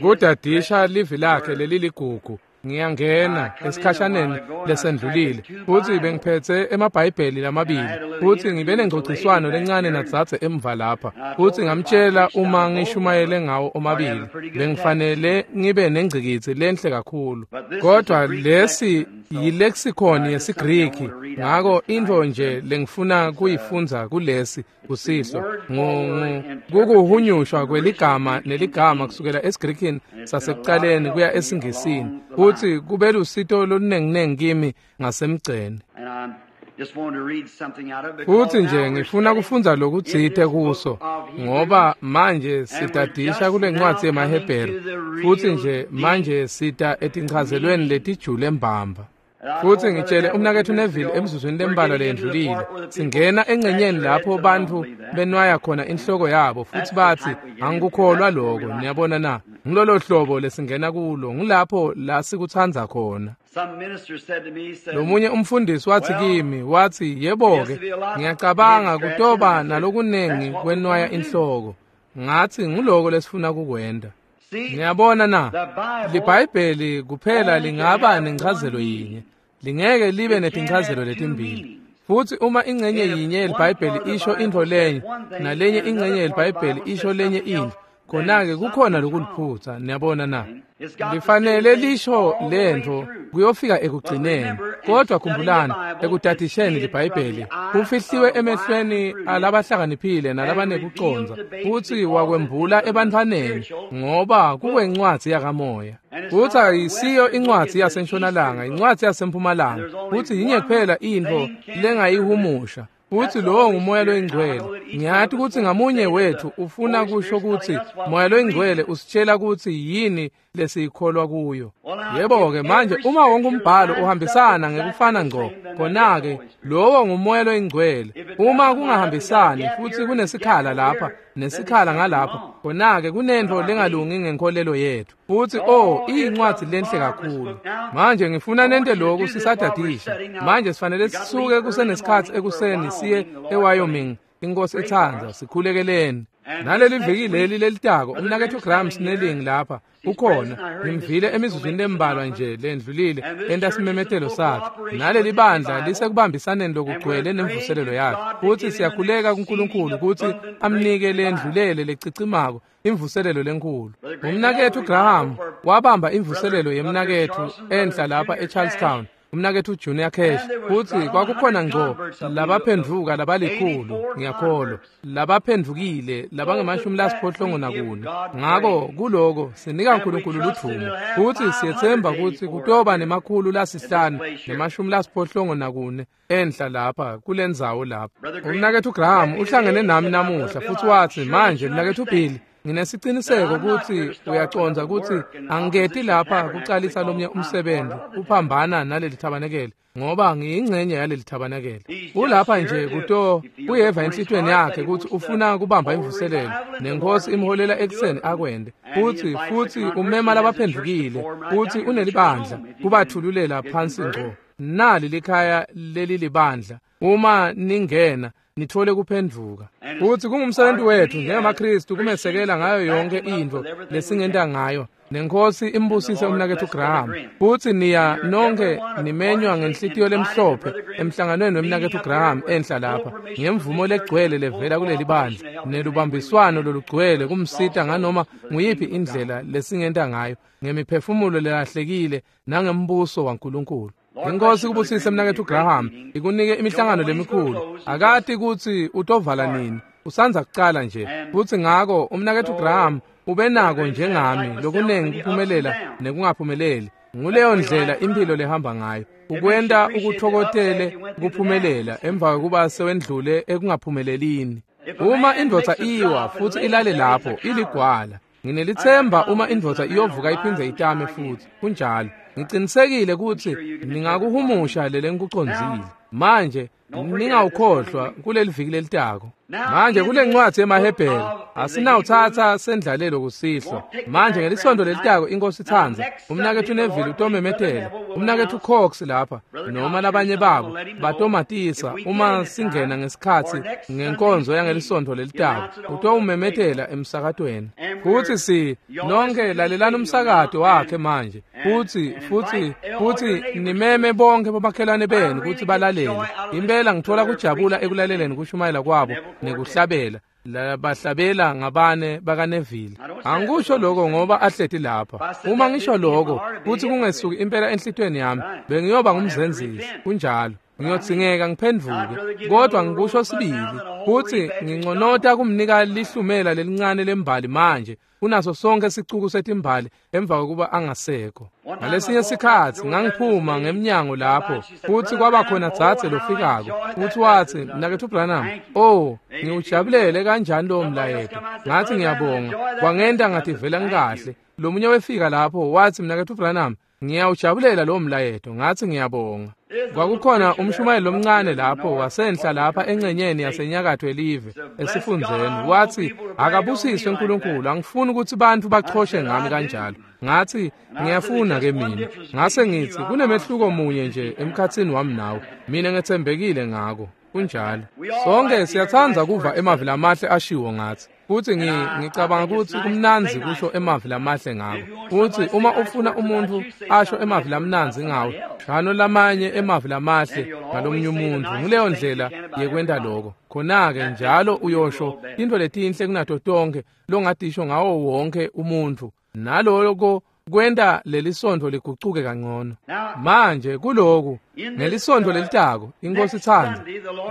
Kudadisha livi lakhe leliligugu. Ngiyangena esikhashaneni lesendlulile futhi bengiphetse emabhayibheli lamabili futhi ngibe nengcogciswano lencane nadzadze emva lapha futhi ngamtshela uma ngishumayele ngawo omabili bengifanele ngibe nengcikitsi lenhle kakhulu, kodwa lesi yilexicon yesiGriki, ngako intfo nje lengifuna kuyifundza kulesi kusihlwa kukuhunyushwa kweligama neligama kusukela esiGrikini sasekucaleni kuya esiNgisini, futhi kube lusito olunenginengi kimi ngasemgceni. Futhi nje ngifuna kufundza lokutsite kuso, ngoba manje sitadisha kule ncwadzi yemaHebheru, futhi nje manje sita etinchazelweni letijule mbamba. Futhi ngitshele umnaketfu Neville emzuzwini lembalwa leyendlulile, singena engcenyeni lapho bantfu benwaya khona inhloko yabo futhi bathi angikukholwa lokho. Niyabona na? Ngilolo hlobo lesingena kulo, ngilapho la sikutsandza khona. Lomunye umfundisi wathi kimi, wathi, yebo-ke, ngiyacabanga kutoba nalokunengi kwenwaya inhloko. Ngathi ngiloko lesifuna kukwenta. Niyabona na? LiBhayibheli kuphela lingaba nenchazelo yinye, lingeke libe netinchazelo letimbili. Futhi uma ingcenye yinye yeliBhayibheli isho intfo lenye, nalenye ingcenye yeliBhayibheli isho lenye intfo, khona-ke kukhona lokuliphutsa. Niyabona na? Lifanele lisho lentfo kuyofika ekugcineni. Kodwa khumbulani, ekutadisheni liBhayibheli kufihliwe emehlweni alabahlakaniphile nalabanekucondza, futhi wakwembula ebantfwaneni, ngoba kukwencwadzi yakamoya. Futhi ayisiyo incwadzi yasentshonalanga, incwadzi yasempumalanga, futhi yinye kuphela intfo lengayihumusha, futhi lowo ngumoya loyingcwele. Ngiyati kutsi ngamunye wethu ufuna kusho kutsi moya loyingcwele usitshela kutsi yini lesiyikholwa kuyo. Yebo-ke, manje uma wonke umbhalo uhambisana ngekufana ngco, khona-ke lowo ngumoya loyingcwele. Uma kungahambisani futhi kunesikhala lapha nesikhala ngalapha, khona-ke kunentfo lengalungi ngenkolelo yethu. Futhi oh, iyincwadzi lenhle kakhulu. Manje ngifuna nente lokhu sisadadisha. Manje sifanele sisuke kusenesikhatsi ekuseni siye eWyoming, inkosi etsandza, sikhulekeleni. Naleli viki leli lelitako, umnaketfu Graham Snelling lapha ukhona, ngimvile emizuzwini lembalwa nje lendlulile enta simemetelo sakhe. Naleli bandla lisekubambisaneni lokugcwele nemvuselelo yakhe, futhi siyakhuleka kuNkulunkulu kutsi amnike lendlulele lecicimako imvuselelo lenkhulu. Umnaketfu Graham wabamba imvuselelo yemnaketfu enhla lapha eCharlestown, umnaketfu Junior Cash, futhi kwakukhona ngco labaphendvuka labalikhulu, ngiyakholwa labaphendvukile labange-84. Ngako kuloko sinika uNkulunkulu ludvumo, futhi siyetsemba kutsi kutoba 584 enhla lapha kulendzawo lapha. Umnaketfu Graham uhlangene nami namuhla futhi watsi, manje mnaketfu Bill, nginesiciniseko kutsi uyacondza kutsi angiketi lapha kucalisa lomnye umsebenzi uphambana naleli thabanekele, ngoba ngiyingcenye yaleli thabanekele. Ulapha nje kuto kuyeva enhlitiyweni yakhe kutsi ufuna kubamba imvuselelo, nenkosi imholela ekuseni akwente. Futhi umema labaphendvukile, futhi unelibandla kubathululela phansi ngco. Nali likhaya leli libandla, uma ningena nithole kuphendvuka. Futhi kungumsebenzi wethu njengamaKristu kumesekela ngayo yonke intfo lesingenta ngayo. Nenkosi imbusise umnaketfu Graham. Futhi niya nonke nimenywa ngenhlitiyo lemhlophe emhlanganweni wemnaketfu Graham enhla lapha, ngemvumo legcwele levela kuleli bandla nelubambiswano lolugcwele kumsita nganoma nguyiphi indlela lesingenta ngayo, ngemiphefumulo lelahlekile nangembuso waNkulunkulu. Inkosi kubusise mnaketfu Graham, ikunike imihlangano lemikhulu. Akati kutsi utovala nini, usandza kucala nje. Futhi ngako umnaketfu Graham ubenako njengami lokunengi kuphumelela nekungaphumeleli. Nguleyo ndlela impilo lehamba ngayo, ukwenta ukuthokotele kuphumelela emva kokuba sewendlule ekungaphumelelini. Uma indvodza iwa futhi ilale lapho iligwala, nginelithemba uma indvodza iyovuka iphindze itame futhi. Kunjalo. Ngicinisekile kutsi ningakuhumusha lelengikucondzile. Manje Ningawukhohlwa kuleli viki lelitako. Manje kule ncwadi yemaHebheru asinawuthatha sendlalelo kusihlwa. Manje ngelisonto lelitako inkosi itsandza umnaketfu Neville utomemetela, umnaketfu Cox lapha noma labanye babo batomatisa uma singena ngesikhatsi ngenkonzo yangelisonto lelitako utowumemetela emsakatweni. Futsi si nonke lalelani umsakato wakhe manje. Futhi nimeme bonke bomakhelwane benu kutsi balalele. Impela ngithola kujabula ekulaleleni kushumayela kwabo nekuhlabela. Labahlabela ngabane bakaNeville. Angikusho lokho ngoba ahleti lapha. Uma ngisho lokho kuthi kungesuki impela enhlitweni yami, bengiyoba ngumzenzisi. Kunjalo. Ngiyodzingeka ngiphendvuke, kodwa ngikusho sibili kutsi nginconota kumnika lihlumela lelincane lembali manje kunaso sonke sicuku setimbali emva kokuba angasekho. Ngalesinye sikhatsi ngangiphuma ngemnyango lapho futhi kwaba khona dzadze lofikako futhi watsi, "Mnaketfu Branham, oh, ngiwujabulele kanjani lowo mlayeto." Ngathi ngiyabonga, kwangenta ngativela ngikahle. Lomunye wefika lapho wathi, "Mnaketfu Branham, ngiyawujabulela lowo mlayeto." Ngathi ngiyabonga. Kwakukhona umshumayeli lomncane lapho wasenhla lapha engcenyeni yasenyakatho elive esifundzeni. Wathi, "Akabusiswe uNkulunkulu, angifuni ukuthi bantfu bachoshe ngami kanjalo." Ngathi ngiyafuna ke mina. Ngase ngithi kunemehluko munye nje emkhatsini wami nawe, mina ngetsembekile ngako. Kunjalo. Sonke siyatsandza kuva emavi lamahle ashiwo ngathi. Futhi ngicabanga ukuthi kumnandzi kusho emavi lamahle ngako. Futhi uma ufuna umuntu asho emavi lamnandzi ngawe, shano lamanye emavi lamahle ngalomunye umuntu. Nguleyo ndlela yekwenta lokho. Khona-ke njalo uyosho intfo letinhle kunato tonkhe longatisho ngawo wonke umuntfu. Naloko kwenta lelisontfo ligucuke kangcono. Manje kuloku ngelisonto lelitako inkosi itsandza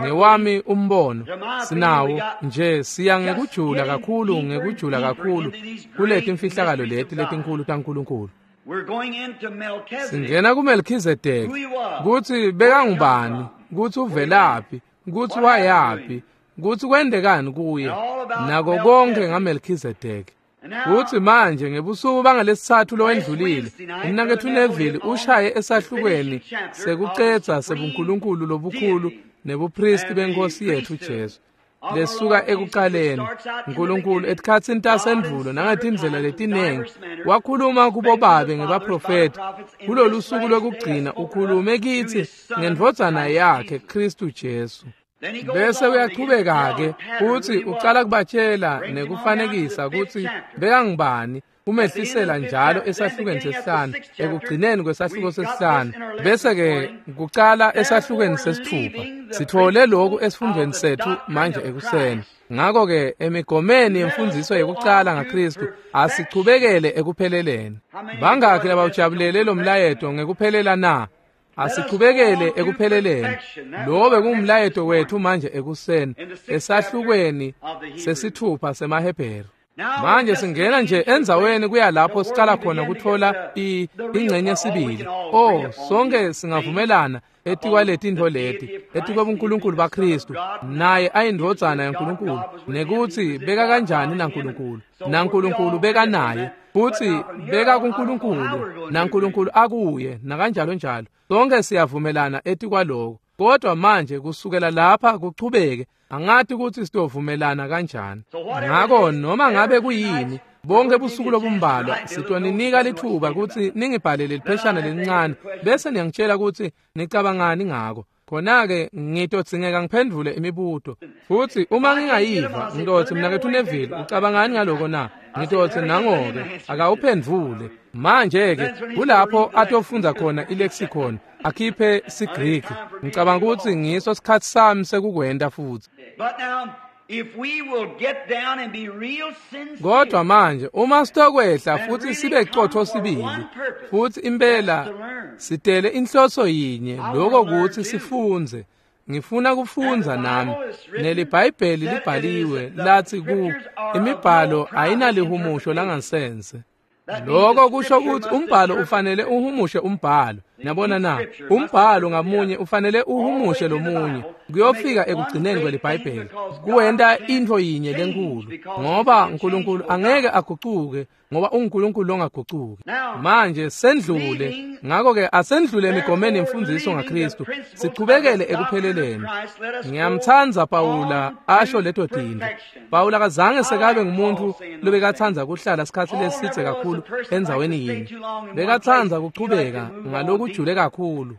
ngewami umbono sinawo nje siya ngekujula kakhulu ngekujula kakhulu kuleti mfihlakalo leti letinkulu taNkulunkulu. Singena kuMelkhizedeki kutsi bekangubani, kutsi uvelaphi, kutsi wayaphi, kutsi kwendekani kuye, nako konke ngaMelkhizedeki. Kutsi manje ngebusuku bangalesithathu lowendlulile umnaketfu Neville ushaye esahlukweni sekucedza sebuNkulunkulu lobukhulu nebupristi benkosi yetfu Jesu lesuka ekuqaleni. uNkulunkulu etikhatsini tasendvulo nangetindlela letinengi wakhuluma kubobabe ngebaprofeti. Kulolu suku lokugcina ukhulume kitsi ngendvodzana yakhe Kristu Jesu. Bese uyachubeka-ke futsi ucala kubatshela nekufanekisa kutsi bekangubani, umehlisela njalo esahlukweni sesihlanu, ekugcineni kwesahluko sesihlanu, bese-ke kucala esahlukweni sesithupha. Sitfole lokhu esifundweni setfu manje ekuseni. Ngakho-ke emigomeni yemfundziso yekucala ngaKristu asichubekele ekupheleleni. Bangakhi labawujabulele lo mlayeto ngekuphelela na? Asichubekele ekupheleleni. Lo bekungumlayeto wethu manje ekuseni esahlukweni sesithupha semaHebheru. Manje singena nje endzaweni kuya lapho siqala khona kutfola ingcenye sibili. Oh, sonke singavumelana etikwaleti leti, etikwebuNkulunkulu baKristu, naye ayindvodzana yaNkulunkulu, nekutsi beka kanjani naNkulunkulu, naNkulunkulu beka naye, futsi beka kuNkulunkulu, naNkulunkulu akuye, nakanjalo njalo. Sonke siyavumelana etikwaloko. Kodwa manje kusukela lapha kuchubeke, angati kutsi sitovumelana kanjani. Ngako noma ngabe kuyini, bonke busuku lobumbalwa sitoninika lithuba kutsi ningibhalele lipheshana lelincane bese niyangitshela kutsi nicabangani ngako. Khona-ke ngitodzingeka ngiphendvule imibuto. Futsi uma ngingayiva, ngitotsi mnaketfu Neville, ucabangani ngaloko na? Ngitotsi nango-ke akawuphendvule. Manje-ke kulapho atofundza khona ilexicon, akhiphe siGriki. Ngicabanga kutsi ngiso sikhatsi sami sekukwenta futsi. Kodwa manje uma sitokwehla futhi sibe qotho sibili, futhi impela sitele inhloso yinye, lokho kutsi sifundze. Ngifuna kufundza nami. NeliBhayibheli libhaliwe lathi ku imibhalo ayinalihumusho langansense. Lokho kusho ukuthi umbhalo ufanele uhumushe umbhalo. Niyabona na? Umbhalo ngamunye ufanele uhumushe lomunye kuyofika ekugcineni kweliBhayibheli, kuwenta intfo yinye lenkulu, ngoba uNkulunkulu angeke agucuke, ngoba unguNkulunkulu longagucuki. Manje sendlule, ngakho-ke asendlule emigomeni yemfundziso ngaKristu, sichubekele ekupheleleni. Ngiyamtsandza Pawula asho leto tintfo. Pawula akazange sekabe ngumuntu lobekatsandza kuhlala sikhatsi lesidze kakhulu endzaweni yinye. Bekatsandza kuchubeka ngalokujule kakhulu.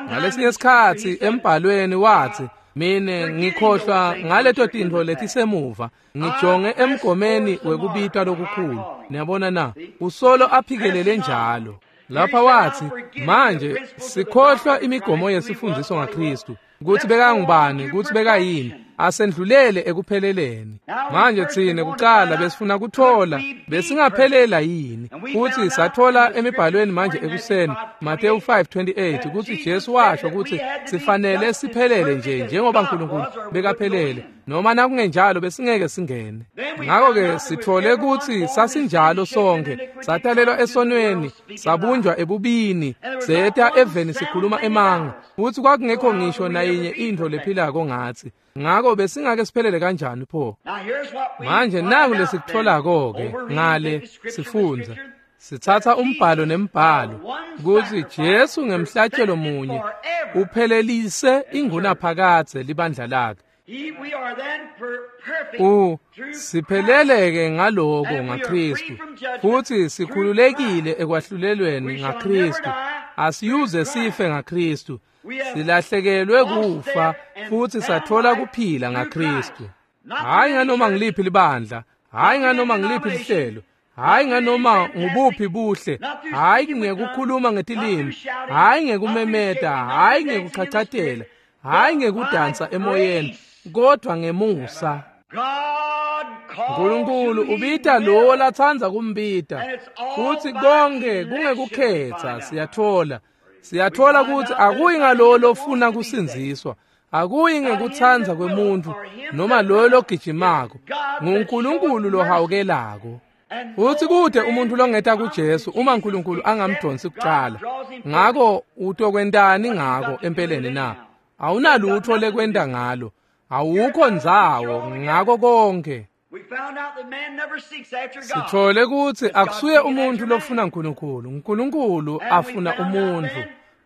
Ngalesinye isikhatsi embhalweni wathi, mine ngikhohlwa ngaleto tintfo letisemuva, ngijonge emgomeni wekubitwa lokukhulu. Niyabona na? Usolo aphikelele njalo. Lapha wathi, manje sikhohlwa imigomo yesifundziso ngaKristu, kutsi bekangubani, kutsi bekayini, asendlulele ekupheleleni. Manje tsine kucala besifuna kuthola besingaphelela yini, futsi sathola emibhalweni manje ekuseni Mateyu 5:28 kutsi Jesu washo kutsi sifanele siphelele nje njengoba uNkulunkulu bekaphelele, noma nakungenjalo besingeke singene. Ngakho-ke sithole kutsi sasinjalo sonke, satalelwa esonweni, sabunjwa ebubini, seta eveni sikhuluma emanga, futsi kwakungekho ngisho nayinye intfo lephilako ngatsi. Ngakho besingake siphelele kanjani pho? Manje naku lesikutholako-ke ngale sifundza, sitsatsa umbhalo nembhalo kutsi Jesu ngemhlatshelo munye uphelelise ingunaphakadze libandla lakhe. Sipheleleke ngaloko ngaKristu, futsi sikhululekile ekwahlulelweni ngaKristu. Asiyuze sife ngaKristu, silahlekelwe kufa futsi sathola kuphila ngaKristu. Hhayi nganoma ngiliphi libandla, hhayi nganoma ngiliphi lihlelo, hhayi nganoma ngubuphi buhle, hhayi ngekukhuluma ngetilimi, hhayi ngekumemeta, hhayi ngekuchachatela, hhayi ngekudansa emoyeni, kodwa ngemusa. Nkulunkulu ubita lowo latsandza kumbita, futsi konke kungekukhetsa. Siyathola kutsi akuyi ngalowo lofuna kusindziswa, akuyi ngekutsandza kwemuntfu noma loyo logijimako, nguNkulunkulu lohawukelako. Futsi kute umuntfu longeta kuJesu uma uNkulunkulu angamdonsi kucala. Ngako utokwentani ngako empeleni na? Awunalutho lekwenta ngalo, awukho ndzawo ngako konke. Sithole kutsi akusuye umuntfu lofuna uNkulunkulu, uNkulunkulu afuna umuntfu.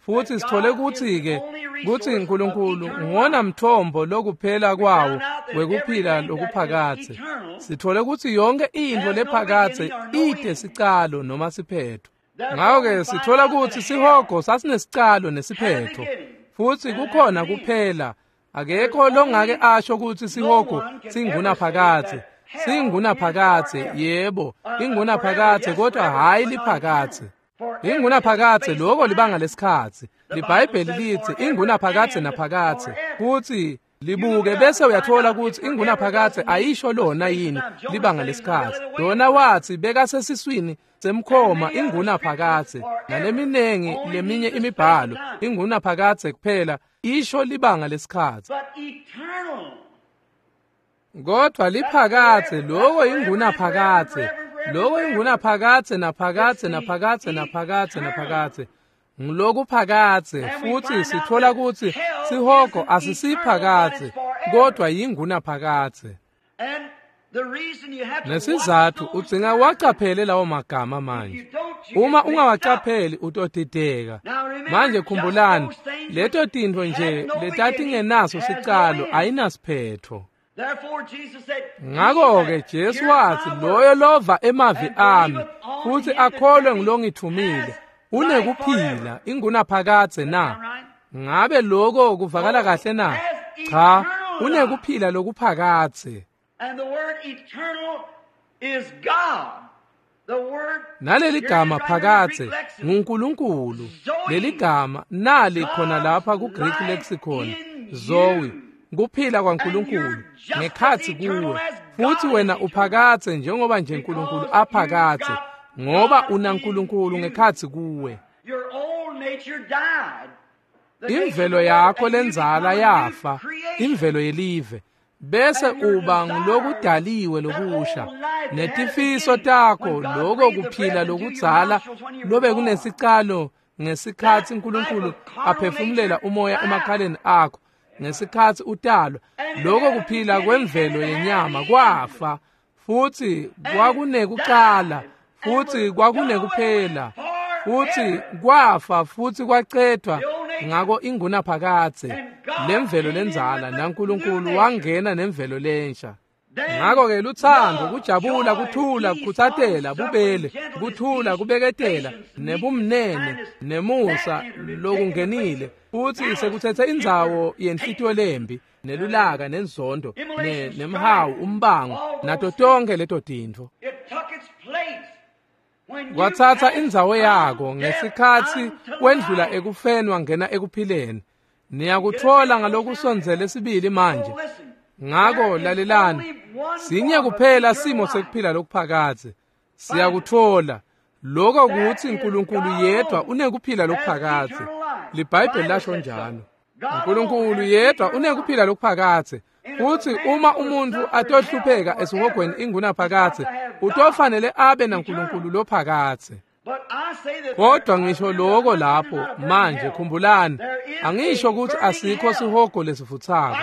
Futsi sithole kutsi-ke kutsi uNkulunkulu nguwona mthombo lokuphela kwawo wekuphila lokuphakadze. Sithole kutsi yonke intfo lephakadze ite sicalo noma siphetho. Ngakho-ke sithola kutsi sihogo sasinesicalo nesiphetho, futsi kukhona kuphela. Akekho longake asho kutsi sihogo singunaphakadze. Singunaphakadze, yebo, ingunaphakadze, kodwa hhayi liphakadze. Ingunaphakadze loko libanga lesikhatsi. LiBhayibheli litsi ingunaphakadze naphakadze. Futsi libuke bese uyathola kutsi ingunaphakadze ayisho lona yini libanga lesikhatsi. Lona watsi bekasesiswini semkhoma ingunaphakadze, naleminengi leminye imibhalo ingunaphakadze kuphela isho libanga lesikhatsi. Kodwa liphakadze loko ingunaphakadze, loko ingunaphakadze naphakadze naphakadze naphakadze naphakadze. Ngulokuphakadze, futsi sithola kutsi sihogo asisiphakadze kodwa yingunaphakadze. Nesizathu udzinga wacaphele lawo magama manje. Uma ungawacapheli utodideka. Manje khumbulani, leto tintfo nje letatingenaso sicalo ayinasiphetho. Ngakho-ke Jesu watsi, loyo lova emavi ami futsi akholwe ngulongithumile unekuphila ingunaphakadze na? Ngabe lokho kuvakala kahle na? Cha, unekuphila lokuphakadze. Naleli gama phakadze nguNkulunkulu. Leli gama nali khona lapha ku-Greek lexicon, Zoe, kuphila kwaNkulunkulu ngekhatsi kuwe, futsi wena uphakadze njengoba nje uNkulunkulu aphakadze, ngoba unaNkulunkulu ngekhatsi kuwe. Imvelo yakho lenzala yafa, imvelo yelive, Bese uba ngulokudaliwe lokusha netifiso takho, lokho kuphila lokudzala lobe kunesicalo ngesikhatsi uNkulunkulu aphefumulela umoya emakhaleni akho ngesikhatsi utalwa, lokho kuphila kwemvelo yenyama kwafa, futsi kwakunekucala, futsi kwakunekuphela, futsi kwafa futsi kwacedvwa ngako ingunaphakadze lemvelo lendzala, naNkulunkulu wangena nemvelo lensha. Ngakho-ke luthando, kujabula, kuthula, kukhutsatela, bubele, kuthula, kubeketela, nebumnene, nemusa lokungenile, futsi sekutsetse indzawo yenhlitiyo lembi, nelulaka, nenzondo, nemhawu, umbango, nato tonke leto tintfo. Kwatsatsa indzawo yako ngesikhatsi wendlula ekufeni wangena ekuphileni. Niyakutfola ngalokusondzele sibili manje. Ngako lalelani, sinye kuphela simo sekuphila lokuphakadze. Siyakutfola lokho kutsi uNkulunkulu yedwa unekuphila lokuphakadze. LiBhayibheli lasho njalo. uNkulunkulu yedwa unekuphila lokuphakadze. Futsi uma umuntfu atohlupheka esihogweni ingunaphakadze, utofanele abe naNkulunkulu lophakadze. Kodwa ngisho lokho lapho manje, khumbulani, angisho ukuthi asikho sihogo lesivutsako.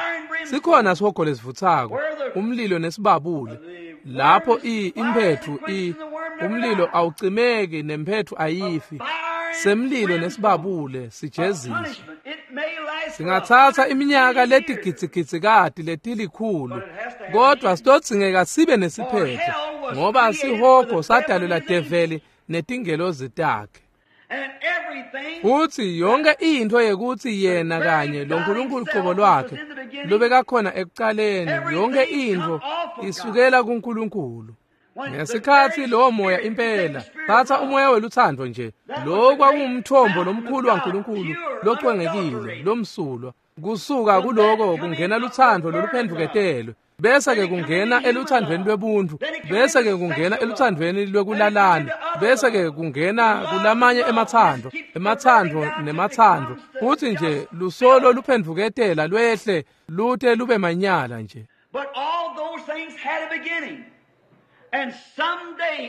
Sikhona sihogo lesivutsako, umlilo nesibabule. Lapho imphethu umlilo awucimeki nemphethu ayifi. Semlilo nesibabule sijeziswa. Singatsatsa iminyaka letigidzigidzi letilikhulu, kodwa sitodzingeka sibe nesiphetho, ngoba sihogo sadalelwa develi netingelozi takhe. Futsi yonke intfo yekutsi yena kanye lo Nkulunkulu qobo lwakhe lobekakhona ekucaleni, yonke intfo isukela kuNkulunkulu. Ngesikhatsi lowo moya impela, tsatsa umoya welutsandvo nje, lo kwakungumthombo lomkhulu waNkulunkulu locwengekile, lomsulwa. Kusuka kuloko kungena lutsandvo loluphendvuketelwe, bese ke kungena eluthandweni lwebuntu, bese ke kungena eluthandweni lwekulalana, bese ke kungena kulamanye emathando, emathando nemathando, futsi nje lusolo luphendvuketela lwehle lute lube manyala nje.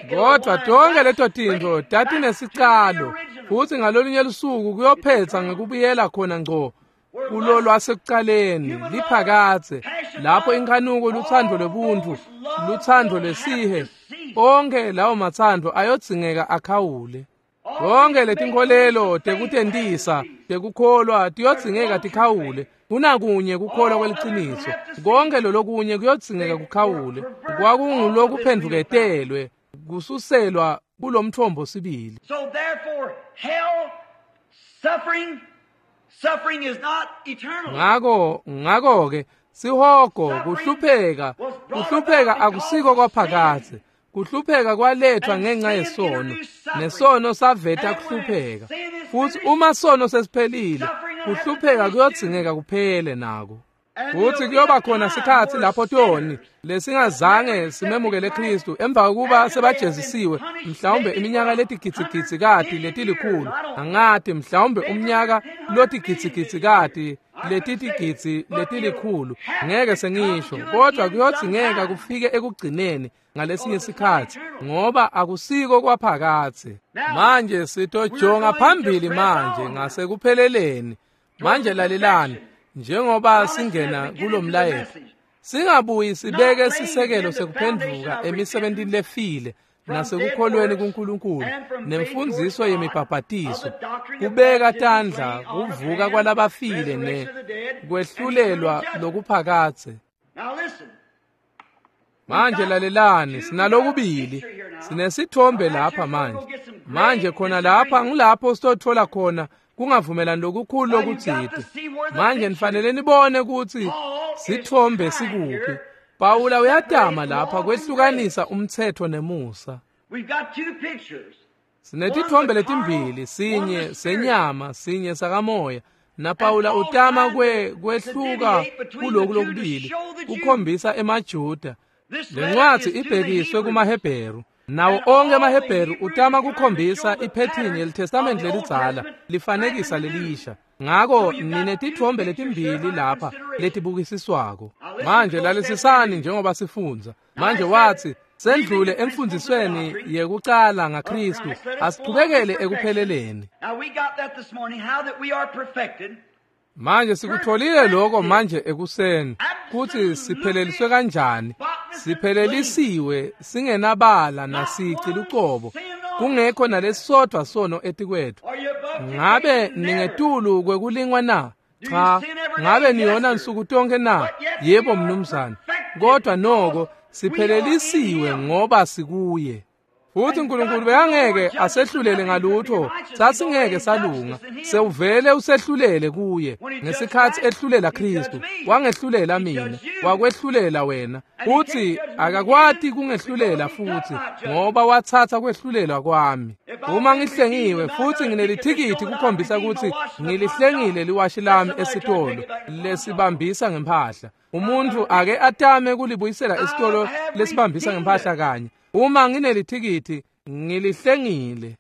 Kodwa tonke leto tintfo tatinesicalo, futsi ngalolunye lusuku kuyophetsa ngekubuyela khona ngco kulo lwasekucaleni liphakadze, lapho inkhanuko, lutsandvo lwebuntu, lutsandvo lwesihe, onke lawo matsandvo ayodzingeka akhawule. Tonke letinkholelo tekutentisa, tekukholwa tiyodzingeka tikhawule. Kunakunye kukholwa kweliciniso, konke lolokunye kuyodzingeka kukhawule. Kwakungulokuphendvuketelwe kususelwa kulomthombo sibili. Ngako-ke sihogo, kuhlupheka, kuhlupheka akusiko kwaphakadze. Kuhlupheka kwalethwa ngenxa yesono, nesono saveta kuhlupheka. Futsi uma sono sesiphelile, kuhlupheka kuyodzingeka kuphele nako. Futsi kuyoba khona sikhatsi lapho toni lesingazange simemukele Kristu emva kokuba sebajezisiwe, mhlawumbe iminyaka letigidzigidzikati letilikhulu, angati, mhlawumbe umnyaka lotigidzigidzikati letitigidzi letilikhulu, ngeke sengisho, kodwa kuyodzingeka kufike ekugcineni ngalesinye sikhatsi, ngoba akusiko kwaphakadze. Manje sitojonga phambili manje ngasekupheleleni. Manje lalelani, njengoba singena kulomlayeto, singabuyi sibeke sisekelo sekuphendvuka emisebentini lefile nasekukholweni kuNkulunkulu nemfundziso yemibhabhatiso, kubeka tandla, kuvuka kwalabafile ne kwehlulelwa lokuphakadze. Manje lalelani, sinalokubili, sinesithombe lapha manje. Manje khona lapha ngilapho sitothola khona kungavumelani lokukhulu lokutsite. Manje nifanele nibone kutsi sithombe sikuphi. Pawula uyatama lapha kwehlukanisa umtsetfo nemusa. Sinetithombe letimbili, sinye senyama, sinye sakamoya. NaPawula utama kwehluka kuloku lokubili, kukhombisa emaJuda. Lencwadzi ibhekiswe kumaHebheru. Nawo onke emaHebheru utama kukhombisa iphethini yeliTestamente lelidzala lifanekisa lelisha. Ngako ninetitfombe letimbili lapha letibukisiswako. Manje lalisisani njengoba sifundza. Manje watsi sendlule emfundisweni yekucala ngaKristu, asichubekele ekupheleleni. Manje sikutholile lokho manje ekuseni kutsi sipheleliswe kanjani. Siphelelisiwe singenabala nasici lucobo, kungekho nalesodvwa sono etikwethu. Ngabe ningetulu kwekulingwa na? Cha. Ngabe niyona nsuku tonke na? Yebo mnumzane. Kodwa noko siphelelisiwe ngoba sikuye. Futhi uNkulunkulu bekangeke asehlulele ngalutho, sasingeke salunga. Sewuvele usehlulele kuye ngesikhathi ehlulela Kristu. Wangehlulela mina, wakwehlulela wena. Futhi akakwati kungehlulela futhi ngoba wathatha kwehlulelwa kwami. Uma ngihlengiwe futhi nginelithikithi kukhombisa ukuthi ngilihlengile liwashi lami esitolo lesibambisa ngempahla. Umuntu ake atame kulibuyisela esitolo lesibambisa ngempahla kanye. Uma nginelithikithi ngilihlengile.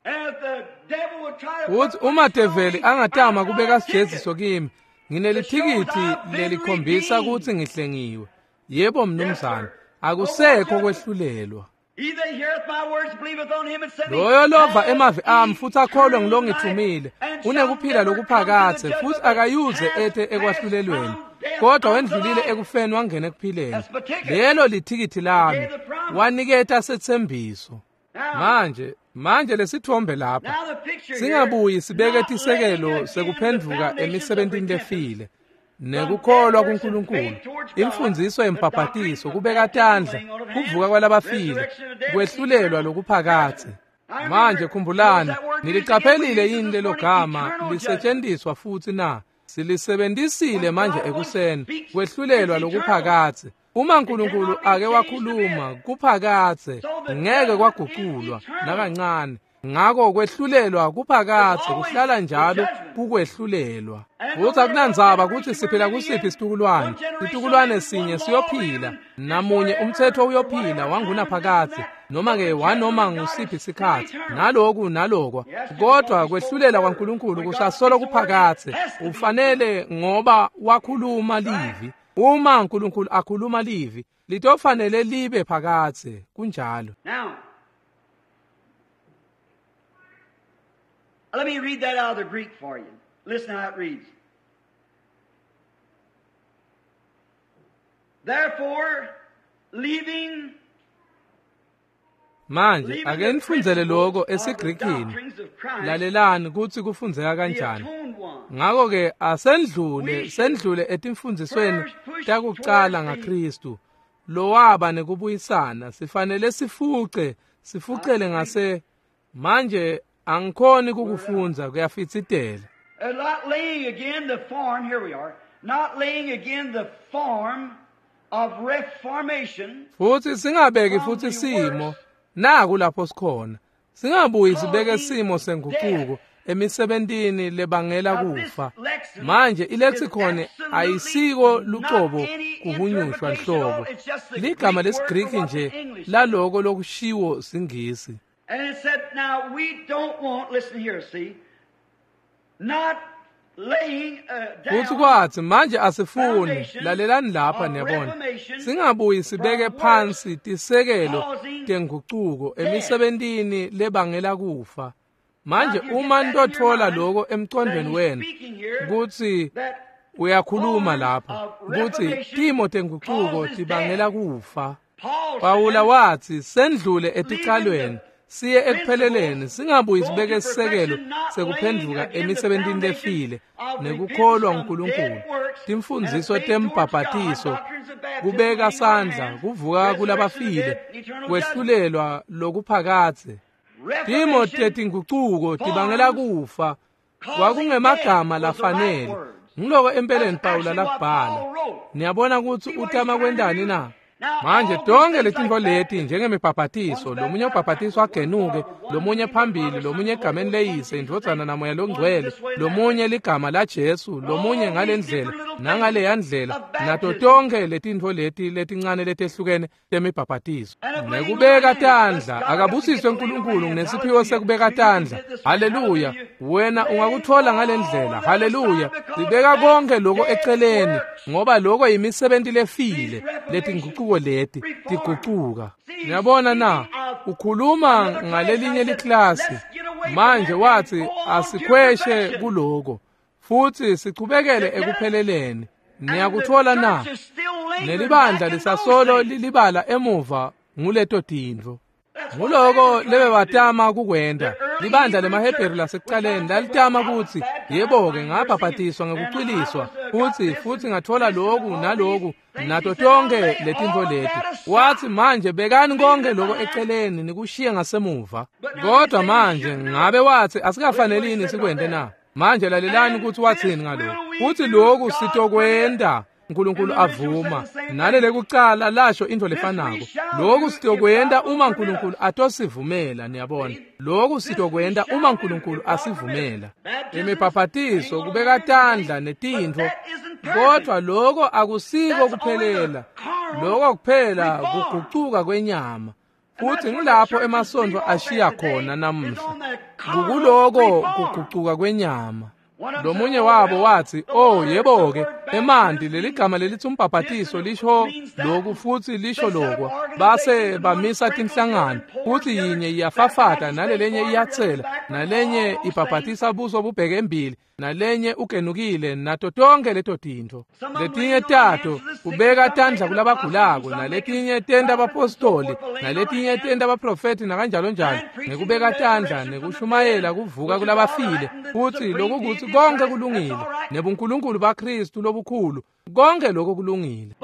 Futhi uma develi angatama kubeka sijeziso kimi, nginelithikithi lelikhombisa ukuthi ngihlengiwe. Yebo mnumzane, akusekho kwehlulelwa. Loyo lova emavi ami futhi akholwe ngilongithumile unekuphila lokuphakathe, futhi akayuze ethe ekwahlulelweni, kodwa wendlulile ekufeni wangena ekuphileni. Lelo lithikithi lami, waniketa sethembiso. Manje lesithombe lapha singabuyi sibeke tisekelo sekuphendvuka emisebentini lefile nekukholwa kuNkulunkulu, imfundiso yembhabhatiso, kubeka tandla, kuvuka kwalabafile, kwehlulelwa lokuphakathe. Manje khumbulani, nilicaphelile yini lelo gama lisetshenziswa futhi na? Silisebenzisile manje ekuseni, kwehlulelwa lokuphakathe. Uma uNkulunkulu ake wakhuluma kuphakathe, ngeke kwaguqulwa nakancane. Ngako kwehlulelwa kuphakathe kuhlala njalo kukwehlulelwa. Futhi akunandzaba ukuthi siphila kusiphi isitukulwane, isitukulwane sinye siyophila, namunye umthetho uyophila wangunaphakathe, noma ke wanoma ngusiphi isikhathi, naloku nalokwa. Kodwa kwehlulela kwaNkulunkulu kusasolo kuphakathe. Ufanele ngoba wakhuluma livi. Uma uNkulunkulu akhuluma livi, litofanele libe phakathe. Kunjalo. Let me read that out of the Greek for you. Listen how it reads. Therefore, leaving Manje ake nifundzele lokho esiGrikini. Lalelani kutsi kufundzeka kanjani. Ngako ke asendlule sendlule etimfundzisweni takucala ngaKristu lowaba nekubuyisana. Sifanele sifuce sifucele ngase. Manje angikhoni kukufundza, kuyafitsitela. Not laying again the form, here we are, not laying again the form of reformation. Futhi singabeki futhi simo, naku lapho sikhona. Singabuyi sibeke simo senguquko emisebentini lebangela kufa. Manje ilexicon ayisiko lucobo kuhunyushwa nhlobo. Ligama lesiGriki nje laloko lokushiwo siNgisi. And it said, now we don't want, listen here, see, not laying down. Futhi kwathi manje asifuni, lalelani lapha niyabona, singabuyi sibeke phansi tisekelo tengucuko emisebentini lebangela kufa. Manje uma nitotfola lokho emcondweni wenu kutsi uyakhuluma lapha kutsi timo tengucuko tibangela kufa. Pawula wathi sendlule eticalweni siye ekupheleleni, singabuyi sibeke sisekelo sekuphendvuka emisebentini lefile nekukholwa uNkulunkulu, timfundziso tembhabhatiso, kubeka sandla, kuvuka kulabafile, kwehlulelwa lokuphakathe. Timo tetingucuko tibangela kufa. Kwakungemagama lafanele. Ngiloko empeleni Pawula lakubhala. Niyabona kutsi utama kwentani na? Manje tonke letintfo leti njengemibhabhatiso, lomunye ubhabhatiso agenuke, lomunye phambili, lomunye egameni leyise, indvodzana namoya longcwele, lomunye ligama laJesu, lomunye ngalendlela nangaleya ndlela, nato tonke letintfo leti letincane letehlukene temibhabhatiso. Nekubeka tandla, akabusiswe uNkulunkulu ngesiphiwo sekubeka tandla. Haleluya, wena ungakuthola ngalendlela. Haleluya, sibeka konke lokho eceleni ngoba lokho yimisebenti lefile, letinguquko leti tigucuka. Niyabona na, ukhuluma ngalelinye liklasi. Manje wathi asikhweshe kuloko futhi sichubekele ekupheleleni. Niyakuthola na? Nelibandla lisasolo lilibala emuva nguleto tintfo. Nguloko lebebatama kukwenta. Libandla lemaHebheru lasekucaleni lalitama kutsi, yebo-ke ngabhabhatiswa ngekucwiliswa, futhi ngathola loku naloku nato tonke letintfo leti. Wathi manje bekani konke loko eceleni nikushiye ngasemuva. Kodwa manje ngabe wathi asikafanelini sikwente na? Manje lalelani ukuthi wathini ngalokho. Uthi lokhu sitokwenta uNkulunkulu avuma. Nalele kucala lasho into lefanako. Lokhu sitokwenta uma uNkulunkulu atosivumela, niyabona. Lokhu sitokwenta uma uNkulunkulu asivumela. Imibhabhatiso kubeka tandla netintfo, kodwa lokho akusiko kuphelela. Lokho kuphela kugucuka kwenyama. Futhi ngilapho emasontfo ashiya khona namuhla. Kukuloko kugucuka kwenyama. Lomunye wabo wathi, oh yebo-ke, emanti leligama lelithi umbhabhatiso lisho lokhu futhi lisho lokwa. Base bamisa tinhlangano, futhi yinye iyafafata nalelenye iyatsela, nalenye ibhabhatisa buso bubheke embili, nalenye ugenukile, nato tonke leto tintfo. Letinye tato kubeka tandla kulabagulako, naletinye tenta abapostoli, naletinye tenta abaprofethi nakanjalo njalo, ngekubeka tandla nekushumayela kuvuka kulabafile. Futhi lokukuthi konke kulungile, nebunkulunkulu baKristu lobukhulu, konke lokho kulungile.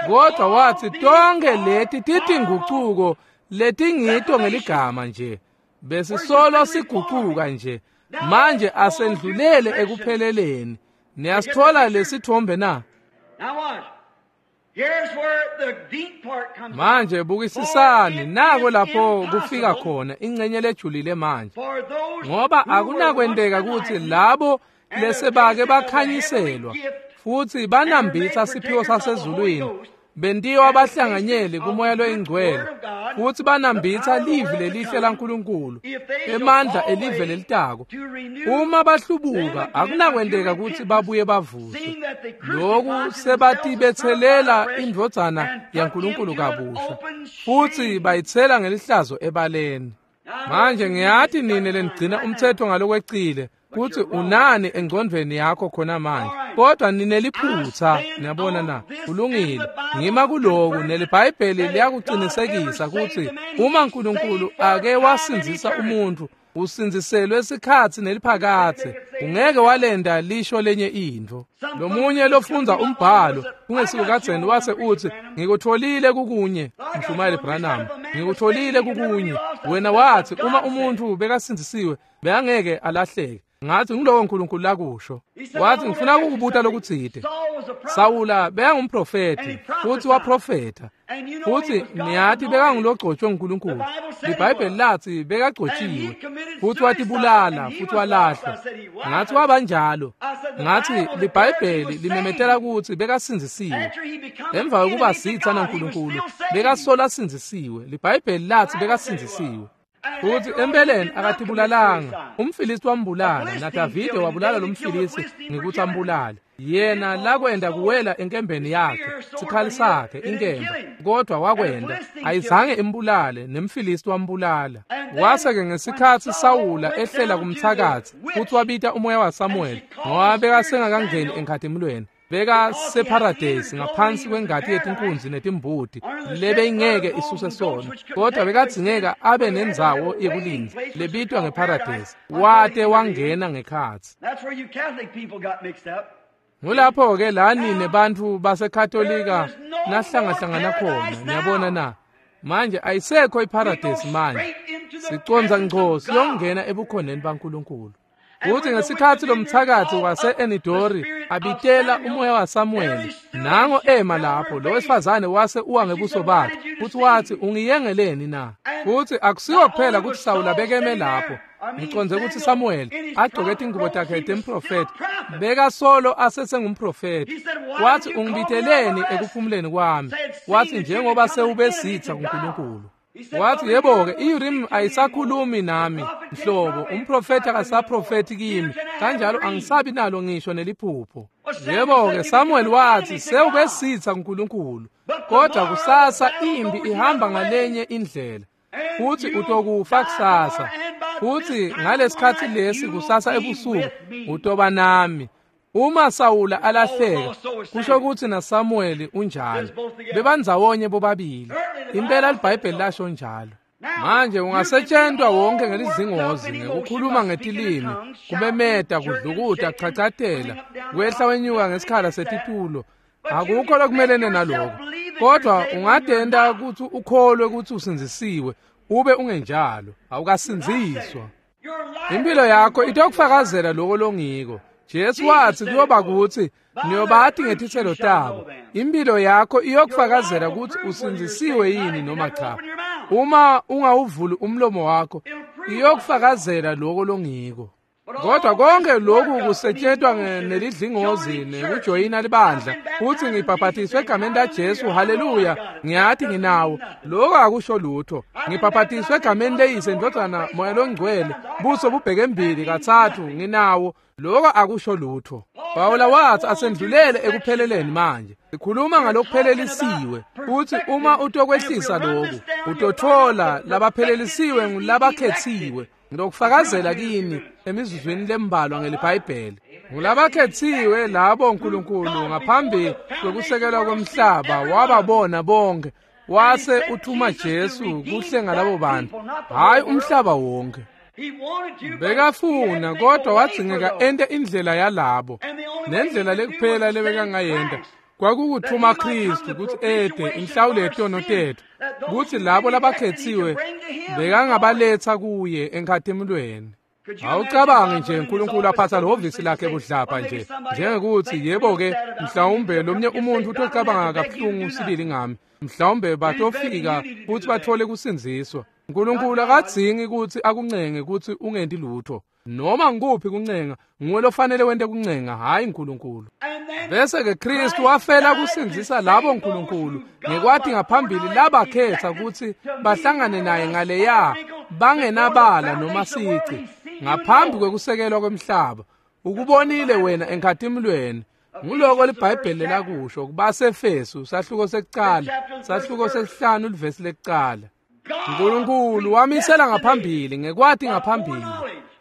Kodwa wathi tonke leti titingucuko letingito ngeligama nje, besisolo sigucuka nje. Manje asendlulele ekupheleleni. Niyasithola lesithombe na? Manje bukisisani nako lapho kufika khona ingcenye lejulile manje, ngoba akunakwenteka ukuthi labo lesebake bakhanyiselwa futhi banambitha siphiwo sasezulwini bentiwa abahlanganyeli kumoya loyingcwele futhi banambitha livi lelihle laNkulunkulu, emandla elive lelitako. Uma bahlubuka akunakwenteka ukuthi babuye bavuswe. Lokhu sebatibethelela indvodzana yaNkulunkulu kabusha futhi bayithela ngelihlazo ebaleni. Manje ngiyati nini lenigcina umthetho ngalokwecile kuthi unani engcondvweni yakho khona manje, kodwa nineliphutha. Niyabona na? Kulungile, ngima kuloku, neliBhayibheli liyakuqinisekisa ukuthi uma uNkulunkulu ake wasindzisa umuntu, usindziselwe isikhatsi neliphakathe, ungeke walenda lisho lenye intfo. Lomunye lofundza umbhalo kungesiko kadzeni wase uthi, ngikutholile kukunye, Mshumayeli Branham, ngikutholile kukunye. Wena wathi uma umuntu bekasindzisiwe bekangeke alahleke. Ngathi ngiloko uNkulunkulu lakusho. Wathi ngifuna ukukubuta lokutsite. Sawula bekangumprofethi futhi waprofetha, futhi niyathi bekangulogcotshwe nguNkulunkulu. LiBhayibheli lathi bekagcotshiwe futhi watibulala futhi walahlwa. Ngathi wabanjalo. Ngathi liBhayibheli limemetela ukuthi bekasindzisiwe. Emva kokuba sitha naNkulunkulu bekasola sindzisiwe. LiBhayibheli lathi bekasindzisiwe. Futhi empeleni akatibulalanga. UmFilisti wambulala, naDavide wabulala lo mFilisti ngekuthi ambulale. Yena lakwenda kuwela enkembeni yakhe, sikhali sakhe inkemba, kodwa wakwenda ayizange imbulale, nemFilisti wambulala. Wase-ke ngesikhatsi Sawula ehlela kumthakathi futhi wabita umoya waSamuel, ngoba bekasengakangeni enkhatimulweni, bekaseparadesi ngaphansi kwengati yetinkunzi netimbuti lebeyingeke isuse sona, kodwa bekadzingeka abe nendzawo yekulindza lebitwa ngeparadesi. Wate wangena ngekhatsi. Ngulapho-ke la nine bantfu baseKatolika nahlangahlangana khona. Niyabona na? Manje ayisekho iparadesi manje, sicondza ngco siyongena ebukhoneni baNkulunkulu. Futhi ngesikhathi lomthakathi wase-Enidori abitela umoya waSamuweli, nango ema lapho lo wesifazane wase uwa ngebuso bakhe, futhi wathi, ungiyengeleni na? Futhi akusiwo kuphela ukuthi Sawula bekeme lapho, ngiconze ukuthi Samuweli agcoke tingubo takhe temprofethi, bekasolo asesengumprofethi. Wathi, ungibiteleni ekuphumuleni kwami? Wathi, njengoba sewubesitha kuNkulunkulu. Wathi, yebo-ke, i-Urim ayisakhulumi nami nhlobo, umprofethi akasaprofethi kimi, kanjalo angisabi nalo ngisho neliphupho. Yebo-ke, Samuel wathi, sewubesitha kuNkulunkulu, kodwa kusasa impi ihamba ngalenye indlela, futhi utokufa kusasa, futhi ngalesikhathi lesi kusasa ebusuku utoba nami. Uma Sawula alahleka, kusho ukuthi naSamuweli unjalo. Bebandzawonye bobabili. Impela iBhayibheli lasho njalo. Manje ungasetshentwa wonke ngelizingozi ngekukhuluma ngetilimi, kumemeta, kudlukuta, chachatela, kwehla wenyuka ngesikhala setitulo. Akukho lokumelene naloko. Kodwa ungadenda ukuthi ukholwe ukuthi usindzisiwe, ube ungenjalo, awukasindziswa. Impilo yakho itokufakazela lokho longiko. Jesu wathi kuyoba kuthi niyobathi ngetithelo tabo. Impilo yakho iyokufakazela ukuthi usindzisiwe yini noma cha. Uma ungawuvuli umlomo wakho, iyokufakazela lokho longiko. Kodwa konke lokhu kusetshentwa nelidlingozi nekujoyina libandla, futhi ngibhaphatiswe egameni laJesu, haleluya, ngiyathi nginawo. Lokho akusho lutho. Ngibhaphatiswe egameni leyise, Ndodana, Moya loNgcwele, buso bubheke embili kathathu, nginawo. Lokho akusho lutho. Pawula wathi asendlulele ekupheleleni manje. Sikhuluma ngalokuphelelisiwe, futhi uma utokwehlisa lokhu, utothola labaphelelisiwe ngulabakhethiwe. Ngilokufakazela kini emizuzwini lembalwa ngeliBhayibheli. Ngulabakhethiwe labo uNkulunkulu ngaphambi kokusekelwa komhlaba wababona bonke, wase uthuma Jesu kuhlenga labo bantu, hayi umhlaba wonke. Bekafuna kodwa wadzingeka ente indlela yalabo, nendlela lekuphela lebekangayenta kwakukuthuma Kristu ukuthi ede inhlawulo yetono tethu, kuthi labo labakhethiwe bekangabaletha kuye enkhathimulweni. Awucabangi nje uNkulunkulu aphatha lehhovisi lakhe budlapha nje, njengekuthi yebo-ke mhlawumbe lomnye umuntu utocabanga kabuhlungu sibili ngami, mhlawumbe batofika futhi bathole kusindziswa. uNkulunkulu akadzingi ukuthi akuncenge ukuthi ungenti lutho. Noma ngikuphi kuncenga, nguwe lofanele wente kuncenga, hayi uNkulunkulu. Bese-ke Kristu wafela kusindzisa labo uNkulunkulu ngekwathi ngaphambili labakhetha ukuthi bahlangane naye ngaleya bangenabala noma sici ngaphambi kwekusekelwa kwemhlaba. Ukubonile wena enkhathimulweni. Nguloko liBhayibheli lakusho kubaseEfesu sahluko sekucala, sahluko sesihlanu livesi lekucala. uNkulunkulu wamisela ngaphambili ngekwathi ngaphambili.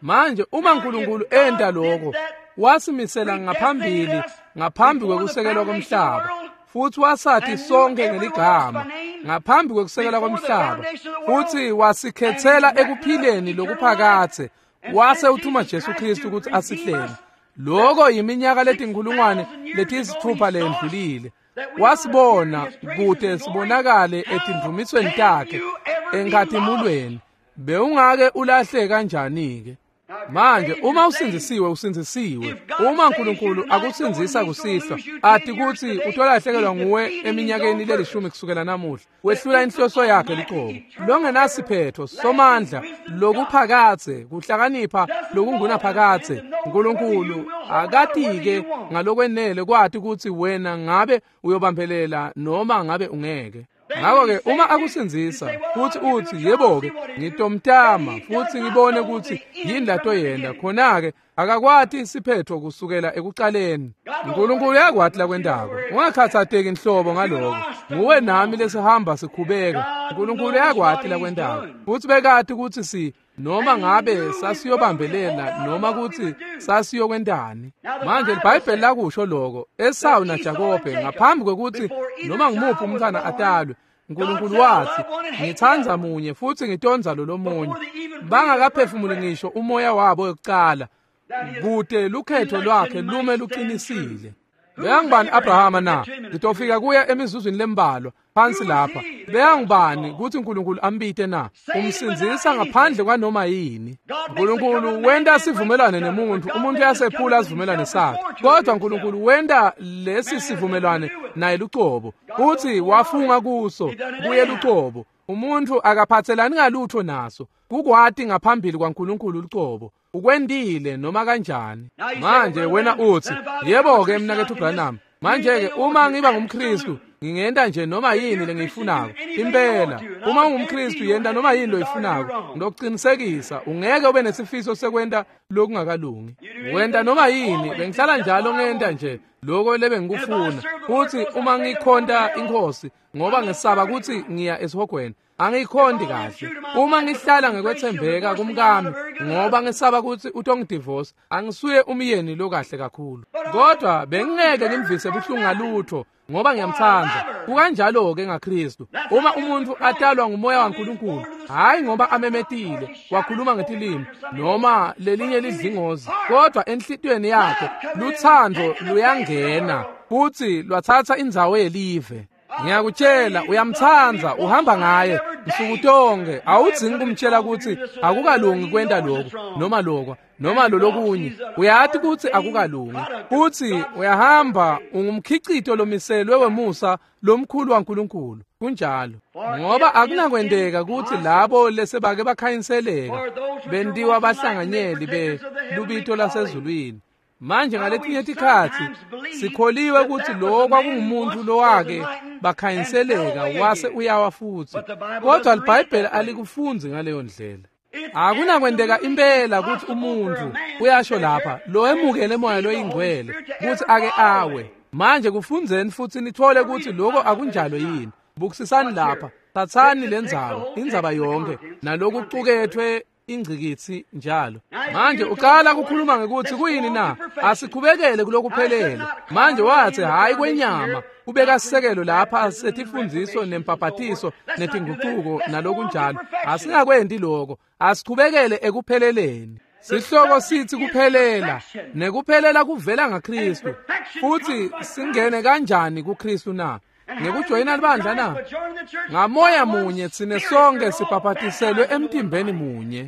Manje uma uNkulunkulu enta lokho, wasimisela ngaphambili ngaphambi kwekusekelwa komhlaba, futhi wasathi sonke ngeligama ngaphambi kwekusekelwa komhlaba, futhi wasikhethela ekuphileni lokuphakathe, wase uthuma Jesu Kristu ukuthi asihlenge. Lokho yiminyaka letinkulungwane letisithupha lendlulile. Wasibona kude sibonakale etindvumisweni takhe enkhathimulweni. Bewungake ulahle kanjani-ke? Manje uma usindzisiwe, usindzisiwe. Uma uNkulunkulu akusindzisa kusihlwa, ati ukuthi utolahlekelwa nguwe eminyakeni lelishumi kusukela namuhla, wehlula inhloso yakhe liqobo. Longenasiphetho somandla lokuphakathe, kuhlakanipha lokungunaphakathe. uNkulunkulu akatike ngalokwenele kwathi ukuthi wena ngabe uyobambelela noma ngabe ungeke. Ngakho-ke uma akusindzisa futhi uthi yebo-ke ngitomtama futhi ngibone ukuthi yini latoyenda, khona-ke akakwati isiphetho kusukela ekucaleni. uNkulunkulu uyakwati lakwentako. Ungakhathateki inhlobo ngaloko. Nguwe nami lesihamba sikhubeka. uNkulunkulu uyakwati lakwentako. Futhi bekati ukuthi si noma ngabe sasiyobambelela noma ukuthi sasiyokwentani. Manje iBhayibheli lakusho lokho Esawu naJakobe ngaphambi kwekuthi noma ngimuphi umntwana atalwe, uNkulunkulu wathi ngithanda munye futhi ngitondza lo lomunye. Bangakaphefumuli ngisho umoya wabo yokucala, kude lukhetho lwakhe lume luqinisile. Bekangubani Abrahama na? Ngitofika kuya emizuzwini lembalwa phansi lapha. Bekangubani kutsi uNkulunkulu ambite na? Umsindzisa ngaphandle kwanoma yini. uNkulunkulu wenta sivumelwane nemuntu, umuntu uyasephula sivumelwane sakhe. Kodwa uNkulunkulu wenta lesi sivumelwane naye lucobo. Uthi wafunga kuso kuye lucobo. Umuntu akaphathelani ngalutho naso. Kukwati ngaphambili kwaNkulunkulu lucobo. Ukwendile noma kanjani. Manje wena uthi, yebo-ke mnaketfu Branham, manje-ke uma ngiba ngumKristu ngingenta nje noma yini lengiyifunako. Impela, uma ungumKristu yenta noma yini loyifunako. Ngiyokuqinisekisa ungeke ube nesifiso sekwenta lokungakalungi. Wenta noma yini, bengihlala njalo ngenta nje lokho lebengikufuna. Futhi uma ngikhonta inkosi ngoba ngesaba kutsi ngiya esihogweni, angikhonti kahle. Uma ngihlala ngekwethembeka kumkami ngoba ngesaba kutsi utongidivorce, angisuye umyeni lokahle kakhulu. Kodwa bengingeke ngimvise buhlungu ngalutho ngoba ngiyamtsandza. Kukanjalo-ke ngaKristu. Uma umuntu atalwa ngumoya waNkulunkulu, hayi ngoba amemetile wakhuluma ngetilimi noma lelinye lidlingozi, kodwa enhlitiyweni yakhe luthando luyangena futhi lwathatha indzawo yelive. Ngiyakutshela, uyamtsandza, uhamba ngaye nsuku tonke. Awudzingi kumtshela kutsi akukalungi kwenta lokhu noma lokwa noma lolokunye. Uyati kutsi akukalungi. Futsi uyahamba ungumkhicito lomiselwe wemusa lomkhulu waNkulunkulu. Kunjalo. Ngoba akunakwenteka kutsi labo lesebake bakhanyiseleka bentiwa bahlanganyeli belubito lasezulwini. Manje ngaletinye tikhatsi sikholiwe kutsi lo kwakungumuntu lowake bakhanyiseleka wase uyawa futsi, kodwa liBhayibheli alikufundzi ngaleyo ndlela. Akunakwenteka impela kutsi umuntu uyasho lapha lo emukele moya loyingcwele kutsi ake awe. Manje kufundzeni futsi nithole kutsi lokho akunjalo yini. Bukisisani lapha, tsatsani lendzaba, indzaba yonke nalokucuketfwe ingcikitsi njalo. Manje uqala kukhuluma ngekutsi kuyini na? Asiqhubekele kulokuphelele. Manje wathi hayi kwenyama, ubeka sisekelo lapha setifundziso nempapatiso netinguquko nalokunjalo. Asingakwenti lokho, asiqhubekele ekupheleleni. Sihloko sithi kuphelela, nekuphelela kuvela ngaKristu. Futhi singene kanjani kuKristu na? Ngekujoyina libandla na? Ngamoya munye tsine sonke sibhabhatiselwe emtimbeni munye.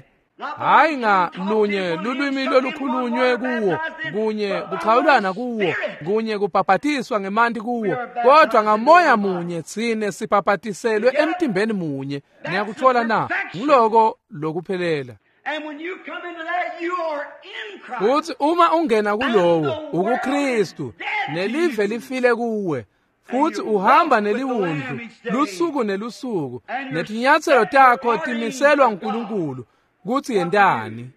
Hayi ngalunye lulwimi lolukhulunywe kuwo, kunye kuchawulana kuwo, kunye kubhabhatiswa ngemanti kuwo, kodwa ngamoya munye tsine sibhabhatiselwe emtimbeni munye. Niyakuthola na? Ngiloko lokuphelela. Futhi uma ungena kulowo ukuKristu, nelive lifile kuwe, futhi uhamba neliwundlu lusuku nelusuku, netinyatselo takho timiselwa nguNkulunkulu kutsi yentani.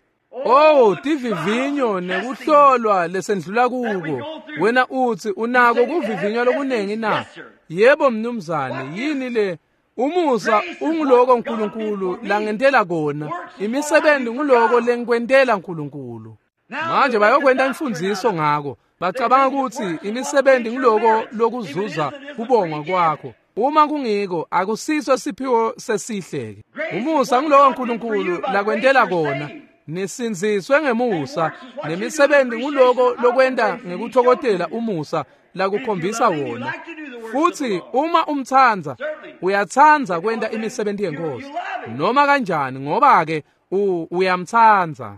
Oh, tivivinyo nekuhlolwa lesendlula kuko. Wena uthi unako kuvivinywa lokunengi na? Yebo mnumzane, yini le? Umusa unguloko uNkulunkulu langentela kona. Imisebenzi nguloko lengikwentela uNkulunkulu. Manje bayokwenta imfundziso ngako. Bacabanga kutsi imisebenzi nguloko lokuzuza kubongwa kwakho. Uma kungiko, akusiso siphiwo sesihle-ke. Umusa nguloko uNkulunkulu lakwentela kona. Nisindziswe ngemusa, nemisebenzi nguloko lokwenta ngekuthokotela umusa lakukhombisa wona. Futhi uma umtsandza, uyatsandza kwenta imisebenzi yenkosi. Noma kanjani, ngoba-ke uyamtsandza.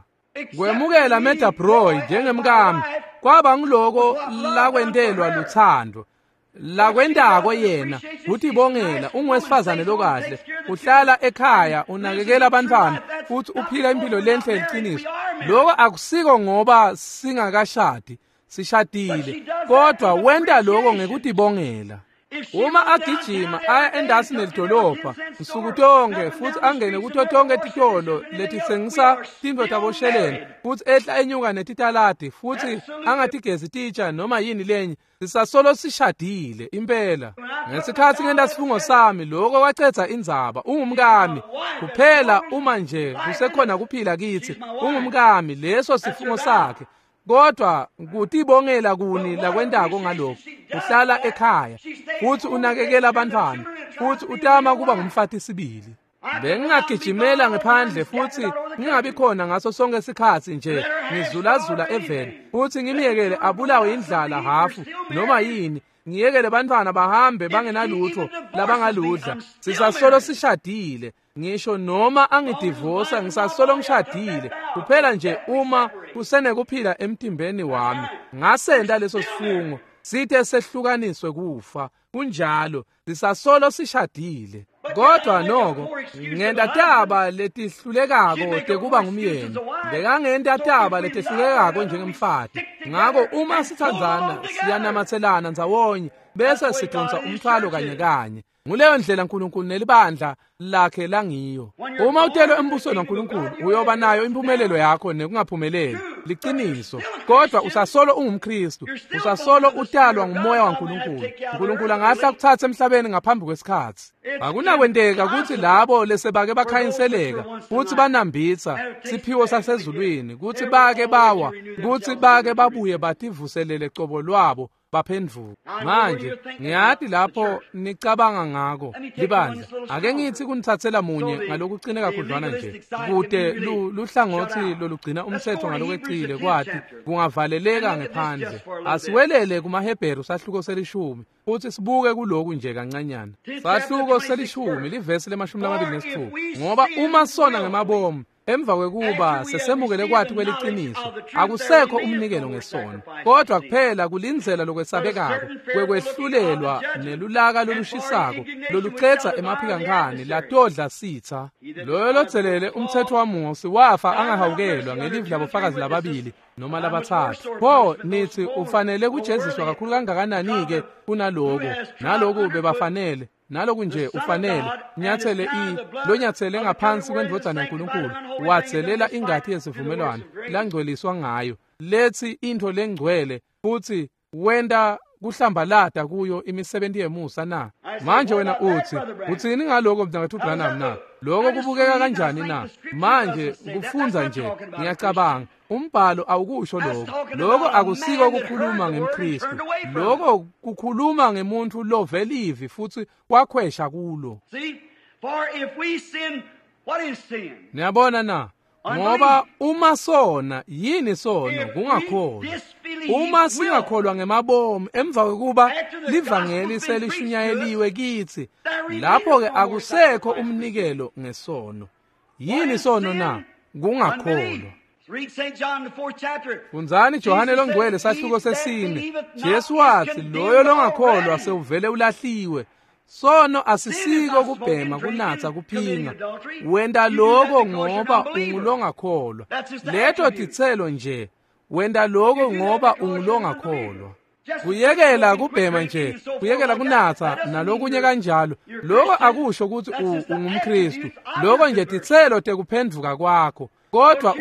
Kwemukela Meda Broy njengemkami kwaba nguloko lakwentelwa luthando. Lakwentako yena kutibongela, ungwesifazane lokahle, uhlala ekhaya, unakekela abantwana futhi uphila impilo lenhle liciniso. Lokho akusiko ngoba singakashadi, sishadile, kodwa wenta lokho ngekutibongela. Uma agijima aya endasi nelidolobha nsuku tonke futhi angene kuto tonke titolo letitsengisa tintfo tabosheleni futhi ehla enyuka netitaladi futhi angatigezi titsha noma yini lenye, sisasolo sishadile impela. Ngesikhatsi ngenta sifungo sami, lokho kwacedza indzaba. Ungumkami kuphela uma nje kusekhona kuphila kitsi. Ungumkami, leso sifungo sakhe. Kodwa kutibongela kuni lakwentako ngalokho. Uhlala ekhaya futhi unakekela abantwana futhi utama kuba ngumfati sibili. Bengingagijimela ngephandle futhi ngingabi khona ngaso sonke isikhathi nje ngizulazula eveni futhi ngimyekele abulawe indlala hafu noma yini, ngiyekele bantwana bahambe bangenalutho labangaludla. Sisasolo sishadile, ngisho noma angidivosa ngisasolo ngishadile, kuphela nje uma kusenekuphila emtimbeni wami. Ngasenda leso sifungo sithe sehlukaniswe kufa. Kunjalo, sisasolo sishadile. Kodwa noko ngenta taba letihlulekako tekuba ngumyeni, bekangenta taba letihlulekako njengemfati. Ngako uma sithandzana siyanamathelana ndzawonye bese sidonsa umthwalo kanye kanye. Nguleyo ndlela uNkulunkulu nelibandla lakhe langiyo. Uma utelwe embusweni waNkulunkulu uyoba nayo impumelelo yakho nekungaphumeleli, liciniso. Kodwa usasolo ungumKristu, usasolo utalwa ngumoya waNkulunkulu. uNkulunkulu angahle akuthathe emhlabeni ngaphambi kwesikhathi. Akunakwenteka ukuthi labo lesebake bakhanyiseleka futhi banambitha siphiwo sasezulwini ukuthi bake bawa, ukuthi bake babuye bativuselele cobo lwabo baphenduka. Manje ngiyati lapho nicabanga ngako libandla, ake ngithi kunithathela munye ngalokucine kakhudlwana nje kude luhlangothi lolugcina umthetho ngalokwecile kwathi kungavaleleka ngephandle. Asiwelele kumaHebheru sahluko 10 futhi sibuke kuloku nje kancanyana. Sahluko 10 livesi le-26, ngoba uma sona ngemabomu emva kwekuba sesemukele kwathi kweliciniso, akusekho umnikelo ngesono, kodwa kuphela kulindzela lokwesabekako kwekwehlulelwa nelulaka lolushisako lolucedza emaphikankani latodla sitha. Loyo lodzelele umthetho waMose wafa angahawukelwa ngelivi labofakazi lababili noma labathathu. Pho nithi ufanele kujeziswa kakhulu kangakanani-ke kunaloko? Naloku bebafanele, naloku nje ufanele nyathele lonyathele ngaphansi kwendvodzana yaNkulunkulu, wadzelela ingati yesivumelwano langcweliswa ngayo, lethi intfo lengcwele, futhi wenta kuhlambalata kuyo imisebenzi yemusa na? Manje wena uthi uthini ngaloko mntakathu Branham na? Lokho kubukeka kanjani na? Manje kufundza nje ngiyacabanga umbhalo awukusho lokho. Lokho akusiko kukhuluma ngemKristu, lokho kukhuluma ngemuntu lovelivi futhi wakhwesha kulo. Niyabona na? Ngoba uma sona, yini sono? Kungakholwa. Uma singakholwa ngemabomu emva kokuba livangeli selishunyayeliwe kithi, lapho ke akusekho umnikelo ngesono. Yini sono na? Kungakholwa. Fundzani Johane longcwele sahluko 4. Jesu wathi loyo longakholwa sewuvele ulahliwe. Sono asisiko kubhema, kunatsa, kuphinga. Wenta lokho ngoba ungulongakholwa. Leto titselo nje, wenta lokho ngoba ungulongakholwa. Kuyekela kubhema nje, kuyekela kunatsa nalokunye kanjalo, lokho akusho ukuthi ungumKristu. Lokho nje titselo tekuphenduka kwakho. Kodwa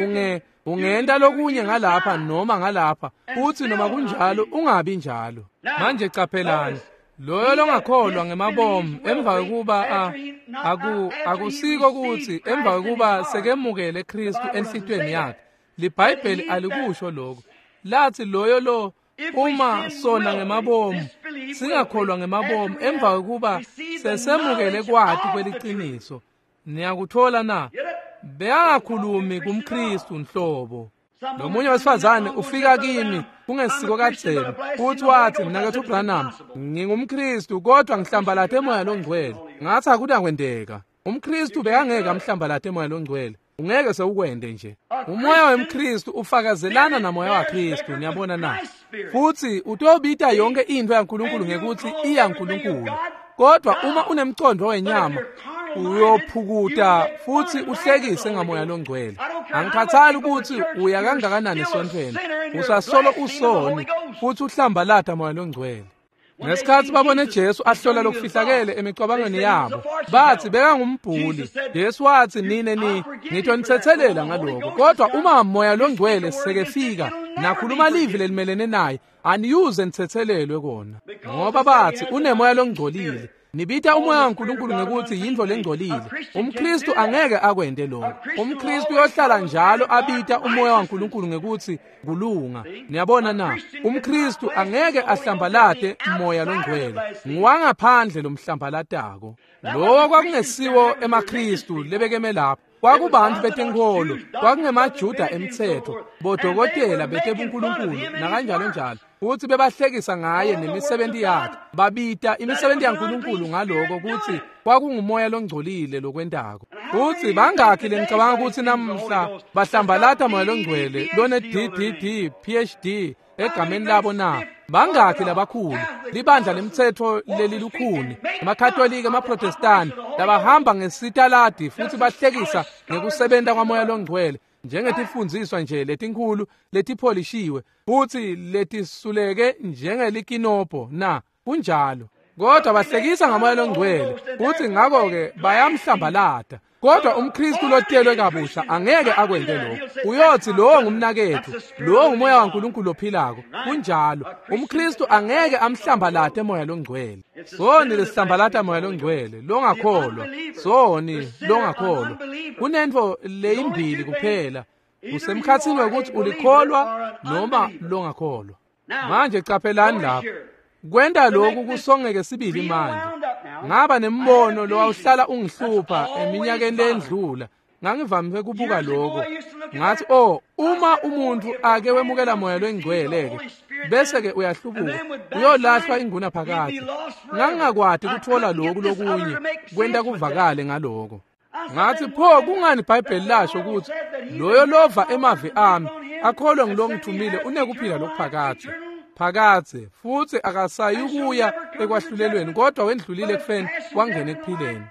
ungenta lokunye ngalapha noma ngalapha, futhi noma kunjalo ungabi njalo. Manje caphelani, loyo longakholwa ngemabomu emva kokuba akusiko ukuthi emva kokuba sekemukele Kristu enhlitweni yakhe, liBhayibheli alikusho lokho. Lathi loyo lo uma sona ngemabomu singakholwa ngemabomu emva kokuba sesemukele kwati kweliciniso. Niyakuthola na? Beyangakhulumi kumKristu nhlobo. Nomunye wesifazane ufika kimi kungesiko kadzeni futhi wathi, mnakethu Branham, ngingumKristu kodwa ngihlambalate emoya longcwele. Ngathi akunakwenteka. UmKristu bekangeke amhlambalate emoya longcwele, ungeke sewukwende nje. Umoya wemKristu ufakazelana namoya waKristu, niyabona na? Futhi utobita yonke into yaNkulunkulu ngekuthi iyaNkulunkulu. Kodwa uma unemcondo wenyama uyophukuta futhi uhlekise ngamoya longcwele. Angikhathali ukuthi uya kangakanani esontweni, usasolo usoni futhi uhlambalata moya longcwele. Ngesikhathi babone Jesu ahlola lokufihlakele emicabangweni yabo, bathi bekangumbhuli. Jesu wathi, nine ni ngitonithethelela ngalokho, kodwa uma moya longcwele sekefika nakhuluma livi lelimelene naye, aniyuze nithethelelwe kona. Ngoba bathi unemoya longcolile. Nibita umoya waNkulunkulu ngekutsi yintfo lengcolile. UmKhristu angeke akwente lokho. UmKhristu uyohlala njalo abita umoya waNkulunkulu ngekutsi kulunga. Niyabona na? UmKhristu angeke ahlambalate moya longcwele. Nguwangaphandle lomhlambalatako. Lowo kwakungesiwo emaKhristu lebekeme lapho. Kwakubantu betenkholo, kwakungemaJuda emtsetfo, bodokotela betebunkulunkulu nakanjalo njalo. Futsi bebahlekisa ngaye nemisebenti yakhe. Babita imisebenti yaNkulunkulu ngaloko kutsi kwakungumoya longcolile lokwentako. Futsi bangakhi lengicabanga kutsi namhla bahlambalata moya longcwele lone DDD PhD egameni labo na? Bangakhi labakhulu libandla lemtsetfo lelilukhuni, emaKatolika, emaProtestani, labahamba ngesitaladi futsi bahlekisa ngekusebenta kwamoya longcwele njengetifundziswa nje letinkhulu letipholishiwe futsi letisuleke njengelikinobho na? Kunjalo. Kodwa bahlekisa ngamoya longcwele futsi ngako-ke bayamhlambalata. Kodwa umKhristu lotelwe kabusha angeke akwente lokho. Uyotsi lowo ngumnaketfu, lowo ngumoya waNkulunkulu lophilako. Kunjalo. UmKhristu angeke amhlambalate moya longcwele. Soni lesihlambalata moya longcwele, longakholwa. Soni longakholwa. Kunentfo leyimbili kuphela. Usemkhatsini wekutsi ulikholwa noma longakholwa. Manje caphelani lapha. Kwenta lokhu kusongeke sibili manje. Ngaba nembono lowawuhlala ungihlupha eminyakeni lendlula. Ngangivamise kubuka lokho. Ngathi, oh, uma umuntu ake wemukela moya longcwele ke, bese ke uyahlubuka, uyolahlwa inguna phakathi. Ngangingakwati kuthola lokhu lokunye kwenta kuvakale ngaloko. Ngathi, pho kungani iBhayibheli lasho ukuthi loyo lova emavi ami akholwe ngilongithumile unekuphila lokuphakadze phakadze, futsi akasayukuya ekwahlulelweni kodwa wendlulile ekufeni wangena ekuphileni.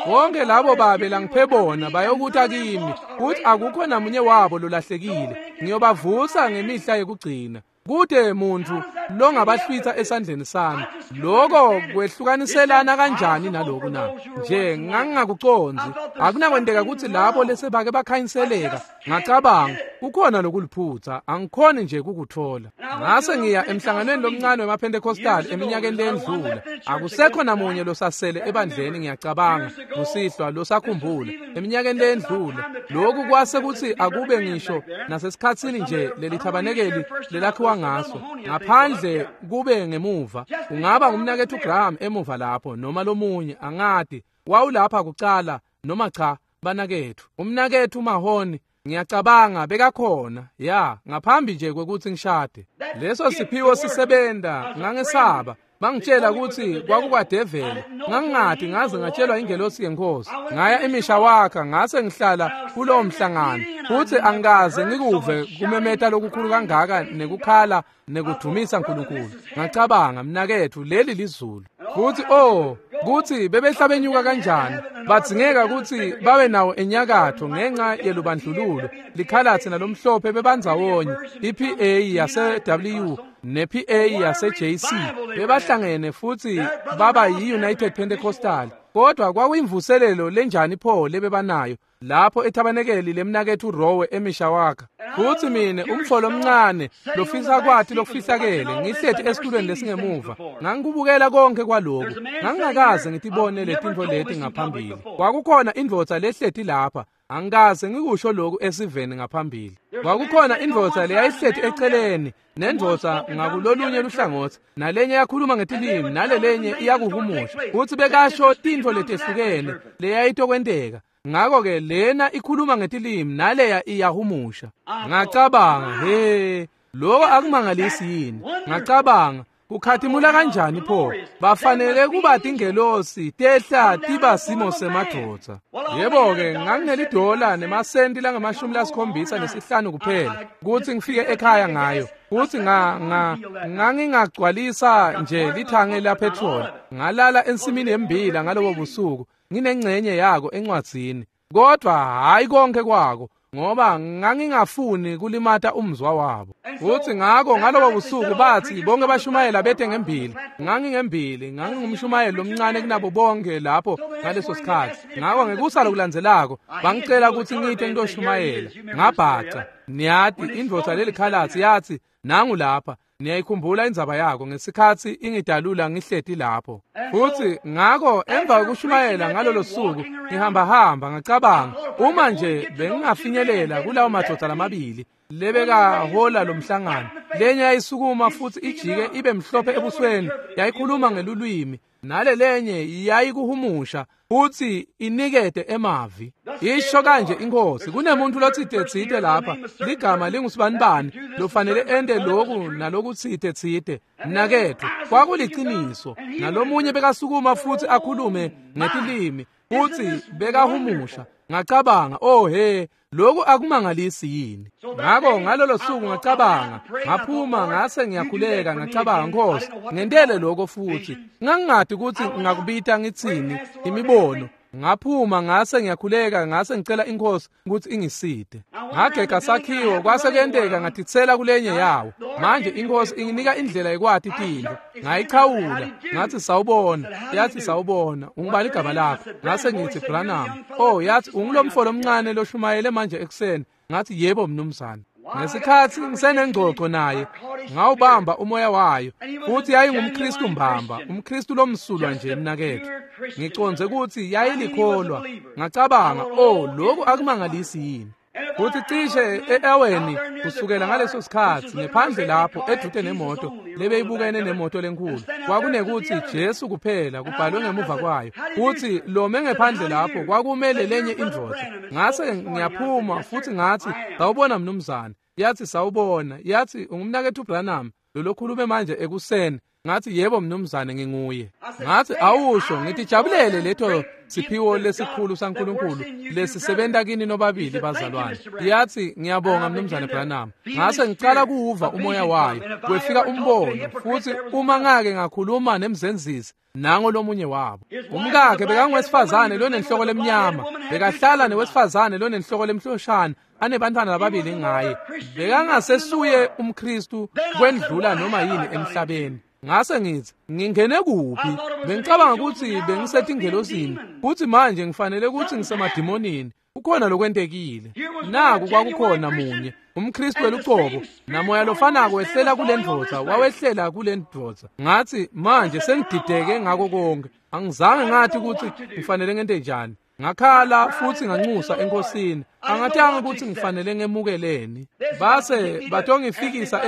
Bonke labo babe langiphe bona bayokuta kimi, kuthi akukho namunye wabo lolahlekile. Ngiyobavusa ngemihla yekugcina. Kude muntu longabahlwitha esandleni sami. Lokho kwehlukaniselana kanjani naloku na? Nje ngangingakucondzi. Akunakwenteka ukuthi labo lesebake bakhanyiseleka. Ngacabanga kukhona lokuliphutha, angikhoni nje kukuthola. Ngase ngiya emhlanganweni lomncane wemaPentecostal eminyakeni lendlula. Akusekho namunye losasele ebandleni, ngiyacabanga kusihlwa losakhumbula eminyakeni lendlula. Lokhu kwase kuthi akube ngisho nasesikhatsini nje lelithabanekeli lelakhiwa ngaso ngaphandle kube ngemuva. Ungaba ngumnaketfu Graham emuva lapho noma lomunye, angati wawulapha kucala noma cha. Banaketfu, umnaketfu Mahoni ngiyacabanga bekakhona ya ngaphambi nje kwekutsi ngishade. Leso siphiwo sisebenta, ngangesaba. Bangitshela ukuthi kwakukwadeveli. Ngangingati ngaze ngatshelwa ingelosi yenkosi. Ngaya eMishawaka ngase ngihlala kulowo mhlangano, futsi angikaze ngikuve kumemeta lokukhulu kangaka nekukhala nekudumisa uNkulunkulu. Ngacabanga, mnaketfu, leli lizulu. Futhi oh, kuthi bebehla benyuka kanjani. Badzingeka kutsi babe nawo enyakatho ngenxa yelubandlululo. Likhalatsi nalomhlophe bebandzawonye, iPA yase-W ne-PA yase-JC bebahlangene futsi baba yi-United Pentecostal. Kodwa kwakuyimvuselelo lenjani pho lebebanayo lapho ethabanekeli lemnaketfu Rowe eMishawaka. Futsi mine umfo lomncane lofisa kwati lokufihlakele ngihleti esitulweni lesingemuva, ngangikubukela konke kwaloku. Ngangingakaze ngitibone letintfo leti ngaphambili. Kwakukhona indvodza lehleti lapha, angikaze ngikusho lokhu esiveni ngaphambili. Kwakukhona indvodza leyayihleti eceleni nendvodza ngakulolunye luhlangotsi, nalenye yakhuluma ngetilimi, nalelenye iyakuhumusha. Futsi bekasho tintfo letehlukene leyayitokwenteka. Ngako-ke lena ikhuluma ngetilimi naleya iyahumusha. Ngacabanga, he, lokho akumangalisi yini? Ngacabanga, kukhatimula kanjani pho? Bafanele kuba tingelosi tehla tiba simo semadvodza. Yebo-ke, nganginelidola nemasenti langama-75 kuphela kutsi ngifike ekhaya ngayo. Futsi ngangingagcwalisa nje lithange la petrol. Ngalala ensimini yembila ngalobo busuku, nginengcenye yako encwadzini, kodwa hayi konke kwako, ngoba ngangingafuni kulimata umzwa wabo. Futhi ngako ngalobo busuku bathi bonke bashumayela bete ngembili. Ngangingembili, ngangingumshumayeli lomncane kunabo bonke lapho ngaleso sikhathi. Ngako ngekusa lokulandzelako bangicela ukuthi ngite ngitoshumayela. Ngabhaca. Niyati indvodza lelikhalatsi yathi, nangu lapha. Niyayikhumbula indzaba yako ngesikhatsi ingidalula ngihleti lapho. Futsi ngako emva kokushumayela ngalolo suku ngihambahamba ngacabanga, uma nje bengingafinyelela kulawo madoda lamabili lebekahola lo mhlangano, lenye yayisukuma futsi ijike ibe mhlophe ebusweni, yayikhuluma ngelulwimi, nale lenye yayikuhumusha futsi inikete emavi. Isho kanje iNkhosi, kunemuntu lotsite tsite lapha, ligama lingusibanibani, lofanele ente loku nalokutsite tsite. Mnaketfu, kwakuliciniso. Nalomunye bekasukuma futsi akhulume ngetilimi futsi bekahumusha. Ngacabanga, oh he, loku akumangalisi yini? Ngako ngalolo suku ngacabanga, ngaphuma ngase ngiyakhuleka, ngacabanga, Nkosi, ngentele lokho futhi. Ngangingati ukuthi ngingakubita ngitsini imibono. Ngaphuma ngase ngiyakhuleka, ngase ngicela iNkosi ukuthi ingiside. Ngagega sakhiwo, kwase kuyenteka ngatitsela kulenye yawo. Manje iNkosi inginika indlela yekwati tintfo. Ngayichawula, ngathi sawubona, yathi sawubona, ungubani igama lakho? Ngase ngithi Branham. Oh, yathi ungulomfo lomncane loshumayele manje ekuseni. Ngathi yebo mnumzane. Ngesikhatsi ngisenengxoxo naye, ngawubamba umoya wayo, futhi yayingumKristu mbamba, umKristu lomsulwa nje mnaketfu. Ngicondze ukuthi yayilikholwa. Ngacabanga, oh, lokhu akumangalisi yini? Futhi cishe e-aweni kusukela ngaleso sikhatsi ngephandle lapho edute nemoto lebeyibukene nemoto lenkulu, kwakunekuthi Jesu kuphela kubhalwe ngemuva kwayo, futhi lome ngephandle lapho kwakumele lenye indvodza. Ngase ngiyaphuma futhi ngathi, sawubona mnumzane. Yathi sawubona. Yathi ungumnaketfu Branham lolokhulume manje ekuseni. Ngathi yebo mnumzane, nginguye. Ngathi awusho, ngitijabulele leto siphiwo lesikhulu saNkulunkulu lesisebenta kini nobabili bazalwane. Yathi ngiyabonga mnumzane Branham. Ngase ngicala kuwuva umoya wayo, kwefika umbono, futhi uma ngake ngakhuluma nemzenzisi, nango lomunye wabo. Umkakhe bekangowesifazane lonenhloko lemnyama, bekahlala newesifazane lonenhloko lemhloshana, anebantwana lababili ngaye. Bekangasesuye umKristu kwendlula noma yini emhlabeni. Ngase ngithi, ngingene kuphi? Bengicabanga ukuthi bengisetingelosini, futhi manje ngifanele ukuthi ngisemadimonini. Kukhona lokwentekile. Naku kwakukhona munye, umKristu welucobo, namoya lofanako wehlela kule ndvodza, wawehlela kule ndvodza. Ngathi, manje sengidideke ngako konke. Angizange ngathi ukuthi ngifanele ngente njani. Ngakhala futhi nganxusa eNkosini. Angatanga ukuthi ngifanele ngemukeleni. Base batongifikisa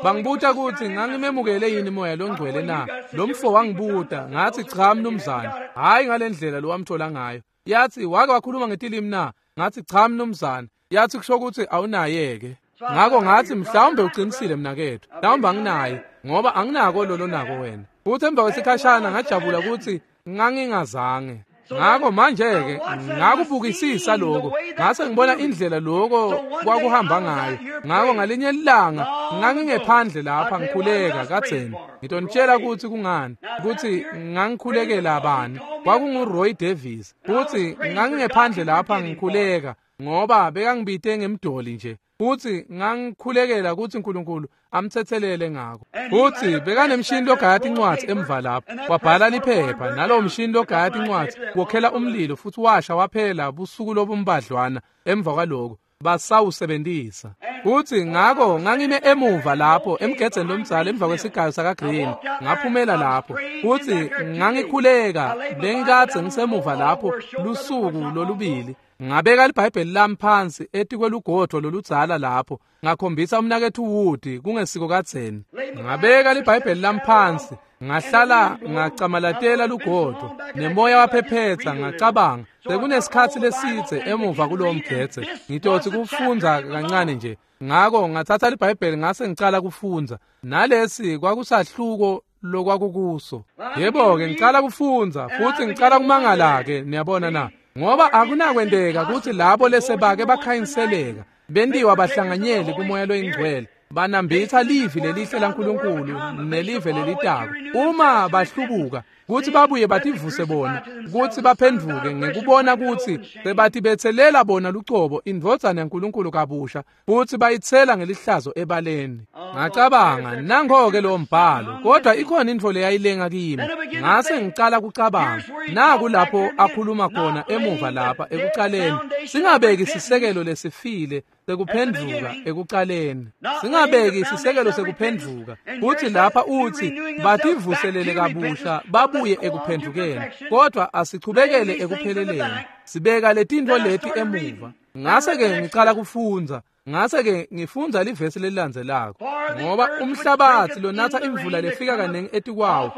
bangibuta ukuthi ngangimemukele yini moya longcwele na. Lo mfo wangibuta, ngathi cha mnumzane, hayi ngalendlela lo wamthola ngayo. Yathi wake wakhuluma ngetilimi na? Ngathi cha mnumzane. Yathi kusho ukuthi awunayeke. Ngako ngathi mhlawumbe uqinisile mnakethu, mhlawumbe anginaye, ngoba anginako lolo nako wena. Futhi emva kwesikhashana ngajabula ukuthi ngangingazange. Ngako manje-ke ngakubukisisa lokho, ngase ngibona indlela lokho kwakuhamba ngayo. Ngako ngalinye ilanga ngangingephandle lapha ngikhuleka kadzeni. Ngitonitshela ukuthi kungani, ukuthi ngangikhulekela bani. KwakunguRoy Davis. Futhi ngangingephandle lapha ngikhuleka ngoba bekangibite ngemdoli nje. Futhi ngangikhulekela ukuthi uNkulunkulu amthethelele ngako. Futhi bekanemshini logaya tincwadzi emva lapho, wabhala liphepha, nalowo mshini logaya tincwadzi wokhela umlilo futhi washa waphela busuku lobumbadlwana emva kwaloko basawusebentisa. Futhi ngako ngangime emuva lapho emgedzeni lomdzala emva kwesigayo sakaGreen, ngaphumela lapho futhi ngangikhuleka. Bengikadze ngisemuva lapho lusuku lolubili. Ngabeka iBhayibheli lami phansi etikwelugodvo loludzala lapho, ngakhombisa umnaketfu Wood kungesiko kadzeni. Ngabeka iBhayibheli lami phansi, ngahlala ngacamalatela lugodvo, nemoya waphephetsa. Ngacabanga, sekunesikhatsi lesidze emuva kulowo mgedze, ngitotsi kufundza kancane nje. Ngako ngathatha iBhayibheli ngase ngicala kufundza, nalesi kwakusahluko lokwakukuso. Yebo-ke, ngicala kufundza futhi ngicala kumangala-ke, niyabona na? Ngoba akunakwenteka ukuthi labo lesebake bakhanyiseleka, bentiwa bahlanganyeli kumoya loyingcwele, banambitha livi lelihle laNkulunkulu nelive lelitako. Uma bahlubuka, kuthi babuye bativuse bona, kuthi baphenduke ngekubona ukuthi sebatibethelela bona lucobo indvodzana yaNkulunkulu kabusha, futhi bayitsela ngelihlazo ebaleni. Ngacabanga, nango-ke lowo mbhalo, kodwa ikhona intfo leyayilenga kimi. Ngase ngicala kucabanga, naku lapho akhuluma khona emuva lapha ekucaleni, singabeki sisekelo lesifile sekuphendvuka ekucaleni. Singabeki sisekelo sekuphendvuka. Kuthi lapha uthi bativuselele kabusha babuye ekuphendvukeni, kodwa asichubekele ekupheleleni. Sibeka letintfo leti emuva. Ngase-ke ngicala kufundza. Ngase-ke ngifundza livesi lelilandzelako. Ngoba umhlabatsi lonatha imvula lefika kanengi etikwawo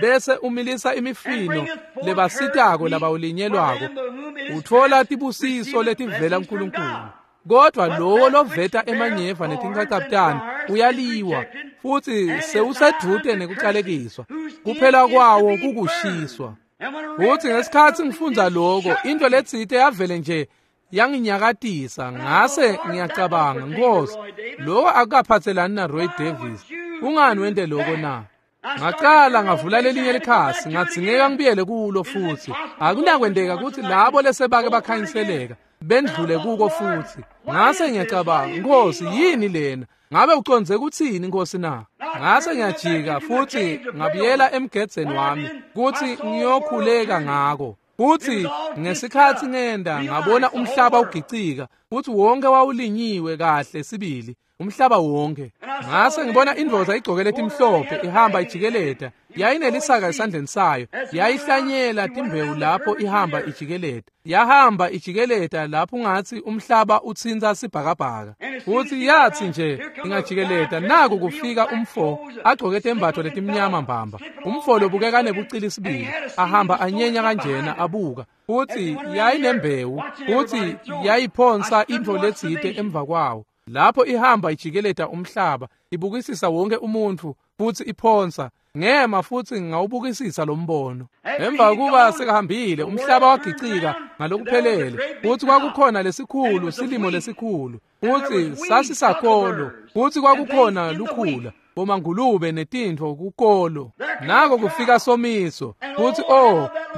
bese umilisa imifino lebasitako labawulinyelwako, utfola tibusiso letivela kuNkulunkulu. Kodwa lowo loveta emanyeva netinchachabutane uyaliwa, futsi sewusedvute nekucalekiswa. Kuphela kwawo kukushiswa. Futsi ngesikhatsi ngifundza loko, into letsite yavele nje yanginyakatisa. Ngase ngiyacabanga, Nkosi, lokho akukaphatselani na Roy Davis. Kungani wente lokho na? Ngacala ngavula lelinye likhasi, ngadzingeka ngibuyele kulo futhi. Akunakwenteka ukuthi labo lesebake bakhanyiseleka bendlule kuko futhi. Ngase ngiyacabanga, Nkosi, yini lena? Ngabe ucondze kuthini, Nkosi na? Ngase ngiyajika futhi ngabuyela emgedzeni wami kuthi ngiyokhuleka ngako. Futhi ngesikhatsi ngenda ngabona umhlaba ugicika, futhi wonke wawulinyiwe kahle sibili, umhlaba wonke. Ngase ngibona indvodza igcoke letimhlophe ihamba ijikeleta, yayinelisaka esandleni sayo, yayihlanyela timbewu lapho ihamba ijikeleta. Yahamba ijikeleta lapho ungatsi umhlaba utsintsa sibhakabhaka. Futhi yathi nje ingajikeleta, naku kufika umfo agcoke tembatfo letimnyama mbamba. Umfo lobukeka nebucili sibili, ahamba anyenya kanjena abuka. Futhi yayinembewu, futhi yayiphonsa intfo letsite emva kwawo. Lapho ihamba ijikeleta umhlaba, ibukisisa wonke umuntfu futhi iphonsa. Ngema futhi ngawubukisisa lo mbono. Emva kuba sekahambile, umhlaba wagicika ngalokuphelele, futhi kwakukhona lesikhulu silimo lesikhulu, futhi sasisakolo, futhi kwakukhona lukhula, bomangulube netintfo kukolo. Nako kufika somiso, futhi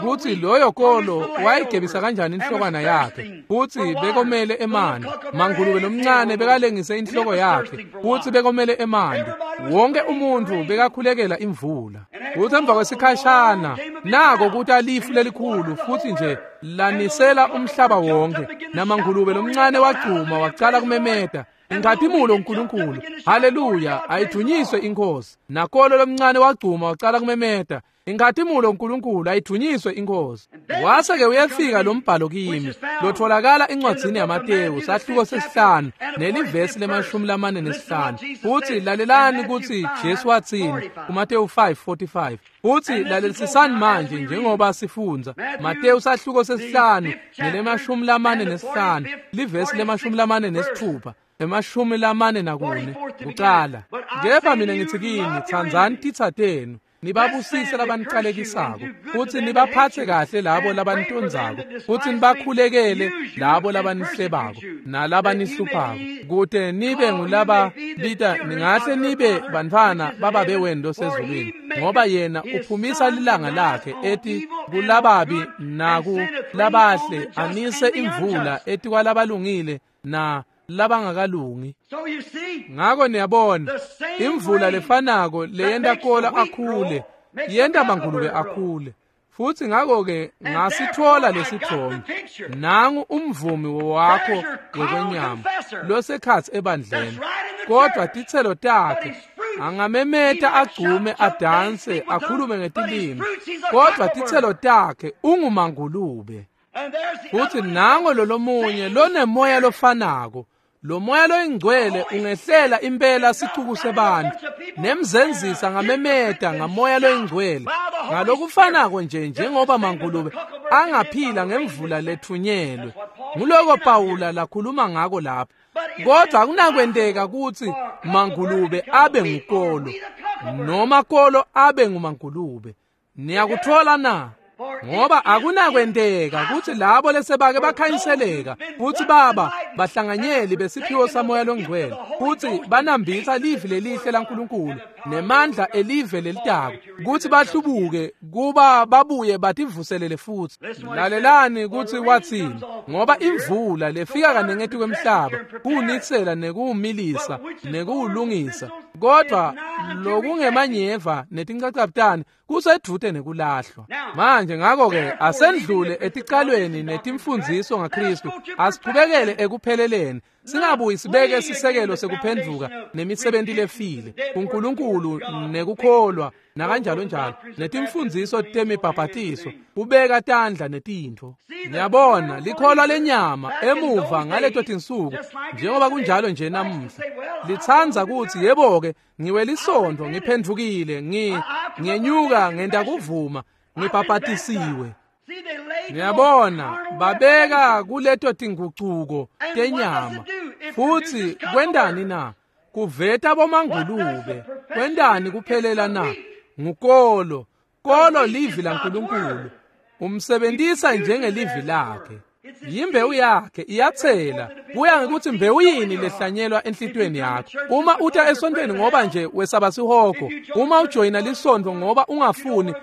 kuthi loyo kolo wayigebisa kanjani inhlokwana yakhe, futhi bekomele emanti. Mangulube lomncane bekalengise inhloko yakhe, futhi bekomele emanti. Wonke umuntfu bekakhulekela imvula. Futhi emva kwesikhashana nako kuta lifu lelikhulu, futhi nje lanisela umhlaba wonke. Namangulube lomncane wagcuma wacala kumemeta, Inkhatimulo uNkulunkulu, haleluya, ayidunyiswe inkosi. Nakolo lomncane wagcuma wacala kumemeta, Inkhatimulo uNkulunkulu, ayidunyiswe inkosi. Wase-ke uyefika lo mbhalo kimi, lotholakala encwadzini yaMatewu, sahluko sesihlanu, nelivesi le-45. Futhi lalelani kutsi Jesu watsini kuMatewu 5:45. Futhi lalelisisani manje njengoba sifundza Matewu sahluko sesihlanu nele-45, livesi le-46. 44 kucala. Kepha mina ngithi kini, tsandzani titsa tenu, nibabusise labanicalekisako, futhi nibaphatse kahle labo labanitondzako, futhi nibakhulekele labo labanihlebako nalabanihluphako, kute nibe ngulaba bita ningahle nibe bantfwana bababe wenu losezulwini, ngoba yena uphumisa lilanga lakhe eti kulababi naku labahle, anise imvula etikwalabalungile na labangakalungi. Ngako niyabona, imvula lefanako leyenta kolo akhule yenta mangulube akhule. Futhi ngako-ke ngasithola lesithombe. Nangu umvumi wakho wekwenyama losekhatsi ebandleni, kodwa titselo takhe angamemeta agcume adanse akhulume ngetilimi, kodwa titselo takhe ungumangulube. Futhi nango lolomunye lonemoya lofanako. Lo moya loyingcwele ungehlela impela sicuku sebantu, nemzenzisa ngamemeta ngamoya loyingcwele ngalokufanako nje njengoba mangulube angaphila ngemvula lethunyelwe. Nguloko Pawula lakhuluma ngako lapha. Kodwa akunakwenteka kutsi mangulube abe ngukolo noma kolo abe ngumangulube. Niyakuthola na? Ngoba akunakwenteka kutsi labo lesebake bakhanyiseleka futsi baba bahlanganyeli besiphiwo samoya longcwele, futsi banambitsa livi lelihle laNkulunkulu nemandla elive lelitako, kutsi bahlubuke kuba babuye bativuselele futhi. Lalelani kutsi watsini, ngoba imvula lefika kaningi etikwemhlaba kuwunisela nekuwumilisa nekuwulungisa, kodwa lokungemanyeva netinchachabutane kusedvute nekulahlwa. Manje ngako-ke asendlule eticalweni netimfundziso ngaKristu, asichubekele ekupheleleni. Singabuyi sibeke sisekelo sekuphendvuka nemisebenti lefile kuNkulunkulu nekukholwa nakanjalo njalo netimfundziso temibhabhatiso, kubeka tandla netintfo. Niyabona, likholwa lenyama emuva ngaleto tinsuku, njengoba kunjalo nje namuhla, litsandza kutsi yebo-ke ngiwelisontfo, ngiphendvukile, ngiyenyuka ngenta kuvuma, ngibhabhatisiwe. Niyabona, babeka kuleto tingucuko tenyama. Futsi kwentani na? Kuveta bomangulube. Kwentani kuphelela na? Ngukolo. Kolo livi laNkulunkulu. Umsebentisa njengelivi lakhe. Yimbewu yakhe iyathela. Kuya ngekuthi mbewu yini lehlanyelwa enhlitiyweni yakho. Uma uta esontweni ngoba nje wesaba sihogo, uma ujoyina lisontfo ngoba ungafuni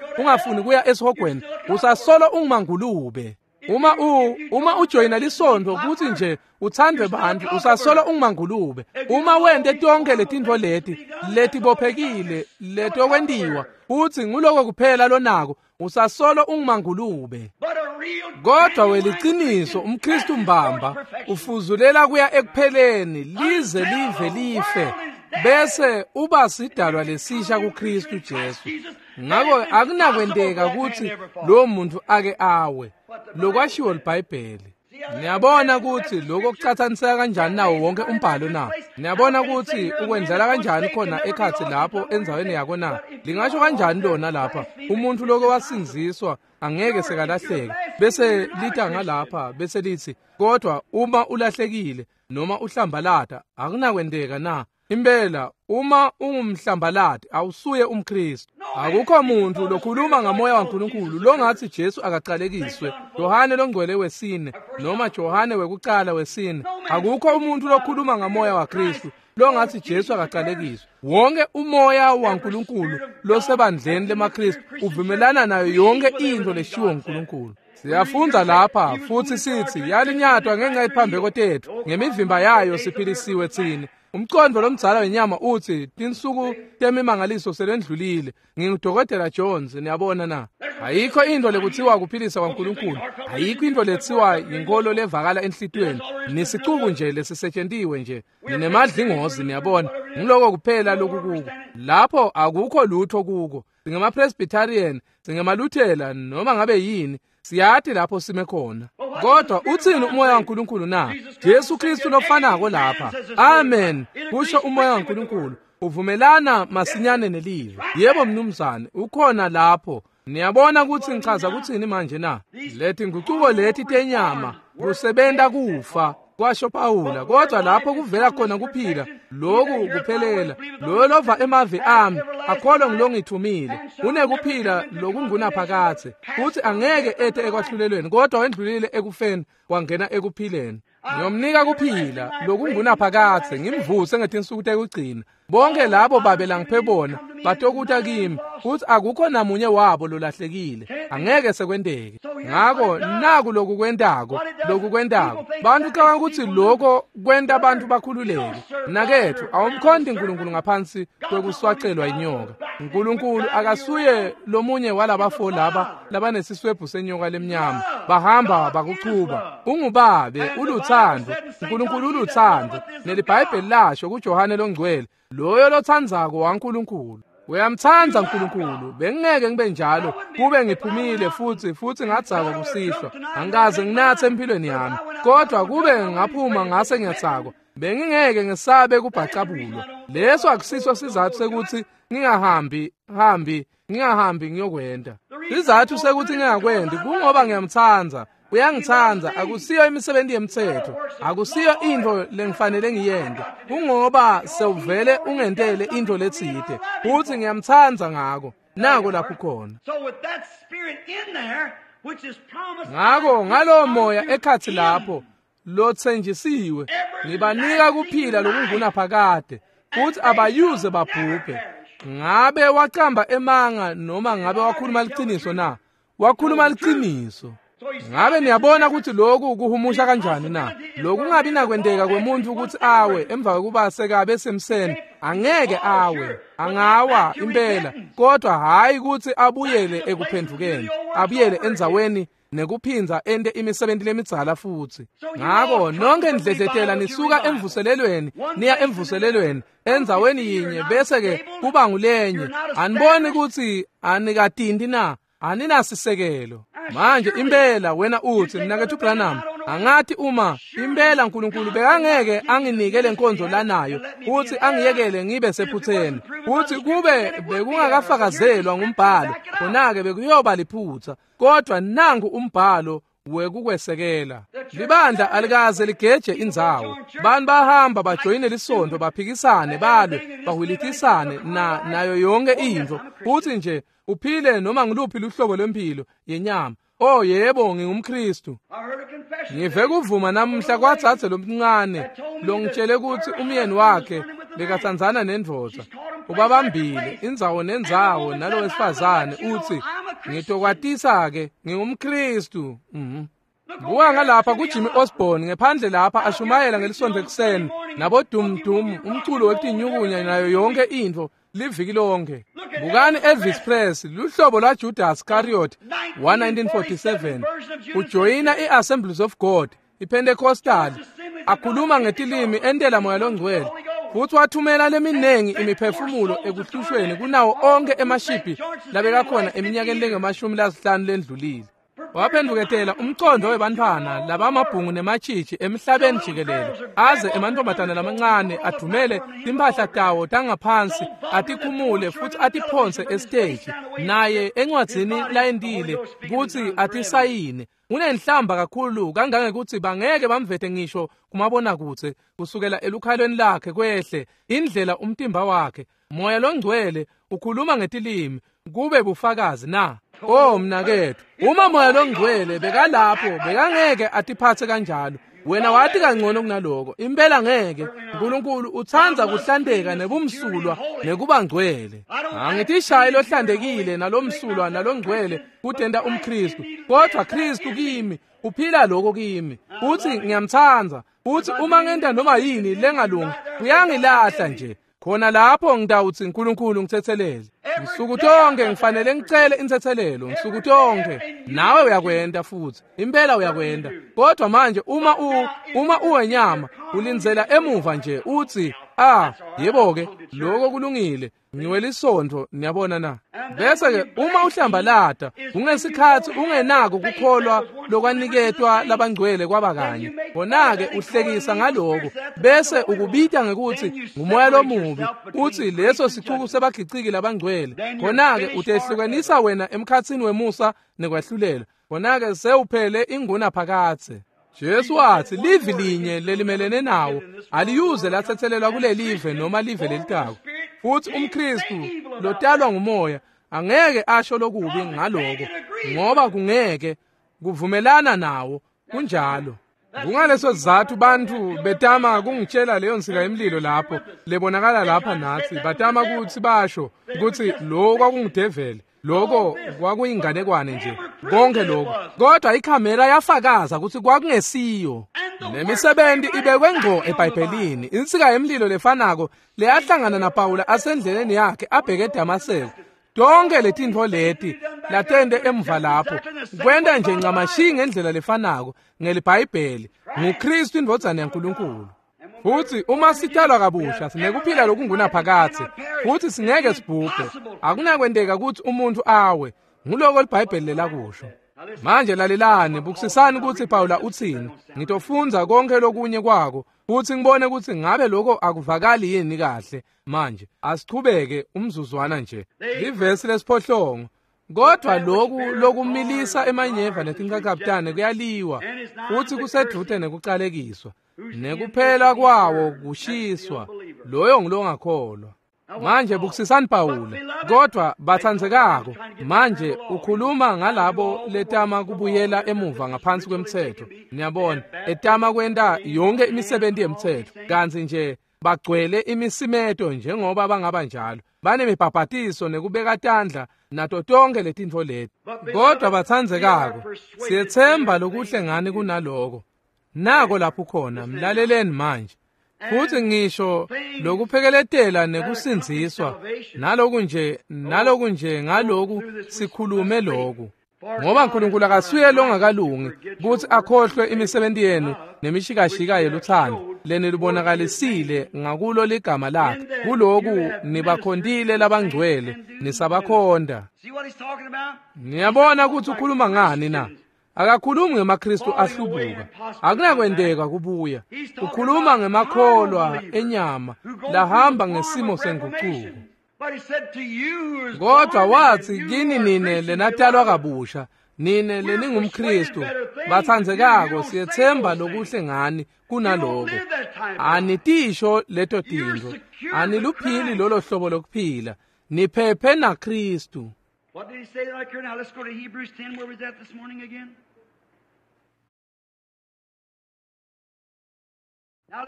kuya esihogweni, usasolo ungumangulube. Uma ujoyina lisontfo kuthi nje uthandwe bantfu, usasolo ungumangulube. Uma wente tonke letintfo leti letibophekile letokwentiwa, uthi nguloko kuphela lonako, usasolo ungumangulube. Kodwa weliciniso umKristu mbamba ufuzulela kuya ekupheleni lize live life, bese uba sidalwa lesisha kuKristu Jesu. Ngako akunakwenteka kutsi lo muntu ake awe. Lokwashiwo liBhayibheli. Niyabona kutsi lokho kucatsaniseka kanjani nawo wonke umbhalo na? Niyabona kutsi ukwenzela kanjani khona ekhatsi lapho endzaweni yako na? Lingasho kanjani lona lapha umuntu lokho wasindziswa angeke sekalahleke, bese lita ngalapha bese lithi kodwa uma ulahlekile noma uhlambalata akunakwenteka na? Impela uma ungumhlambalati awusuye umKristu. Akukho muntu lokhuluma ngamoya waNkulunkulu longathi Jesu akacalekiswe. Yohane longcwele wesine noma Johane wekucala wesine. Akukho umuntu lokhuluma ngamoya waKristu longathi Jesu akacalekiswe. Wonke umoya waNkulunkulu losebandleni lemaKristu uvumelana nayo yonke into leshiwo uNkulunkulu. Siyafundza lapha futhi sithi yalinyatwa ngenxa yephambeko tethu, ngemivimba yayo siphilisiwe tsine. Umcondvo lomdzala wenyama uthi tinsuku temimangaliso selendlulile. NginguDokotela Jones, niyabona na? Ayikho into lekuthiwa kuphilisa kwaNkulunkulu. Ayikho into lethiwa yinkolo levakala enhlitiyweni. Nisicuku nje lesisetshentiwe nje. Ninemadlingozi, niyabona. Ngiloko kuphela lokukuko. Lapho akukho lutho kuko. SingemaPresbyterian, singemaLuthela noma ngabe yini. Siyati lapho sime khona. Kodwa uthini umoya waNkulunkulu na? Jesu Kristu lofanako lapha. Amen. Kusho umoya waNkulunkulu. Uvumelana masinyane nelivi. Yebo mnumzane, ukhona lapho. Niyabona ukuthi ngichaza kuthini manje na? Leti ngucuko leti tenyama kusebenta kufa, kwasho Pawula. Kodwa lapho kuvela khona kuphila, lokhu kuphelela. Loyo lova emavi ami akholwa ngilongithumile unekuphila lokungunaphakadze, futhi angeke ete ekwahlulelweni, kodwa wendlulile ekufeni wangena ekuphileni. Ngiyomnika kuphila lokungunaphakadze, ngimvuse ngetinsuku tekugcina. Bonke labo babe langiphe bona batokuta kimi, futhi akukho namunye wabo lolahlekile. Angeke sekwenteke. Ngako naku lokukwentako. Bantu cabanga ukuthi lokho kwenta abantu bakhululeke. Nakethu awumkhonti uNkulunkulu ngaphansi kwekuswacelwa inyoka. uNkulunkulu akasuye lomunye walabafo laba labanesiswebhu senyoka lemnyama bahamba bakuchuba. Ungubabe, uluthando. uNkulunkulu uluthando. NeliBhayibheli lasho kuJohane longcwele, loyo lothandzako waNkulunkulu. Uyamthanda uNkulunkulu. Bengingeke ngibe njalo kube ngiphumile futhi ngadzakwa kusihlwa. Angikaze nginathe empilweni yami, kodwa kube ngaphuma ngase ngiyadzakwa, bengingeke ngisabe kubhacabulwa. Leso akusiso sizathu sekuthi ngingahambi ngiyokwenda. Sizathu sekuthi ngingakwendi kungoba ngiyamthanda. Uyangithanda. Akusiyo imisebenzi yemthetho, akusiyo into lengifanele ngiyende, kungoba sewuvele ungentele into letsite futhi ngiyamthanda ngako. Nako lapho khona. Ngako ngalowo moya ekhatsi lapho lotsenjisiwe, ngibanika kuphila lokungunaphakade, futhi abayuze babhubhe. Ngabe wacamba emanga noma ngabe wakhuluma liciniso na? Wakhuluma liciniso. Ngabe niyabona ukuthi lokhu kuhumusha kanjani na? Lokhu kungabi nakwenteka kwemuntu ukuthi awe emva kokuba sekabe semseni. Angeke awe, angawa impela, kodwa hayi ukuthi abuyele ekuphendukeni, abuyele endzaweni nekuphindza ente imisebenti lemidzala futsi. Ngako nonke nidledletela nisuka emvuselelweni niya emvuselelweni endzaweni yinye bese-ke kuba ngulenye. Aniboni kutsi anikatinti na? Aninasisekelo. Manje impela wena utsi, mnaketfu Branham, angathi uma impela uNkulunkulu bekangeke anginike lenkonzo lanayo uthi angiyekele ngibe sephutheni, uthi kube bekungakafakazelwa ngumbhalo, khona-ke bekuyoba liphutha. Kodwa nangu umbhalo wekukwesekela. Libandla alikaze ligeje indzawo. Bantu bahamba bajoyine lisonto, baphikisane, balwe, bahwilitisane nayo yonke intfo. Uthi nje uphile noma ngiluphi luhlobo lwempilo yenyama. Oh yebo, ngingumKristu. Ngive kuvuma namuhla kwatsatse lomncane longitshele ukuthi umyeni wakhe bekatsandzana nendvodza. Ubabambile indzawo nendzawo nalo wesifazane, uthi ngitokwatisa-ke ngingumKristu. Buka ngalapha kuJimmy Osborne ngephandle lapha ashumayela ngelisonto ekuseni nabodumdum umculo wetinyukunya nayo yonke intfo liviki lonke. Bukani Elvis Presley, luhlobo lwa Judas Iscariot wa-1947, ujoyina i-Assemblies of God, iPentecostal, akhuluma ngetilimi entela moya longcwele, futhi wathumela leminengi imiphefumulo ekuhlushweni kunawo onke emashiphi labekakhona eminyakeni lengama-50 lendlulile. Waphenduketela umcondo webantfwana labamabhungu nematshitshi emhlabeni jikelele, aze emantombazana lamancane adumele timphahla tawo tangaphansi atikhumule futhi atiphonse esiteji, naye encwadzini layentile kutsi atisayine. Unenhlamba kakhulu kangangekuthi bangeke bamvete ngisho kumabonakudze kusukela elukhalweni lakhe kwehle indlela umtimba wakhe. Moya longcwele ukhuluma ngetilimi kube bufakazi na? Oh mnaketfu, uma moya longcwele bekalapho bekangeke atiphatse kanjalo. Wena wathi kangcono kunaloko. Impela ngeke. uNkulunkulu utsandza kuhlanteka nebumsulwa nekuba ngcwele. Angitishayi lohlantekile nalomsulwa nalongcwele kutenta umKristu, kodwa Kristu kimi uphila lokho kimi. Uthi ngiyamtsandza. Uthi uma ngenta noma yini lengalungi uyangilahla nje. Khona lapho ngitawutsi uNkulunkulu ngithethelele. Nsuku tonke ngifanele ngicele intsetselelo, nsuku tonke. Nawe uyakwenta futhi. Impela uyakwenta. Kodwa manje uma uwenyama ulindzela emuva nje uthi, ah, yebo ke, lokho kulungile. Ngiwelisonto, niyabona na? Bese ke uma uhlambalata, ungesikhathi ungenako kukholwa lokwaniketwa labangcwele kwabakanye. Khona-ke uhlekisa ngaloko, bese ukubita ngekuthi ngumoya lomubi, uthi leso sicuku sebagiciki labangcwele. Khona-ke utehlukanisa wena emkhatsini wemusa nekwahlulela. Khona-ke sewuphele inguna phakathe. Jesu wathi livi linye lelimelene nawo aliyuze latsetselelwa kulelive noma live lelitako. Futhi umKristu lotalwa ngumoya angeke asho lokubi ngaloko, ngoba kungeke kuvumelana nawo. Kunjalo. Kungaleso sizathu bantfu betama kungitshela leyo nsika yemlilo lapho lebonakala lapha natsi, batama kutsi basho kutsi lo kwakungudeveli, lokho kwakuyinganekwane nje, konke lokho. Kodwa ikhamera yafakaza kutsi kwakungesiyo. Lemisebenti ibekwe ngco eBhayibhelini. Insika yemlilo lefanako leyahlangana naPawula asendleleni yakhe abheke eDamaseko. Tonke letintfo leti latente emva lapho kwenta nje ncamashi ngendlela lefanako ngeliBhayibheli. NguKristu indvodzana yaNkulunkulu. Futhi uma sitalwa kabusha sinekuphila lokungunaphakadze, futhi singeke sibhubhe. Akunakwenteka kutsi umuntu awe. Nguloko liBhayibheli lelakusho. Manje lalelani, bukisisani kutsi Pawula utsini. Ngitofundza konke lokunye kwako futhi ngibone kutsi ngabe lokho akuvakali yini kahle. Manje asichubeke umzuzwana nje. Livesi lesiphohlongo. Kodwa loku lokumilisa emanyeva netinqaqabutane kuyaliwa, futhi kusedvute nekucalekiswa, nekuphela kwawo kushiswa. Loyo ngulongakholwa. Manje bukisisani Pawula. Kodwa batsandzekako, manje ukhuluma ngalabo letama kubuyela emuva ngaphansi kwemtsetfo. Niyabona, etama kwenta yonke imisebenzi yemtsetfo, kantsi nje bagcwele imisimeto njengoba bangaba njalo. Banemibhabhatiso nekubeka tandla nato tonke letintfo leti. Kodwa batsandzekako, siyetsemba lokuhle ngani kunaloko. Nako lapho khona, mlaleleni manje. Futhi ngisho lokuphekeletela nekusindziswa naloku nje naloku nje ngaloku sikhulume loku. Ngoba uNkulunkulu akasuye longakalungi kutsi akhohlwe imisebenti yenu nemishikashika yeluthando lenilubonakalisile ngakulo ligama lakhe. Kuloku nibakhontile labangcwele nisabakhonda. Niyabona kutsi ukhuluma ngani na? Akakhulumi ngemaKristu ahlubuka, akunakwenteka kubuya. Ukhuluma ngemakholwa enyama lahamba ngesimo sengucuko. Kodwa watsi kini nine lenatalwa kabusha, nine leningumKristu, batsandzekako, siyetsemba lokuhle ngani kunaloko. Anitisho leto tintfo, aniluphili lolo hlobo lokuphila, niphephe naKristu. What did he say right here? Now let's go to Hebrews 10. Where was that this morning again?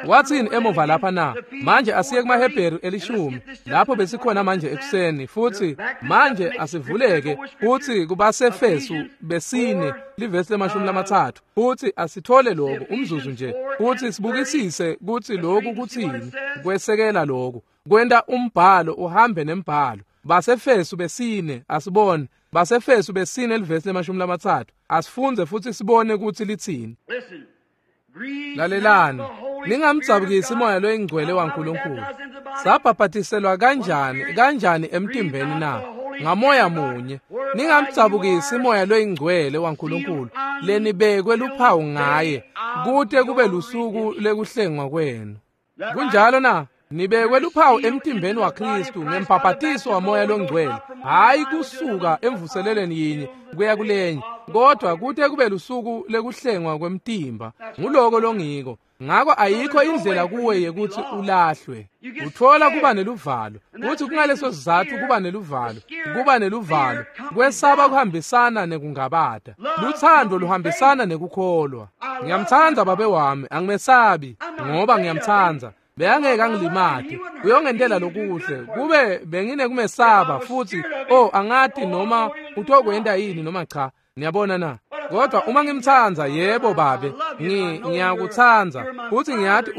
Watsini emuva lapha na? Manje asiye kumaHebheru 10 lapho besikhona manje ekuseni, futsi manje asivuleke kutsi kubaseFesu 4 livesi 30, futsi asithole lokhu umzuzu nje, futsi sibukisise kutsi lokhu kutsini kwesekela lokhu kwenta umbhalo uhambe nembhalo. Basefesu 4 asibone, Basefesu 4 livesi 30, asifunze futsi sibone kutsi litsini. Lalelani, ningamdzabukisi moya loyingcwele waNkulunkulu. Sabhabhatiselwa kanjani emtimbeni na? Ngamoya munye. Ningamdzabukisi moya loyingcwele waNkulunkulu lenibekwe luphawu ngaye kute kube lusuku lekuhlengwa kwenu. Kunjalo na? Nibekwe luphawu emtimbeni waKristu ngembhabhatiso wamoya longcwele, hayi kusuka emvuselelweni yinye kuya kulenye, kodwa kute kube lusuku lekuhlengwa kwemtimba. Nguloko longiko. Ngako ayikho indlela kuwe yekuthi ulahlwe. Uthola kuba neluvalo, kuthi kungaleso sizatfu kuba neluvalo, kuba neluvalo, kwesaba kuhambisana nekungabata. Luthando luhambisana nekukholwa. Ngiyamtsandza babe wami, angimesabi ngoba ngiyamtsandza. Beyangeke angilimate, uyongentela lokuhle. Kube benginekumesaba futhi, oh angati noma utokwenta yini noma cha. Niyabona na? Kodwa uma ngimtsandza, yebo babe, ngiyakutsandza, futhi ngiyati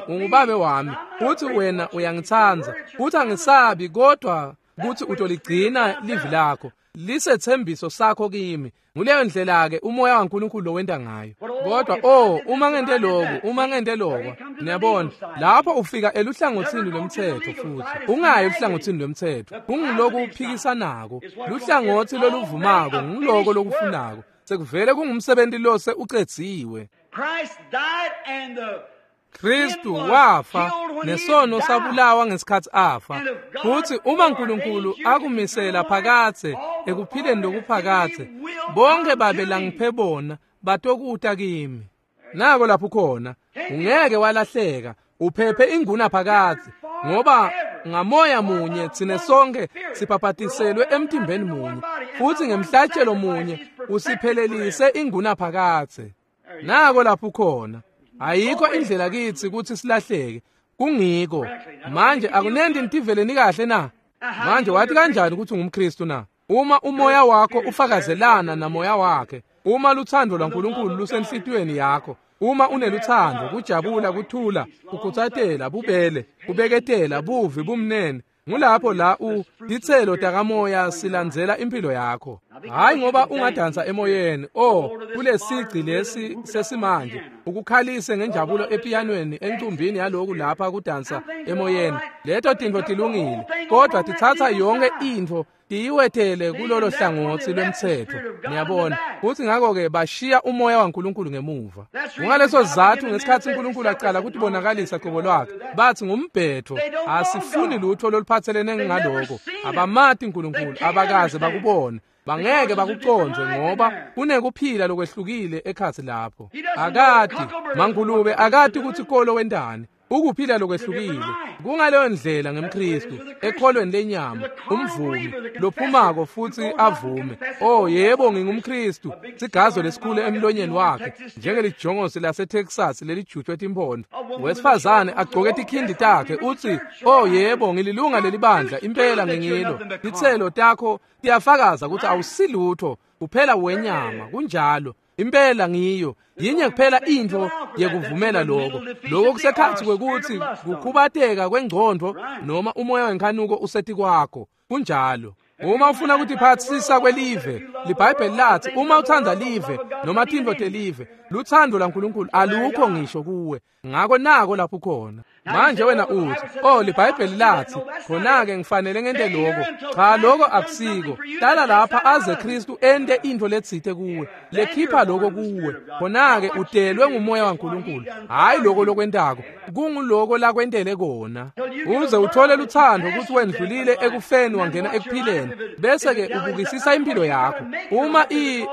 ungubabe wami, futhi wena uyangitsandza, futhi angisabi kodwa kutsi utoligcina livi lakho, lisethembiso sakho kimi. Nguleyo ndlela ke umoya waNkulunkulu lowenta ngayo. Kodwa oh uma ngente lokhu, uma ngente lokho, niyabona lapho ufika eluhlangothini lwemthetho, futhi ungayi eluhlangothini lwemthetho, kungiloku uphikisanako. Luhlangothi loluvumako ngiloko lokufunako, sekuvele kungumsebenzi lose ucedziwe. Kristu wafa nesono sabulawa ngesikhatsi afa, futsi uma uNkulunkulu akumisela phakathe ekuphileni lokuphakathe, bonke babe langiphe bona batokuta kimi. Nako lapho khona ungeke walahleka, uphephe inguna phakathe, ngoba ngamoya munye tsine sonke sibhabhatiselwe emtimbeni munye, futsi ngemhlatshelo munye usiphelelise inguna phakathe. Nako lapho khona ayikho indlela kitsi kutsi silahleke. Kungiko manje akunenti nitiveleni kahle na? Manje wathi kanjani ukuthi ungumKristu na? Uma umoya wakho ufakazelana namoya wakhe, uma luthando lwaNkulunkulu lusenhlitiyweni yakho, uma uneluthando, kujabula, kuthula, kukhutsatela, bubele, kubeketela, buvi, bumnene, ngulapho la titselo takamoya silandzela impilo yakho. Hayi ngoba ungadansa emoyeni, oh kulesigci lesi sesimanje, ukukhalise ngenjabulo epianweni encumbini yaloku lapha kudansa emoyeni. Leto tintfo tilungile, kodwa titsatsa yonke intfo tiyiwethele kulolo hlangothi lwemthetho. Niyabona futhi ngakho-ke bashiya umoya waNkulunkulu ngemuva. Kungaleso sizatfu ngesikhatsi uNkulunkulu aqala kutibonakalisa qobo lwakhe, bathi ngumbhetho, asifuni lutho loluphathelene ngaloko. Abamati uNkulunkulu, abakaze bakubone, bangeke bakucondze ngoba kunekuphila lokwehlukile ekhatsi lapho. Akati mangulube, akati kutsi kolo wentani. Ukuphila lokwehlukile. Kungaleyo ndlela ngemKristu ekholweni lenyama, umvumi lophumako futhi avume, oh yebo ngingumKristu, sigazo lesikhulu emlonyeni wakhe njengelijongosi laseTexas lelijutshwe timpondo. Wesifazane agcoke tikhindi takhe uthi, oh yebo ngililunga lelibandla, impela ngingilo. Titselo takho tiyafakaza ukuthi awusilutho, kuphela wenyama. Kunjalo impela ngiyo yinye kuphela intfo yekuvumela lokho. Lokho kusekhatsi kwekuthi kukhubateka kwengcondvo noma umoya wenkhanuko usetikwakho. Kunjalo. Uma ufuna kutiphatsisa kwelive, liBhayibheli lathi uma uthanda live noma tintfo telive, luthando laNkulunkulu alukho ngisho kuwe. Ngako nako lapho khona. Manje wena uthi, oh liBhayibheli lathi khona-ke ngifanele ngente lokho. Cha, lokho akusiko. Hlala lapha aze Kristu ente intfo letsite kuwe, lekhipha lokho kuwe. Khona-ke utelwe ngumoya waNkulunkulu, hhayi lokho lokwentako, kunguloko lakwentele kona. Uze uthole luthando ukuthi wendlulile ekufeni wangena ekuphileni, bese-ke ubukisisa impilo yakho.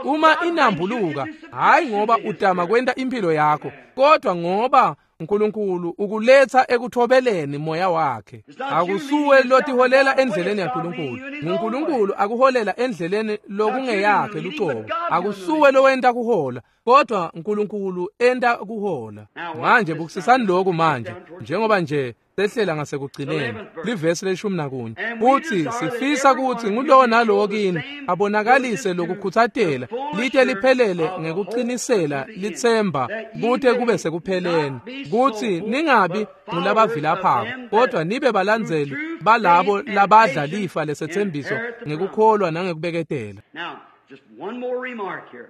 Uma inambuluka, hhayi ngoba utama kwenta impilo yakho, kodwa ngoba uNkulunkulu ukuletha ekuthobeleni moya wakhe. Akusuwe lotiholela endleleni yaNkulunkulu, nguNkulunkulu akuholela endleleni lokungeyakhe lucobo. Akusuwe lowenta kuhola, kodwa uNkulunkulu enta kuhola. Manje bukisisani lokhu manje, njengoba nje sehlela ngasekugcineni livesi le-11 uthi sifisa ukuthi ngulowo nalowo kini abonakalise lokukhutsatela lite liphelele ngekuqinisela litsemba kute kube sekupheleni, kuthi ningabi ngulabavilaphako kodwa nibe balandzeli balabo labadla lifa lesetsembiso ngekukholwa nangekubeketela. Now, just one more remark here.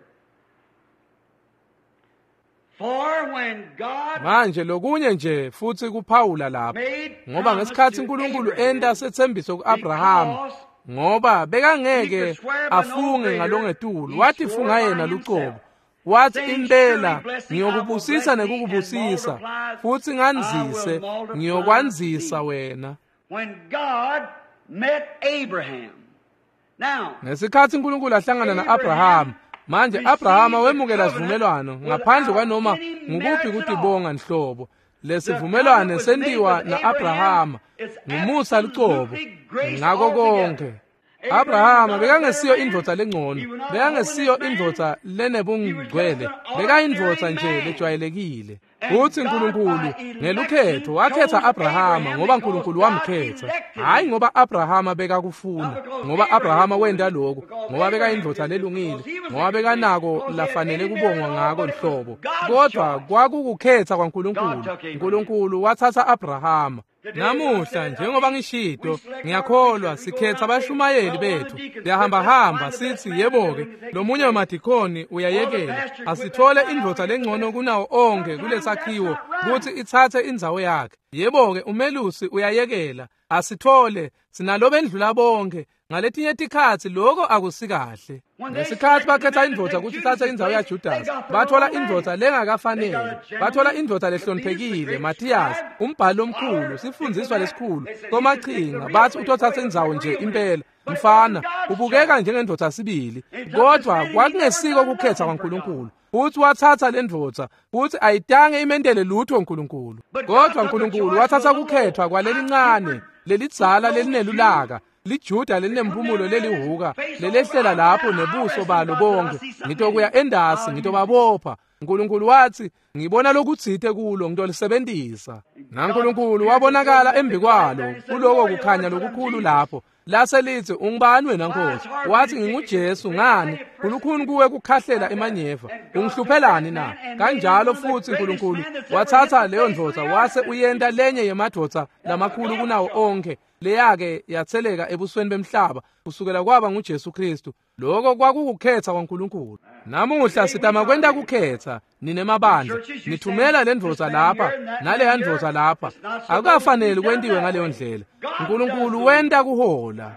For when God Manje lokunye nje futhi kuphawula lapha, ngoba ngesikhathi uNkulunkulu enta setsembiso kuAbraham, ngoba bekangeke afunge ngalongetulu, wathi funga yena lucobo, wathi impela ngiyokubusisa nekukubusisa, futhi ngandzise ngiyokwandzisa wena. When God met Abraham. Now, ngesikhathi uNkulunkulu ahlangana naAbraham, manje Abrahama wemukela sivumelwano ngaphandle kwanoma ngukuphi kutibonga nhlobo. Lesivumelwano sentiwa naAbrahama ngumusa lucobo ngako konke. Abrahama bekangesiyo indvodza lengcono, bekangesiyo indvodza lenebungcwele, bekayindvodza nje lejwayelekile. Uthi uNkulunkulu ngelukhetho wakhetha Abrahama ngoba uNkulunkulu wamkhetha, hayi ngoba Abrahama bekakufuna, ngoba Abrahama wenda lokho, ngoba bekayindvodza lelungile, ngoba bekanako lafanele kubongwa ngako nhlobo, kodwa kwakukukhetha kwaNkulunkulu. uNkulunkulu wathatha Abrahama. Namuhla njengoba ngishito, ngiyakholwa sikhetha abashumayeli bethu, siyahambahamba sithi yebo-ke lomunye wemadikoni uyayekela, asithole indvodza lengcono kunawo onke kulesakhiwo kuthi ithathe indzawo yakhe. Yebo-ke umelusi uyayekela, asithole sinalobendlula bonke. Ngaletinye tikhatsi lokho akusikahle. Ngesikhathi bakhetha indvodza ukuthi ithathe indzawo yaJudas, bathola indvodza lengakafanele, bathola indvodza lehloniphekile, Matthias, umbhali omkhulu, sifundziswa lesikhulu, somachinga, bathi utothatha indzawo nje impela. Mfana, ubukeka njengendvodza sibili, kodwa kwakungesiko ukukhetha kwaNkulunkulu. Futhi wathatha lendvodza, futhi ayitange imentele lutho uNkulunkulu. Kodwa uNkulunkulu wathatha ukukhethwa kwalelincane, lelidzala lelinelulaka, liJuda lelinempumulo lelihuka, lelehlela lapho nebuso balo bonke. Ngitokuya endasi, ngitobabopha. uNkulunkulu wathi, ngibona lokutsite kulo, ngitolisebenzisa. NaNkulunkulu wabonakala embi kwalo, kuloko kukhanya lokukhulu lapho. Lase lithi, ungubani wena Nkosi? Wathi, nginguJesu. Ngani? Kulukhuni kuwe kukhahlela emanyeva. Ungihluphelani na? Kanjalo futhi uNkulunkulu wathatha leyo ndvodza wase uyenta lenye yemadvodza lamakhulu kunawo onke, leyake yatheleka ebusweni bemhlaba kusukela kwaba nguJesu Kristu. Lokho kwakukukhetha kwaNkulunkulu. Namuhla sitama kwenta kukhetha, nine mabandla, nithumela lendvodza lapha naleya ndvodza lapha. Akukafaneli kwentiwe ngaleyo ndlela. uNkulunkulu wenta kuhola.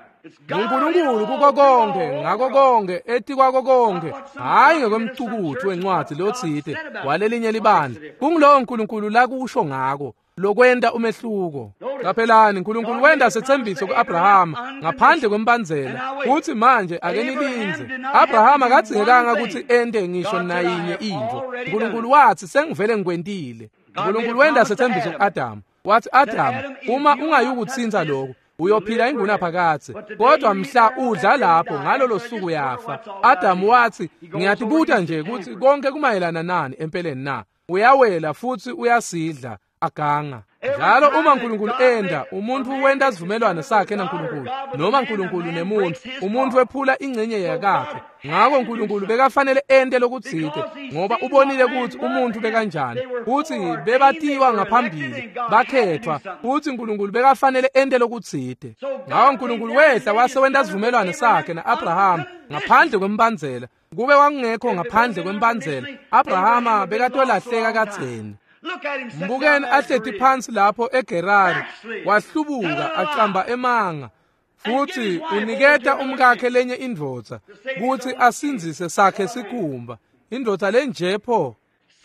uNkulunkulu kuko konke, ngako konke, etikwako konke, hhayi ngekwemcukuthu wencwadi lotsite walelinye libandla. Kungulowo uNkulunkulu lakusho ngako lokwenta umehluko. Qaphelani, uNkulunkulu wenta setsembiso kuAbrahama ngaphandle kwembandzela. Uthi manje ake nilindze. Abrahama akadzingekanga ukuthi ente ngisho nayinye intfo. uNkulunkulu wathi sengivele ngikwentile. uNkulunkulu wenta setsembiso kuAdamu. Wathi, Adamu, uma ungayukutsintsa lokho, uyophila ingunaphakadze, kodwa mhla udla lapho ngalolo suku uyafa. Adamu wathi, ngiyatibuta nje ukuthi konke kumayelana nani empeleni na? Uyawela futhi uyasidla. aganga. Njalo uma uNkulunkulu enda, umuntu wenta sivumelwano sakhe naNkulunkulu, noma uNkulunkulu nemuntu, umuntu wephula ingcenye yakakhe. Ngakho uNkulunkulu bekafanele ente lokutsite, ngoba ubonile ukuthi umuntu bekanjani, futhi bebatiwa ngaphambili, bakhethwa, futhi uNkulunkulu bekafanele ente lokutsite. Ngakho uNkulunkulu wehla wase wenta sivumelwano sakhe na-Abrahama ngaphandle kwembandzela. Kube kwakungekho ngaphandle kwembandzela, Abrahama bekatolahleka kadzeni. Mbukeni ahleti phansi lapho eGerari, wahlubuka acamba emanga, futhi uniketa umkakhe lenye indvodza kutsi asindzise sakhe sikhumba. Indvodza lenje pho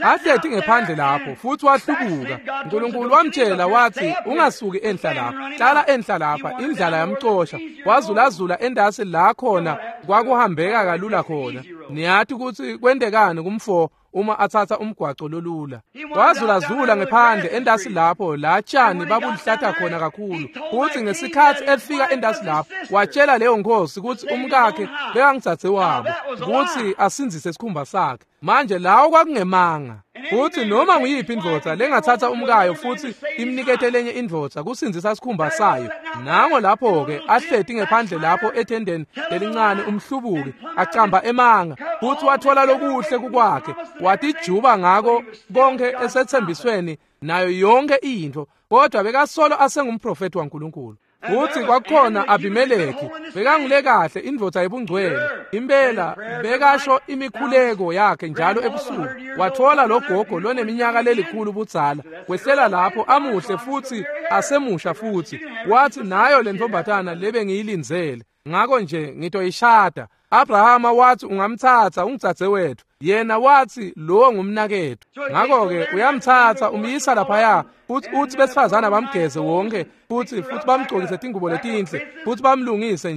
ahleti ngephandle lapho futhi wahlubuka. uNkulunkulu wamtshela wathi, ungasuki enhla lapha, hlala enhla lapha. Indlala yamcosha, wazulazula endasi la khona kwakuhambeka kalula khona. Niyati kutsi kwentekani kumfo uma atsatsa umgwaco lolula. Wazulazula ngephandle endasi lapho la tshani babulihlata khona kakhulu. Futhi ngesikhatsi efika endasi lapho, watshela leyo nkosi kutsi umkakhe bekangitsatse wabo kutsi asindzise sikhumba sakhe. Manje lawo kwakungemanga. Futhi noma nguyiphi indvodza lengatsatsa umkayo futhi imnikete lenye indvodza kusindzisa sikhumba sayo. Nango lapho-ke ahleti ngephandle lapho ethendeni lelincane umhlubuki acamba emanga, futhi wathola lokuhle kukwakhe, watijuba ngako konke esethembisweni nayo yonke intfo, kodwa bekasolo asengumprofeti waNkulunkulu. Futhi kwakukhona Abimeleki, bekangule kahle indvodza yebungcwele impela, bekasho imikhuleko yakhe njalo ebusuku. Wathola lo gogo loneminyaka lelikhulu budzala, wehlela lapho amuhle futhi asemusha, futhi wathi, nayo le ntombatana lebe ngiyilindzele, ngakho nje ngitoyishada. Abrahama wathi, ungamthatha ungitsatse wethu. Yena wathi, lowo ngumnakethu. Ngakho-ke uyamthatha umyisa laphaya, futhi uthi besifazana bamgeze wonke, futhi bamgcokise tingubo letinhle, futhi bamlungise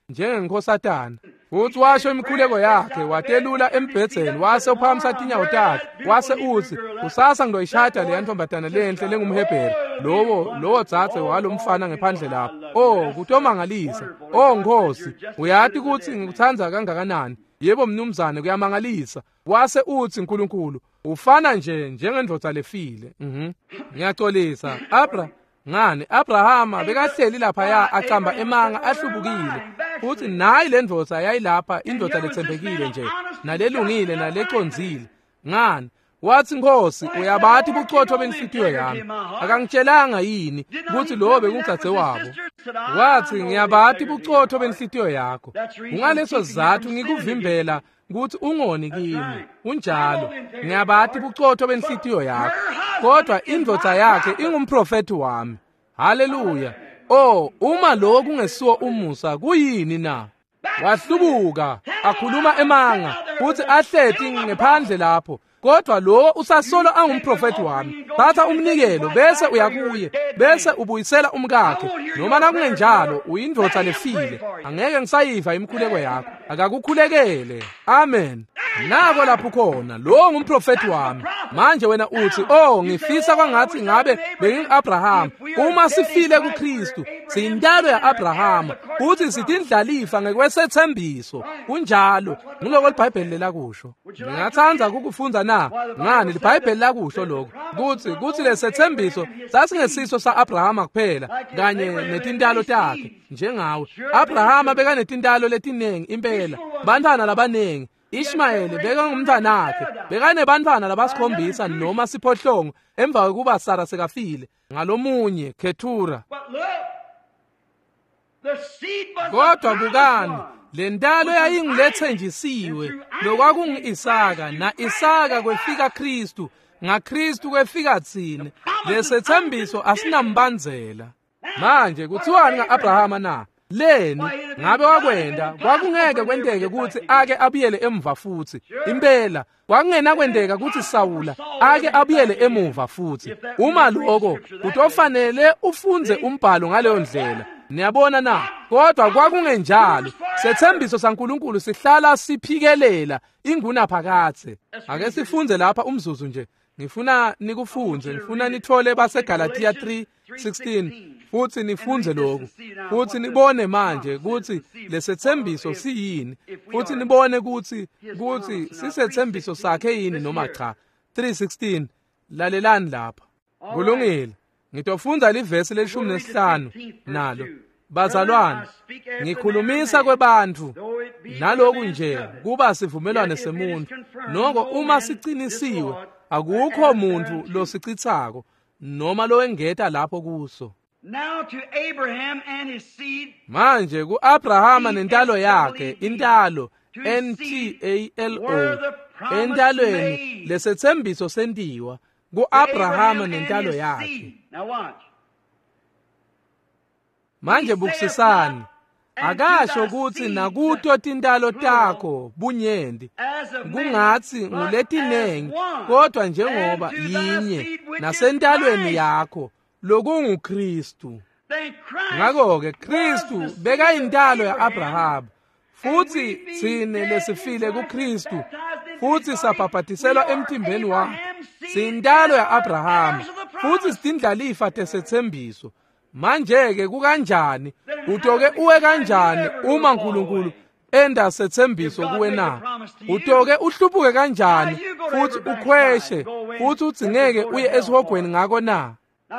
njengenkosatana. Futhi washo imikhuleko yakhe, watelula embhedzeni, wase uphakamisa tinyawo takhe, wase utsi, kusasa ngizoyishada leya ntombatana lenhle lengumHebheru, lowo dzadze walomfana ngephandle lapho. Oh, kutomangalisa. Oh Nkosi, uyati kutsi ngikutsandza kangakanani. Yebo mnumzane, kuyamangalisa. Wase utsi uNkulunkulu, ufana nje njengendvodza lefile. Ngiyaxolisa. Ngani Abrahama bekahleli laphaya acamba emanga ahlubukile, futhi nayi le ndvodza yayilapha, indvodza letsembekile nje nalelungile nalecondzile. Ngani wathi, Nkosi, uyabati bucotho benhlitiyo yami, akangitshelanga yini kutsi lowo bekungitsatse wabo? Wathi, ngiyabati bucotho benhlitiyo yakho, kungaleso sizatfu ngikuvimbela kutsi ungoni kimi. Unjalo, ngiyabati bucotho benhlitiyo yakho, kodwa indvodza yakhe ingumprofeti wami. Haleluya. Oh, uma lokho kungesiwo umusa, kuyini na? Wahlubuka akhuluma emanga futhi ahleti ngephandle lapho, kodwa lo usasolo angumprofeti wami. Thatha umnikelo bese uyakuye, bese ubuyisela umkakhe, noma nakungenjalo uyindvodza lefile, angeke ngisayiva imikhuleko yakho. Akakukhulekele. Amen. Nako lapho khona, lo ngumprofeti wami. Manje wena uthi, oh, ngifisa kwangathi ngabe bengingu-Abrahama. Uma sifile kuKristu, siyintalo ya-Abrahama, futhi sitindlalifa ngekwesethembiso. Kunjalo, nguloko liBhayibheli lelakusho. Ngingatsandza kukufundza na? Ngani, liBhayibheli lakusho lokho, kutsi lesethembiso sasingesiso sa-Abrahama kuphela kanye netintalo takhe njengawe. Abrahama bekanetintalo letiningi impela, bantfwana labaningi. Ishmayeli bekangumntfanakhe, bekanebantfwana labasikhombisa noma siphohlongo emva kwekuba Sara sekafile ngalomunye Ketura. Kodwa bukani, le ntalo yayingulethenjisiwe, lokwakungu-Isaka, na-Isaka kwefika Kristu, ngaKristu kwefika tsine. Lesethembiso asinambandzela. Manje kuthiwani nga-Abrahama na? Leni ngabe wakwenda? Kwakungeke kwenteke kutsi ake abuyele emuva futhi. Impela kwakungenakwenteka kutsi Sawula ake abuyele emuva futhi. Uma lokho kutofanele ufundze umbhalo ngaleyo ndlela. Niyabona na? Kodwa kwakungenjalo. Sethembiso saNkulunkulu sihlala siphikelela ingunaphakadze. Ake sifunze lapha umzuzu nje. Ngifuna nikufundze, ngifuna nithole baseGalatia 3:16 futhi nifunze lokhu, futhi nibone manje kutsi lesethembiso siyini, futhi nibone kutsi sisethembiso sakhe yini noma cha. 3:16, lalelani lapha. Kulungile. Ngitofundza livesi le-15 nalo. Bazalwane, ngikhulumisa kwebantfu naloku nje kuba sivumelwane semuntu. Noko uma siqinisiwe, akukho muntu losicitsako noma lowengeta lapho kuso. Manje ku-Abrahama nentalo yakhe, intalo N-T-A-L-O, entalweni lesetsembiso sentiwa ku-Abrahama nentalo yakhe. Manje bukisisani, akasho kutsi nakuto tintalo takho bunyenti, kungatsi nguletinengi, kodwa njengoba yinye nasentalweni yakho lokunguKristu. Ngakho-ke Kristu bekayintalo ya-Abrahama, futhi tsine lesifile kuKristu futhi sabhabhatiselwa emtimbeni wakhe, siyintalo ya-Abrahama futhi sitindlalifa tesetsembiso. Manje-ke kukanjani, utoke uwe kanjani uma uNkulunkulu enda setsembiso kuwe na? Utoke uhluphuke kanjani futhi ukhweshe futhi udzingeke uye esihogweni ngako na?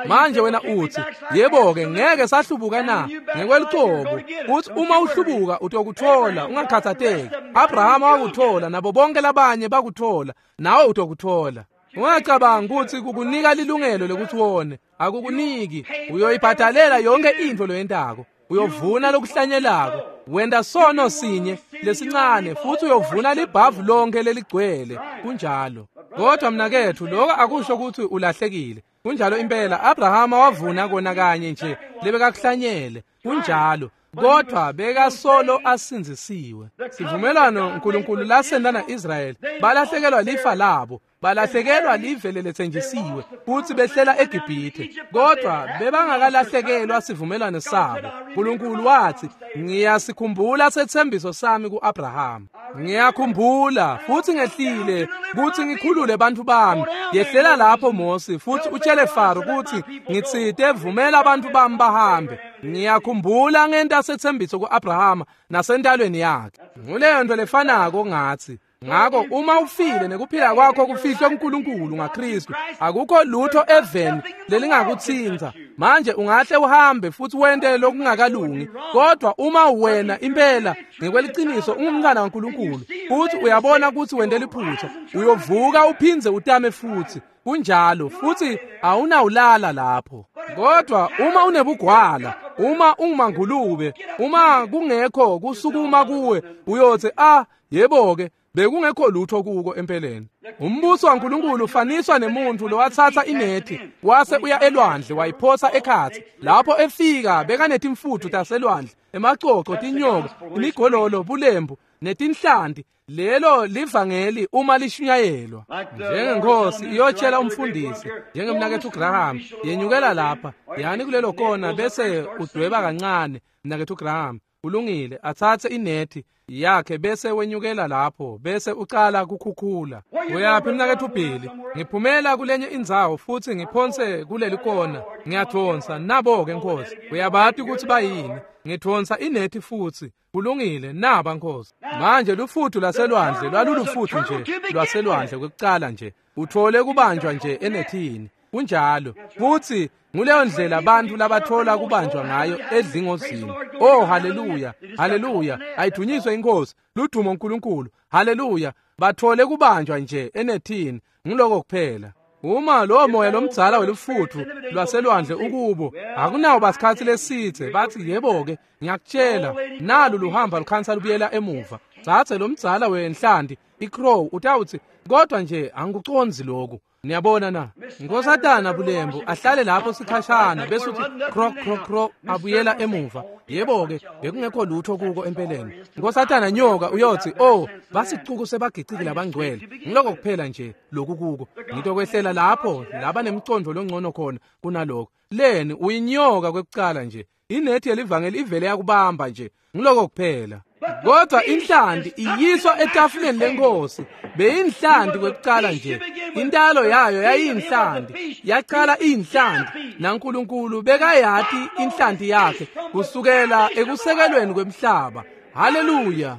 Manje wena uthi, yebo-ke ngeke sahlubuka na? Ngekwelucobo uthi uma uhlubuka utokuthola, ungakhathateki. Abrahama wakuthola, nabo bonke labanye bakuthola, nawe utokuthola. Ungacabanga ukuthi kukunika lilungelo lokuthi wone, akukuniki. Uyoyibhadalela yonke intfo loyentako. Uyovuna lokuhlanyelako. Wenta sono sinye lesincane futhi uyovuna libhavu lonke leligcwele. Kunjalo. Kodwa mnaketfu, lokho akusho ukuthi ulahlekile. Kunjalo impela, Abrahama wavuna kona kanye nje lebekakuhlanyele. Kunjalo. Kodwa bekasolo asindzisiwe. Sivumelwano uNkulunkulu lasenta na-Israyeli, balahlekelwa lifa labo, balahlekelwa live leletsenjisiwe futhi behlela eGibhithe, kodwa bebangakalahlekelwa sivumelwano sabo. uNkulunkulu wathi, ngiyasikhumbula setsembiso sami ku-Abrahama. Ngiyakhumbula futhi ngehlile kuthi ngikhulule abantu bami. Yehlela lapho Mose futhi utshele Faro kuthi ngitsite vumela abantu bami bahambe. Ngiyakhumbula ngenta setsembiso ku-Abrahama nasentalweni yakhe. Nguleyo nto lefanako ngathi. Ngakho uma ufile nekuphila kwakho kufihlwe kuNkulunkulu ngaKristu, akukho lutho eveni lelingakutsinza. Manje ungahle uhambe futhi wente lokungakalungi, kodwa uma wena impela ngekweliciniso ungumntwana waNkulunkulu futhi uyabona ukuthi wente liphutha, uyovuka uphindze utame futhi. Kunjalo, futhi awunawulala lapho. Kodwa uma unebugwala, uma ungumangulube, uma kungekho kusukuma kuwe, uyothi ah, yebo-ke, bekungekho lutho kuko empeleni. Umbuso waNkulunkulu ufaniswa nemuntu lowathatha inethi wase uya elwandle wayiphosa ekhatsi. Lapho efika bekanetimfuthu taselwandle, emacoco, tinyoka, imigololo, bulembu netinhlanti. Lelo livangeli uma lishunyayelwa. Njengenkosi iyotshela umfundisi, njengemnaketfu Graham, yenyukela lapha, yani kulelo kona bese udweba kancane, mnaketfu Graham. Kulungile, athathe inethi yakhe bese wenyukela lapho bese ucala kukhukhula. Uyaphi mnaketfu Billy? Ngiphumela kulenye indzawo futhi ngiphonse kuleli kona. Ngiyadonsa nabo-ke Nkosi. Uyabati ukuthi bayini. Ngidonsa inethi futhi. Kulungile, naba Nkosi. Manje lufuthu lwaselwandle lwalulufuthu nje lwaselwandle kwekucala nje. Uthole kubanjwa nje enethini. Kunjalo. Futhi nguleyo ndlela abantu labathola kubanjwa ngayo edlingozini. Oh haleluya, haleluya, ayidunyiswe inkosi, ludumo uNkulunkulu. Haleluya, bathole kubanjwa nje enethini. Ngiloko kuphela. Uma lo moya lomdzala welufuthu lwaselwandle ukubo, akunawo basikhathi lesithe bathi yebo-ke, ngiyakutshela, nalu luhamba lukhansa lubuyela emuva. Tsatse lomdzala wenhlanti, icrow, utawuthi kodwa nje angikuconzi lokhu. Niyabona na? Nkosatana Bulembu ahlale lapho sikhashana bese uthi krok krok krok abuyela emuva. Yebo-ke, bekungekho lutho kuko empeleni. Nkosatana Nyoka uyothi, oh, basicuku sebagiciki labangcwele. Ngiloko kuphela nje lokhu kuko. Ngitokwehlela lapho laba nemcondo longcono khona kunalokho. Leni uyinyoka kwekucala nje. Inethi yelivangeli ivele yakubamba nje. Ngiloko kuphela. Kodwa inhlanti iyiswa etafuleni lenkosi. Beyinhlanti kwekucala nje. Intalo yayo yayinhlanti. Yaqala inhlanti. NaNkulunkulu bekayati inhlanti yakhe kusukela ekusekelweni kwemhlaba. Haleluya.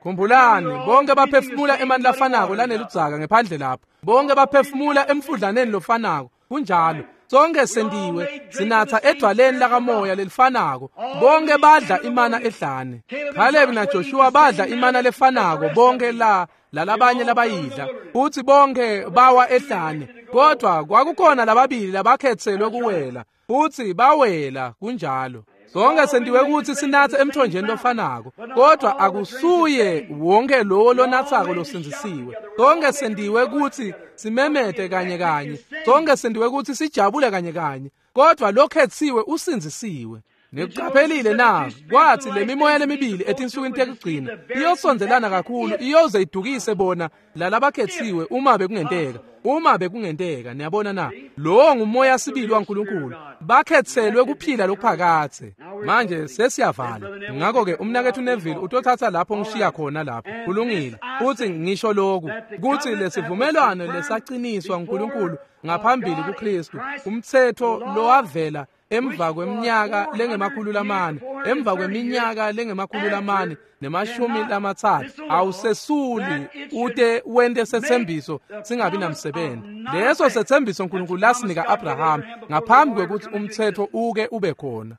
Khumbulani, bonke baphefumula emanti lafanako laneludzaka ngephandle lapho. Bonke baphefumula emfudlaneni lofanako. Kunjalo. Sonke sentiwe sinatha edwaleni lakamoya lelifanako. Bonke badla imana ehlane. Caleb naJoshua badla imana lefanako, bonke la lalabanye labayidla, futhi bonke bawa ehlane. Kodwa kwakukhona lababili labakhetselwe kuwela, futhi bawela. Kunjalo. Sonke sentiwe ukuthi sinathe emthonjeni lofanako, kodwa akusuye wonke lowo lonathako losindzisiwe. Sonke sentiwe ukuthi simemete kanye kanye, sonke sentiwe ukuthi sijabule kanye kanye, kodwa lokhetsiwe usindzisiwe. Nikuqaphelile na? Kwathi le mimoya lemibili etinsukwini tekugcina iyosondelana kakhulu, iyoze idukise bona lalabakhethiwe uma bekungenteka. Uma bekungenteka, niyabona na? Lowo ngumoya sibili waNkulunkulu. Bakhetselwe kuphila lokuphakathe. Manje sesiyavala. Ngakho ke umnakethu Neville utothatha lapho ngishiya khona lapho. Kulungile. Uthi ngisho lokhu, kuthi lesivumelwano lesaqiniswa uNkulunkulu ngaphambili kuKristu, umthetho lowavela emva kweminyaka lengemakhulu lamane, emva kweminyaka lengemakhulu lamane nemashumi lamatsatfu, awusesuli ute wente setsembiso singabi namsebenzi. Leso setsembiso uNkulunkulu lasinika Abraham ngaphambi kwekuthi umthetho uke ube khona.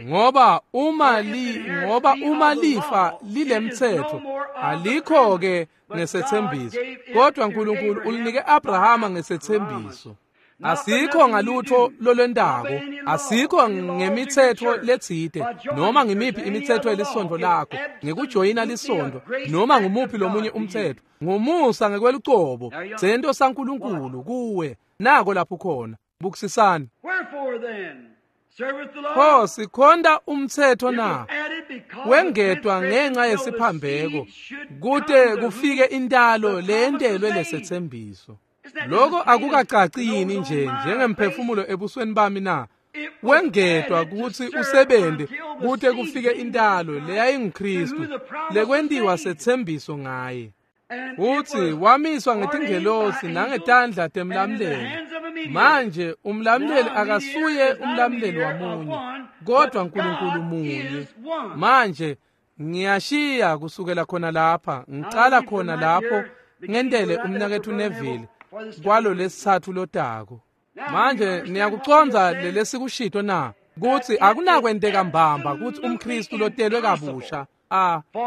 Ngoba uma li ngoba uma lifa lilemthetho, alikho ke ngesetsembiso, kodwa uNkulunkulu ulinike Abrahama ngesetsembiso. Asikho ngalutho lolwentako, asikho ngemithetho letsite noma ngimiphi imithetho yelisonto lakho, ngekujoyina lisonto noma ngumuphi lomunye umthetho. Ngumusa ngekwelucobo, sento saNkulunkulu kuwe. Nako lapho khona. Bukisisani. Pho sikhonta umthetho na? Wengetwa ngenxa yesiphambeko, kute kufike intalo leyentelwe lesethembiso. Lokho akukacaci yini nje njengemphefumulo ebusweni bami na? Wengetwa ukuthi usebente kute kufike intalo leyayinguKristu, lekwentiwa sethembiso ngaye. Uthi wamiswa ngetingelosi nangetandla temlamleli. Manje umlamleli akasuye umlamleli wamunye, kodwa uNkulunkulu munye. Manje ngiyashiya kusukela khona lapha, ngicala khona lapho ngentele umnakethu Neville kwalo lesithathu lotako. Manje niyakucondza lelesikushito na? Kuthi akunakwenteka mbamba kuthi umKristu lotelwe kabusha,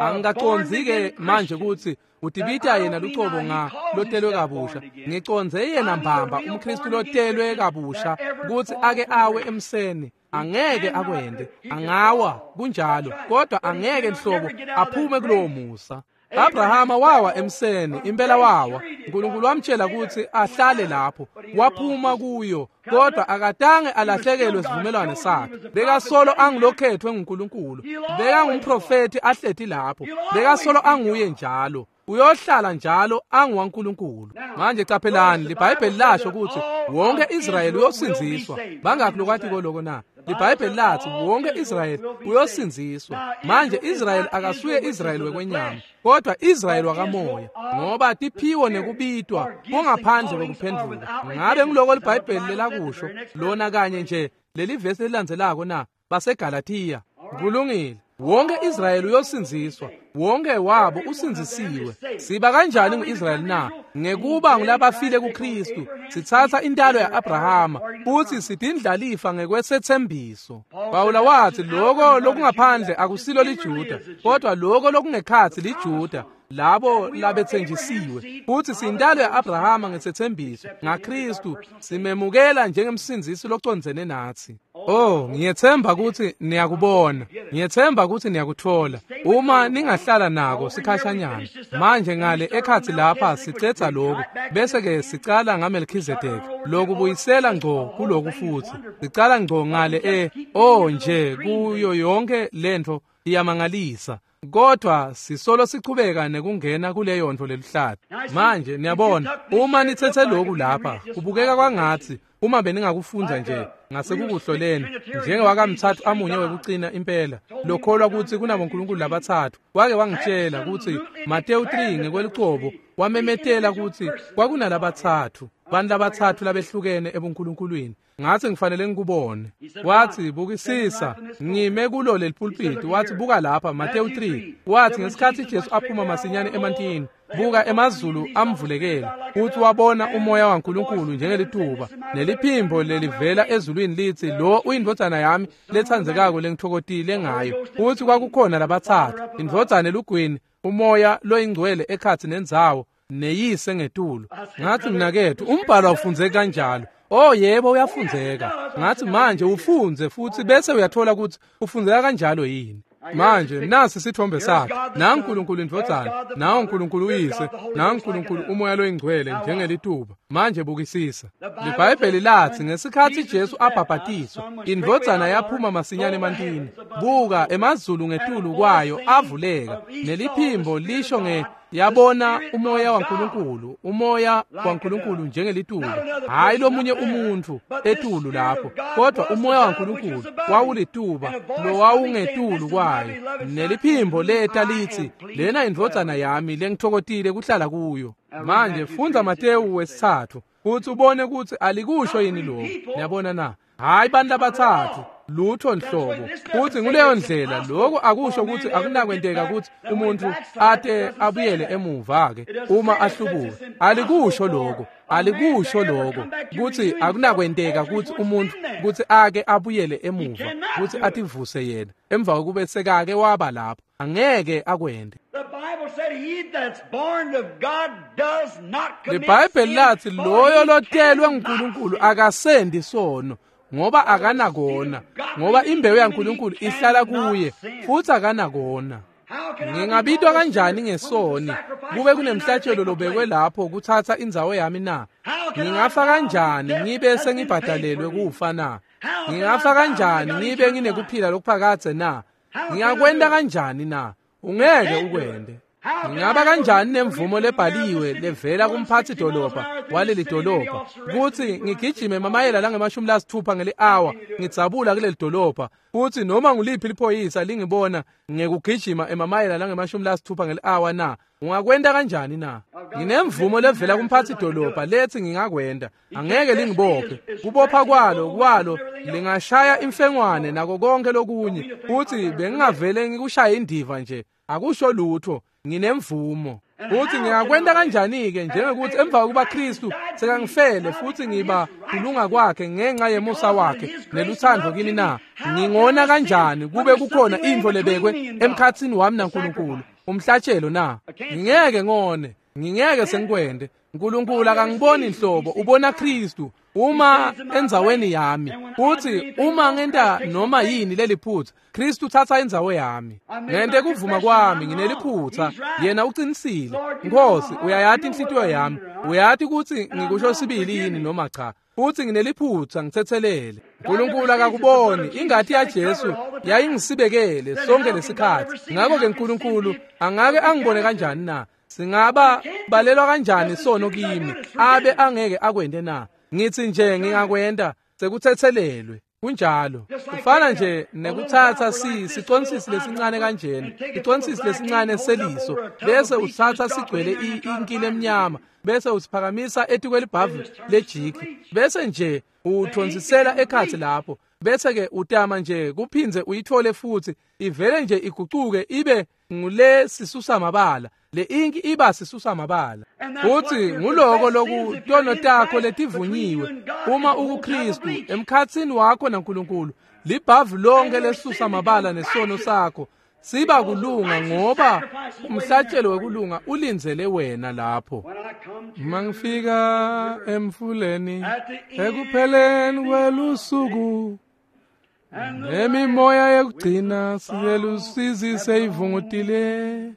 angikacondzi ke manje ukuthi utibita yena lucobo nga lotelwe kabusha. Ngicondze yena mbamba umKristu lotelwe kabusha kuthi ake awe emseni. Angeke akwende, angawa kunjalo, kodwa angeke nhlobo aphume kulowo musa. Abrahama wawa emseni, impela wawa. uNkulunkulu wamtshela ukuthi ahlale lapho, waphuma kuyo, kodwa akatange alahlekelwe sivumelwano sakhe. Bekasolo angilokhethwe nguNkulunkulu, bekangumprofeti ahleti lapho, bekasolo anguye njalo, uyohlala njalo anguwaNkulunkulu. Manje caphelani, liBhayibheli lasho ukuthi wonke Israyeli uyosindziswa. Bangakhi lokwatiko loko na? LiBhayibheli lathi wonke Israyeli uyosindziswa. Manje Israyeli akasuye Israyeli wekwenyama, kodwa Israyeli wakamoya, ngoba tiphiwo nekubitwa kungaphandle kwekuphendvuka. Ngabe ngiloko liBhayibheli lelakusho lona kanye nje leli vesi elilandzelako na? BaseGalathiya. Kulungile. Wonke Israyeli uyosindziswa, wonke wabo usindzisiwe. Siba kanjani ngu-Israyeli na? Ngekuba ngulabafile kuKristu, sitsatsa intalo ya-Abrahama futhi sidindlalifa ngekwesethembiso. Pawula wathi loko lokungaphandle akusilo liJuda, kodwa loko lokungekhatsi liJuda, labo labetsenjisiwe. Futhi siyintalo ya-Abrahama ngesethembiso ngaKristu, simemukela njengemsindzisi locondzene nathi. Oh, ngiyethemba ukuthi niyakubona, ngiyethemba ukuthi niyakuthola uma ningahlala nako sikhashanyana. Manje ngale ekhatsi lapha sicetha lokhu, bese ke sicala ngaMelkhizedeki, lokubuyisela ngco kuloku, futhi sicala ngco ngale oh nje kuyo yonke lento iyamangalisa, kodwa sisolo sichubeka nekungena kuleyo nto leluhlata. Manje niyabona, uma nithethe lokhu lapha, kubukeka kwangathi uma beningakufundza nje ngasekukuhloleni njengewakamthathu amunye wekucina impela lokholwa ukuthi kunabonkulunkulu labathathu, wake wangitshela ukuthi Mateyu 3 ngekwelucobo wamemetela ukuthi kwakunalabathathu, bantu labathathu labehlukene ebunkulunkulwini. Ngathi ngifanele ngikubone. Wathi, bukisisa, ngime kulo leli pulpit. Wathi, buka lapha, Mateyu 3. Wathi ngesikhathi Jesu aphuma masinyane emantini, Buka emazulu amvulekela, futhi wabona umoya waNkulunkulu njengelituba, neliphimbo lelivela ezulwini lithi, lo uyindvodzana yami letsandzekako lengitfokotile ngayo. Futhi kwakukhona labatsatfu, indvodzana elugwini, umoya loyingcwele ekhatsi nendzawo, neyise ngetulu. Ngathi, mnaketfu, umbhalo awufundzeki kanjalo. Oh yebo, uyafundzeka. Ngathi, manje ufundze futhi bese uyathola ukuthi ufundzeka kanjalo yini. Manje nasi sithombe sakhe, naNkulunkulu indvodzana, naNkulunkulu uyise, naNkulunkulu umoya loyingcwele njengelituba. Manje bukisisa. LiBhayibheli lathi ngesikhathi Jesu abhabhatiswa, indvodzana yaphuma masinyane emantini. Buka, emazulu ngetulu kwayo avuleka, neliphimbo lisho nge yabona umoya waNkulunkulu, umoya waNkulunkulu njengelituba, hayi lomunye umuntu etulu lapho, kodwa umoya waNkulunkulu wawulituba lowawungetulu kwayo, neliphimbo leta lithi, lena indvodzana yami lengitfokotile kuhlala kuyo. Manje fundza Matewu 3 futhi ubone ukuthi alikusho yini lokho. Niyabona na? Hayi bantu labatsatfu, lutho nhlobo. Futhi nguleyo ndlela lokho akusho ukuthi akunakwenteka ukuthi umuntu ate abuyele emuva ke uma ahlubuka. Alikusho lokho, alikusho lokho ukuthi akunakwenteka ukuthi umuntu ukuthi ake abuyele emuva ukuthi ativuse yena emva kokube sekake waba lapho. Angeke akwende. LiBhayibheli lathi loyo lotelwe nguNkulunkulu akasendi sono, ngoba akanakona, ngoba imbewu yaNkulunkulu ihlala kuye futhi akanakona. Ngingabitwa kanjani ngesoni kube kunemhlatshelo lobekwe lapho kuthatha indzawo yami na? Ngingafa kanjani ngibe sengibhadalelwe kufa na? Ngingafa kanjani ngibe nginekuphila lokuphakadze na? Ngingakwenta kanjani na? Ungeke ukwende. Ngingaba kanjani nemvumo lebhaliwe levela kumphathi dolobha waleli dolobha kuthi ngigijime mamayela langama-60 ngeli-hour ngidzabula kuleli dolobha, futhi noma nguliphi liphoyisa lingibona ngekugijima emamayela langama-60 ngeli-hour na? Ungakwenta kanjani na? Nginemvumo levela kumphathi dolobha lethi ngingakwenda. Angeke lingibophe. Kubopha kwalo lingashaya imfengwane nako konke lokunye, futhi bengingavele ngikushaya indiva nje. Akusho lutho, nginemvumo. Futhi ngingakwenta kanjani-ke njengekuthi emva kokuba Kristu sekangifele futhi ngiba kulunga kwakhe ngenxa yemusa wakhe neluthando kini na? Ngingona kanjani kube kukhona intfo lebekwe emkhatsini wami naNkulunkulu, umhlatshelo na? Ngingeke ngone, ngingeke sengikwende. uNkulunkulu akangiboni nhlobo, ubona Kristu uma endzaweni yami. Futhi uma ngenta noma yini leliphutha, Kristu uthatha indzawo yami. Ngente kuvuma kwami ngineliphutha, yena uqinisile. Nkosi, uyayati inhlitiyo yami, uyati ukuthi ngikusho sibili yini noma cha. Futhi ngineliphutha, ngithethelele. uNkulunkulu akakuboni, ingati yaJesu yayingisibekele sonke lesikhathi. Ngakho-ke uNkulunkulu angake angibone kanjani na? Singaba balelwa kanjani sono kimi abe angeke akwende na? Ngithi nje ngingakwenda, sekuthethelelwe. Kunjalo. Kufana nje nekuthatha siconsisi lesincane kanjena, iconsisi lesincane seliso, bese uthatha sigcwele inkile emnyama, bese usiphakamisa etikwelibhavu lejiki, bese nje uthonsisela ekhatsi lapho, bese ke utama nje kuphindze uyithole futhi ivele nje igucuke ibe ngule sisusa mabala. Le inki iba sisusa mabala. Futhi nguloko loku tono takho letivunyiwe uma ukuKristu emkhatsini wakho naNkulunkulu, libhavu lonke lesusa mabala nesono sakho siba kulunga, ngoba umhlatshelo wekulunga ulindzele wena lapho. Mangifika emfuleni ekupheleni kwelusuku, nemimoya yekugcina siyelusizi seyivungutile,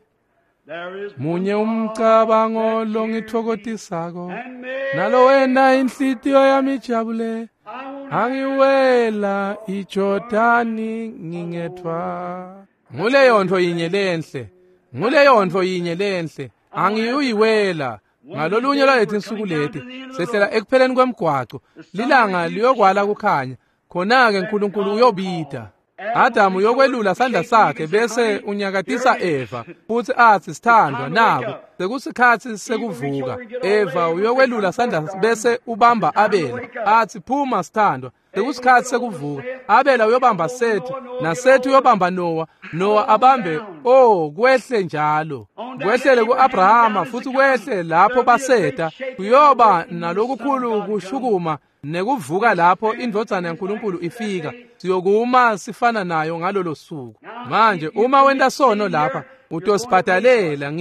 munye umcabango longithokotisako, nalo wena inhlitiyo yami ijabule, angiwela iJordani ngingethwa. Nguleyo nto yinye lenhle, nguleyo nto yinye lenhle, angiyuyiwela. Ngalolunye lwaleti insuku leti sehlela ekupheleni kwemgwaco, lilanga liyokwala kukhanya, khona-ke uNkulunkulu uyobida. Adamu uyokwelula sandla sakhe bese unyakatisa Eva futhi athi, sithandwa, naku sekusikhatsi sekuvuka. Eva uyokwelula sandla bese ubamba Abela athi, phuma sithandwa, sekusikhatsi sekuvuka. Abela uyobamba Sethi, naSethi uyobamba Noah, Noah abambe, oh, kwehle njalo kwehlele ku-Abrahama futhi kwehle lapho baseta. Kuyoba nalokukhulu kushukuma nekuvuka lapho indvodzana yaNkulunkulu ifika. Siyokuma sifana nayo ngalolo suku. Manje uma wenta sono lapha utosibhadalela.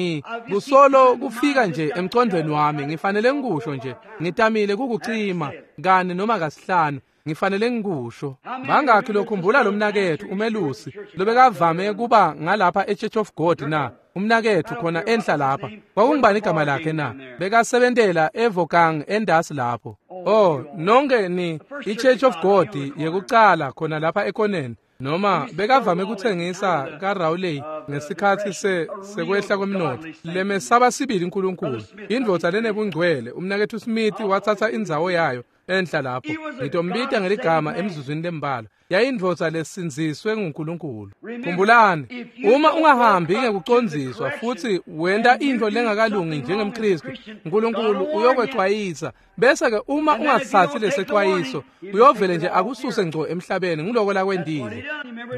Kusolo kufika nje emcondweni wami, ngifanele ngikusho nje, ngitamile kukucima kane noma kasihlanu, ngifanele ngikusho. Bangakhi lokhumbula lo mnakethu umelusi lobekavame kuba ngalapha eChurch of God na? Umnakethu khona enhla lapha, kwakungubani igama lakhe na? Bekasebentela eVokang endasi lapho. Oh, nonke ni iChurch of God yekucala khona lapha ekoneni, noma bekavame kuthengisa kaRawley ngesikhatsi sekwehla kwemnotfo. Lemesaba sibili uNkulunkulu, indvodza lenebungcwele. Umnakethu Smith watsatsa indzawo yayo enhla lapho. Ngitombita ngeligama emzuzwini lembalwa. Yayindvodza lesindziswe nguNkulunkulu. Khumbulani, uma ungahambi ngekucondziswa futhi wenta intfo lengakalungi njengemKhristu, uNkulunkulu uyokwecwayisa. Bese-ke uma ungasithatsi lesecwayiso, uyovele nje akususe ngco emhlabeni. Nguloko lakwentile.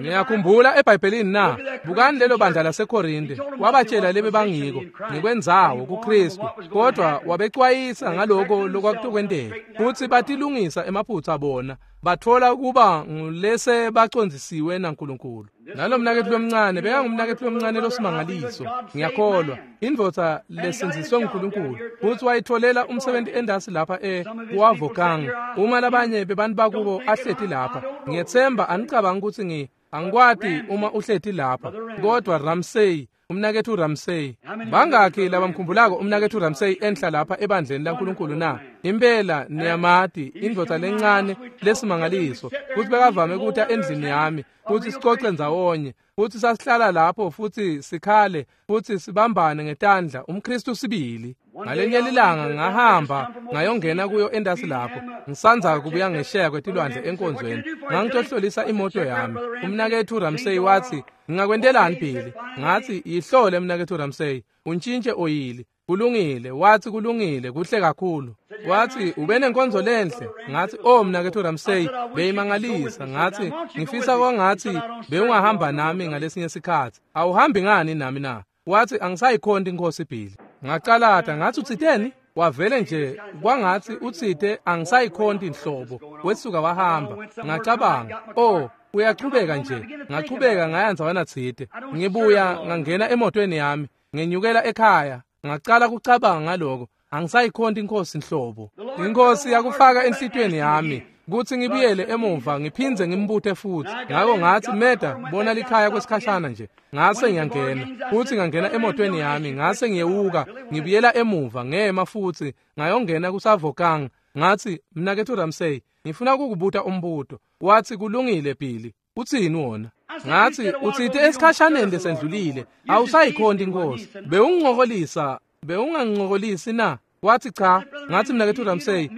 Ngiyakhumbula eBhayibhelini na, bukani lelo bandla laseKorinte, wabatshela lebe bangiko ngekwendzawo kuKhristu, kodwa wabecwayisa ngaloko lokwakutokwenteka, futhi batilungisa emaphutsa bona, batfola kuba ngulese bacondzisiwe naNkulunkulu. Nalo mnaketfu lomncane bekangumnaketfu lomncane losimangaliso, ngiyakholwa, indvodza lesindziswe nguNkulunkulu, futhi wayitfolela umsebenzi endasi lapha eWavokang. Uma labanye bebantu bakubo ahleti lapha, ngiyetsemba anicabanga kutsi angikwati uma uhleti lapha, kodwa Ramsey, umnaketfu Ramsey, bangakhi labamkhumbulako umnaketfu Ramsey enhla lapha ebandleni laNkulunkulu na? Impela niyamati, indvodza lencane lesimangaliso, futhi bekavame kuta endlini yami futhi sicoce ndzawonye, futhi sasihlala lapho futhi sikhale futhi sibambane ngetandla, umKhristu sibili. Ngalenye lilanga ngahamba ngayongena kuyo endasi lapho, ngisandza kubuya ngesheya kwetilwandle enkonzweni, ngangitohlolisa imoto yami. Umnaketfu Ramsey wathi, ngingakwentelani Billy? Ngathi, yihlole mnaketfu Ramsey, untshintshe oyili. Kulungile, wathi kulungile, kuhle kakhulu. Wathi, ube nenkonzo lenhle. Ngathi, oh mnaketfu Ramsey, beyimangalisa. Ngathi, ngifisa kwangathi bewungahamba nami ngalesinye sikhatsi. Awuhambi ngani nami na? Wathi, angisayikhonti inkosi Billy. Ngacalata, ngathi utsiteni? Wavele nje kwangathi utsite angisayikhonti inhlobo. Wesuka wahamba. Ngacabanga, oh, uyachubeka nje. Ngachubeka ngaya ndzawana tsite. Ngibuya ngangena emotweni yami, ngenyukela ekhaya. Ngacala kucabanga ngaloko, angisayikhonti inkosi inhlobo. Inkosi yakufaka enhlitiyweni yami kutsi ngibuyele emuva ngiphindze ngimbute futhi. Ngako ngathi, Meda, bona likhaya kwesikhashana nje. Ngase ngiyangena futhi ngangena emotweni yami, ngase ngiyewuka ngibuyela emuva ngema futhi ngayongena kuSavokang. Ngathi, mnaketfu Ramsey, ngifuna kukubuta umbuto. Wathi, kulungile Billy, utsini wona? Ngathi, utsite esikhashaneni lesendlulile awusayikhonti inkosi, bewungincokolisa, bewungangincokolisi na? Wathi cha. Ngathi, mnaketfu Ramsey,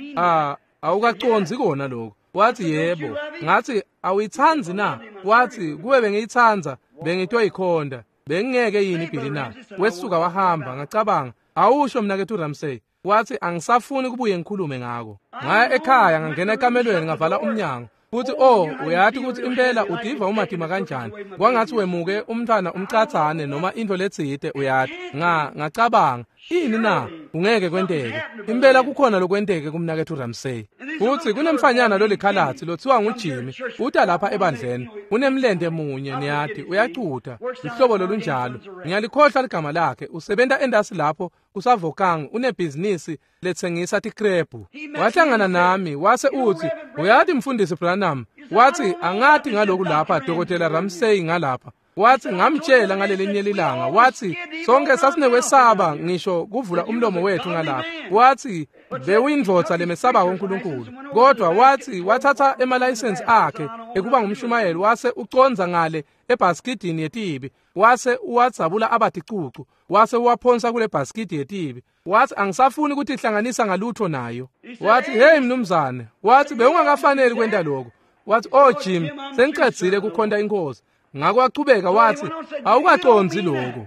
awukacondzi kona lokho. Wathi yebo. Ngathi, awuyitsandzi na? Wathi, kube bengiyitsandza bengitoyikhonda, bengingeke yini Billy na? Wesuka wahamba. Ngacabanga, awusho mnaketfu Ramsey. Wathi, angisafuni kubuye ngikhulume ngako. Ngaya ekhaya, ngangena ekamelweni, ngavala umnyango. Futhi oh, uyati ukuthi impela udiva umatima kanjani, kwangathi wemuke umntwana umcatsane noma into letsite, uyati. Ngacabanga, ini na? Ungeke kwenteke. Impela kukhona lokwenteke kumnaketfu Ramsey. Futhi kunemfanyana lolikhalatsi lothiwa nguJimmy, uta lapha ebandleni, unemlente munye, niyati, uyacuta, luhlobo lolunjalo. Ngiyalikhohlwa ligama lakhe, usebenta endasi lapho kuSavokang, unebhizinisi letsengisa tikrebhu. Wahlangana nami wase utsi, uyati mfundisi Branham, wathi, angati ngaloku lapha Dr. Ramsey ngalapha. Wathi, ngamtshela ngalelinye lilanga, wathi, sonke sasinekwesaba ngisho kuvula umlomo wethu ngalapha. Wathi, bewuyindvodza lemesabako uNkulunkulu, kodwa wathi wathatha emalayisensi akhe ekuba ngumshumayeli, wase ucondza ngale ebhaskidini yetibi, wase uwadzabula abaticucu, wase uwaphonsa kule bhaskidi yetibi. Wathi, angisafuni ukutihlanganisa ngalutho nayo. Wathi, hey mnumzane, wathi bewungakafaneli kwenta lokho. Wathi, "Oh Jim, sengicedzile kukhonta inkosi." Ngako wachubeka wathi, "Awukacondzi lokho."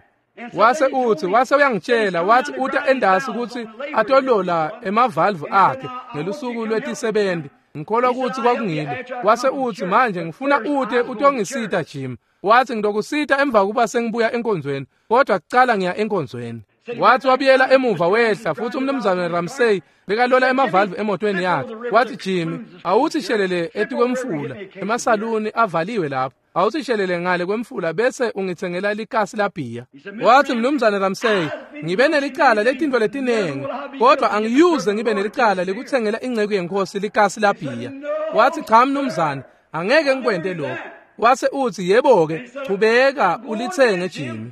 Wase uthi, wase uyangitshela, wathi uta endasi ukuthi atolola emavalvu akhe ngelusuku lwetisebenzi. Ngikholwa ukuthi kwakungilo. Wase uthi, "Manje ngifuna ute utongisita Jim." Wathi, "Ngidokusita emva kuba sengibuya enkonzweni, kodwa kucala ngiya enkonzweni." Wathi wabuyela emuva wehla futhi umnumzane Ramsey bekalola emavalvu emotweni yakhe. Wathi, "Jimmy, awuthi shelele etikwemfula, emasaluni avaliwe lapho. Awuthi shelele ngale kwemfula bese ungithengela likasi labhiya." Wathi, "Mnumzane Ramsey, ngibe nelicala letinto letinengi, kodwa angiyuze ngibe nelicala lekuthengela ingceku yenkosi likasi labhiya." Wathi, "Cha mnumzane, angeke ngikwente lokho." Wase uthi, "Yebo-ke, chubeka ulithenge Jimmy."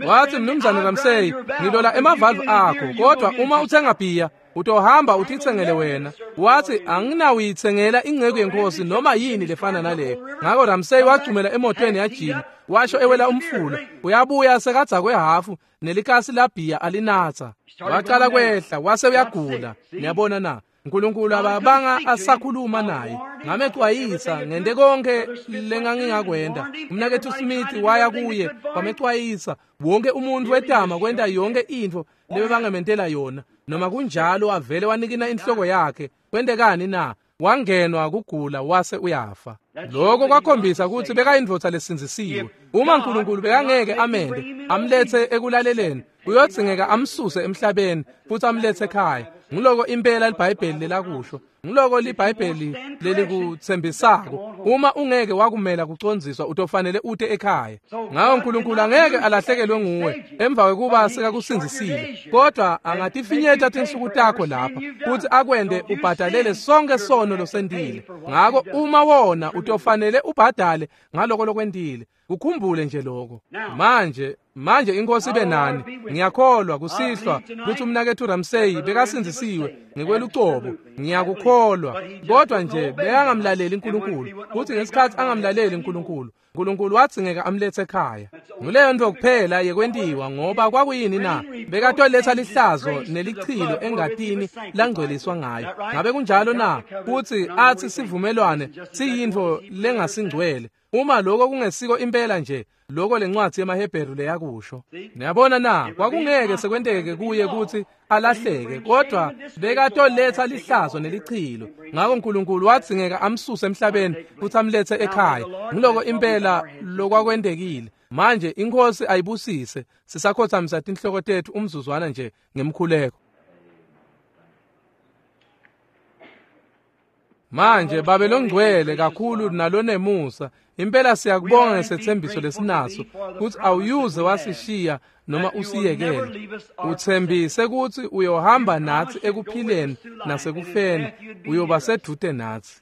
Wathi, "Mnumzane Ramsey, ngilola emavalvu akho, kodwa uma uthenga bhiya utohamba utithengele wena." Wathi, "Anginawuyithengela ingceku yenkosi noma yini lefana naleyo." Ngako Ramsey wagcumela emotweni yaJimmy, washo ewela umfula, uyabuya sekadzakwe hafu nelikasi labhiya alinatsa. Waqala kwehla wase uyagula. Niyabona na? uNkulunkulu ababanga asakhuluma naye. Ngamexwayisa ngente konke lengangingakwenda. Umnakethu Smith waya kuye wamexwayisa. Wonke umuntu wetama kwenta yonke intfo lebebangamentela yona. Noma kunjalo avele wanikina inhloko yakhe. Kwentekani na? Wangenwa kugula wase uyafa. Lokho kwakhombisa ukuthi bekayindvodza lesindzisiwe. Uma uNkulunkulu bekangeke amende amlethe ekulaleleni, uyodzingeka amsuse emhlabeni futhi amlethe ekhaya. Ngiloko impela iBhayibheli lelakusho. Ngiloko liBhayibheli lelikuthembisako. Uma ungeke wakumela kucondziswa, utofanele ute ekhaya. Ngawo uNkulunkulu angeke alahlekelwe nguwe emva kwekuba sekakusindzisile, kodwa angatifinyeta tinsuku takho lapha futhi akwende ubhadalele sonke sono losentile. Ngako uma wona utofanele ubhadale ngaloko lokwentile. Ukhumbule nje lokho. Manje inkosi ibe nani. Ngiyakholwa kusihlwa ukuthi umnakethu Ramsey bekasindzisiwe ngekwelucobo. Ngiyakukholwa, kodwa nje bekangamlaleli uNkulunkulu. Kuthi ngesikhathi angamlaleli uNkulunkulu, uNkulunkulu wadzingeka amlethe ekhaya. Nguleyo nto kuphela yekwentiwa, ngoba kwakuyini na? Bekatoletha lihlazo nelichilo engatini langcweliswa ngayo. Ngabe kunjalo na? Kuthi athi sivumelwane siyintfo lengasingcwele. Uma lokho kungesiko impela nje lokho lencwadi yemaHebheru leyakusho. Niyabona na? Kwakungeke sekwenteke kuye ukuthi alahleke, kodwa bekatoletha lihlazo nelichilo. Ngako uNkulunkulu wadzingeka amsuse emhlabeni futhi amlethe ekhaya. Ngiloko impela lokwakwentekile. Manje inkosi ayibusise. Sisakhothamisa tinhloko tethu umzuzwana nje ngemkhuleko. Manje Babe longcwele kakhulu nalonemusa, impela siyakubonga ngesethembiso lesinaso ukuthi awuyuze wasishiya noma usiyekele. Uthembise ukuthi uyohamba nathi ekuphileni nasekufeni, uyoba sedude nathi.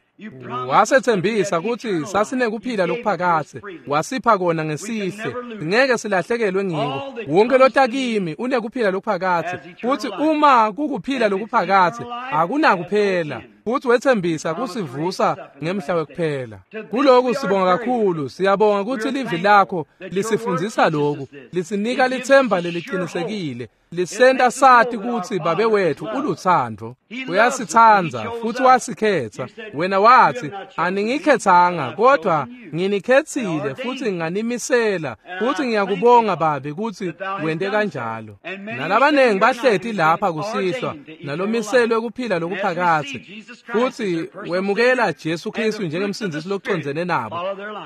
Wasethembisa ukuthi sasinekuphila lokuphakathe, wasipha kona ngesihle, ngeke silahlekelwe ngiko. Wonke lotakimi unekuphila lokuphakathe, futhi uma kukuphila lokuphakathe akunakuphela. Futhi wethembisa kusivusa ngemhla wekuphela. Kuloku sibonga kakhulu. Siyabonga ukuthi livi lakho lisifundzisa lokhu, lisinika lithemba leliqinisekile, lisenta sati ukuthi Babe wethu uluthando. Uyasithanda futhi wasikhetha. Wena wathi, "Aningikhethanga, kodwa nginikhethile futhi nganimisela." Futhi ngiyakubonga Babe ukuthi wente kanjalo. Nalabanengi bahleti lapha kusihlwa nalomiselwe kuphila lokuphakathe, futhi wemukela Jesu Kristu njengemsindzisi locondzene nabo.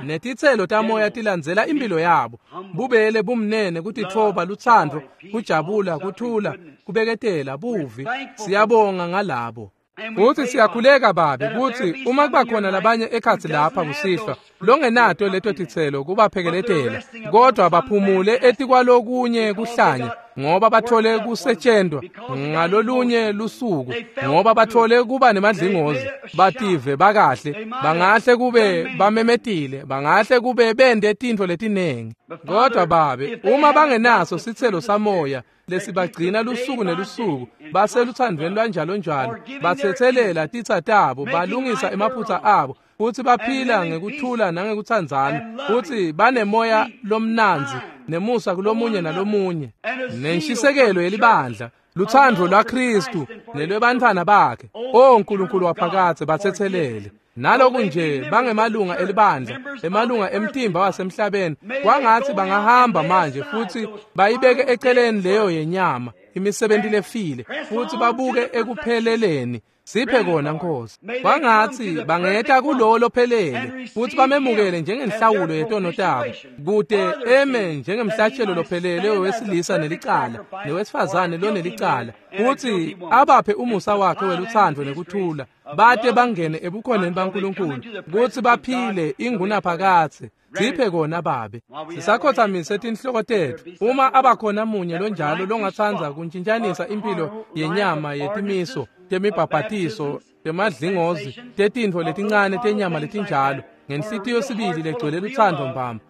Netitselo tamoya tilandzela impilo yabo. Bubele, bumnene, kutitfoba, lutsandvo, kujabula, kuthula, kubeketela, buvi. Siyabonga ngalabo. Futhi siyakhuleka Babe ukuthi uma kuba khona labanye ekhatsi lapha kusihlwa longenato leto titselo kubaphekeletela, kodwa baphumule etikwalokunye kuhlanya, ngoba bathole kusetshentwa ngalolunye lusuku, ngoba bathole kuba nemadlingozi, bative bakahle, bangahle kube bamemetile, bangahle kube bende tintfo letinengi. Kodwa Babe, uma bangenaso sitselo samoya lesibagcina lusuku nelusuku, baseluthandweni lwanjalo njalo, bathetselela titsa tabo, balungisa emaphutsa abo, futhi baphila ngekuthula nangekuthandzana, futhi banemoya lomnandzi nemusa kulomunye nalomunye, nenshisekelo yelibandla, luthando lwaKristu nelwebantfwana bakhe. O Nkulunkulu waphakathe, bathethelele. Naloku nje bangemalunga elibandla, emalunga emtimba wasemhlabeni, kwangatsi bangahamba manje futsi bayibeke eceleni leyo yenyama, imisebenti lefile, futsi babuke ekupheleleni. Siphe kona Nkosi. Kwangatsi bangeta kulowo lophelele futsi bamemukele njengenhlawulo yetono tabo, kute eme njengemhlatshelo lophelele wesilisa nelicala newesifazane lonelicala, futsi abaphe umusa wakhe welutsandvo nekuthula, bate bangene ebukhoneni baNkulunkulu kutsi baphile ingunaphakadze. Siphe kona Babe. Sisakhothamise tinhloko tetfu. Uma abakhona munye lonjalo longatsandza kuntshintshanisa impilo yenyama yetimiso, temibhabhatiso, temadlingozi, tetintfo letincane tenyama letinjalo, ngenhlitiyo sibili legcwele lutsandvo mbamba,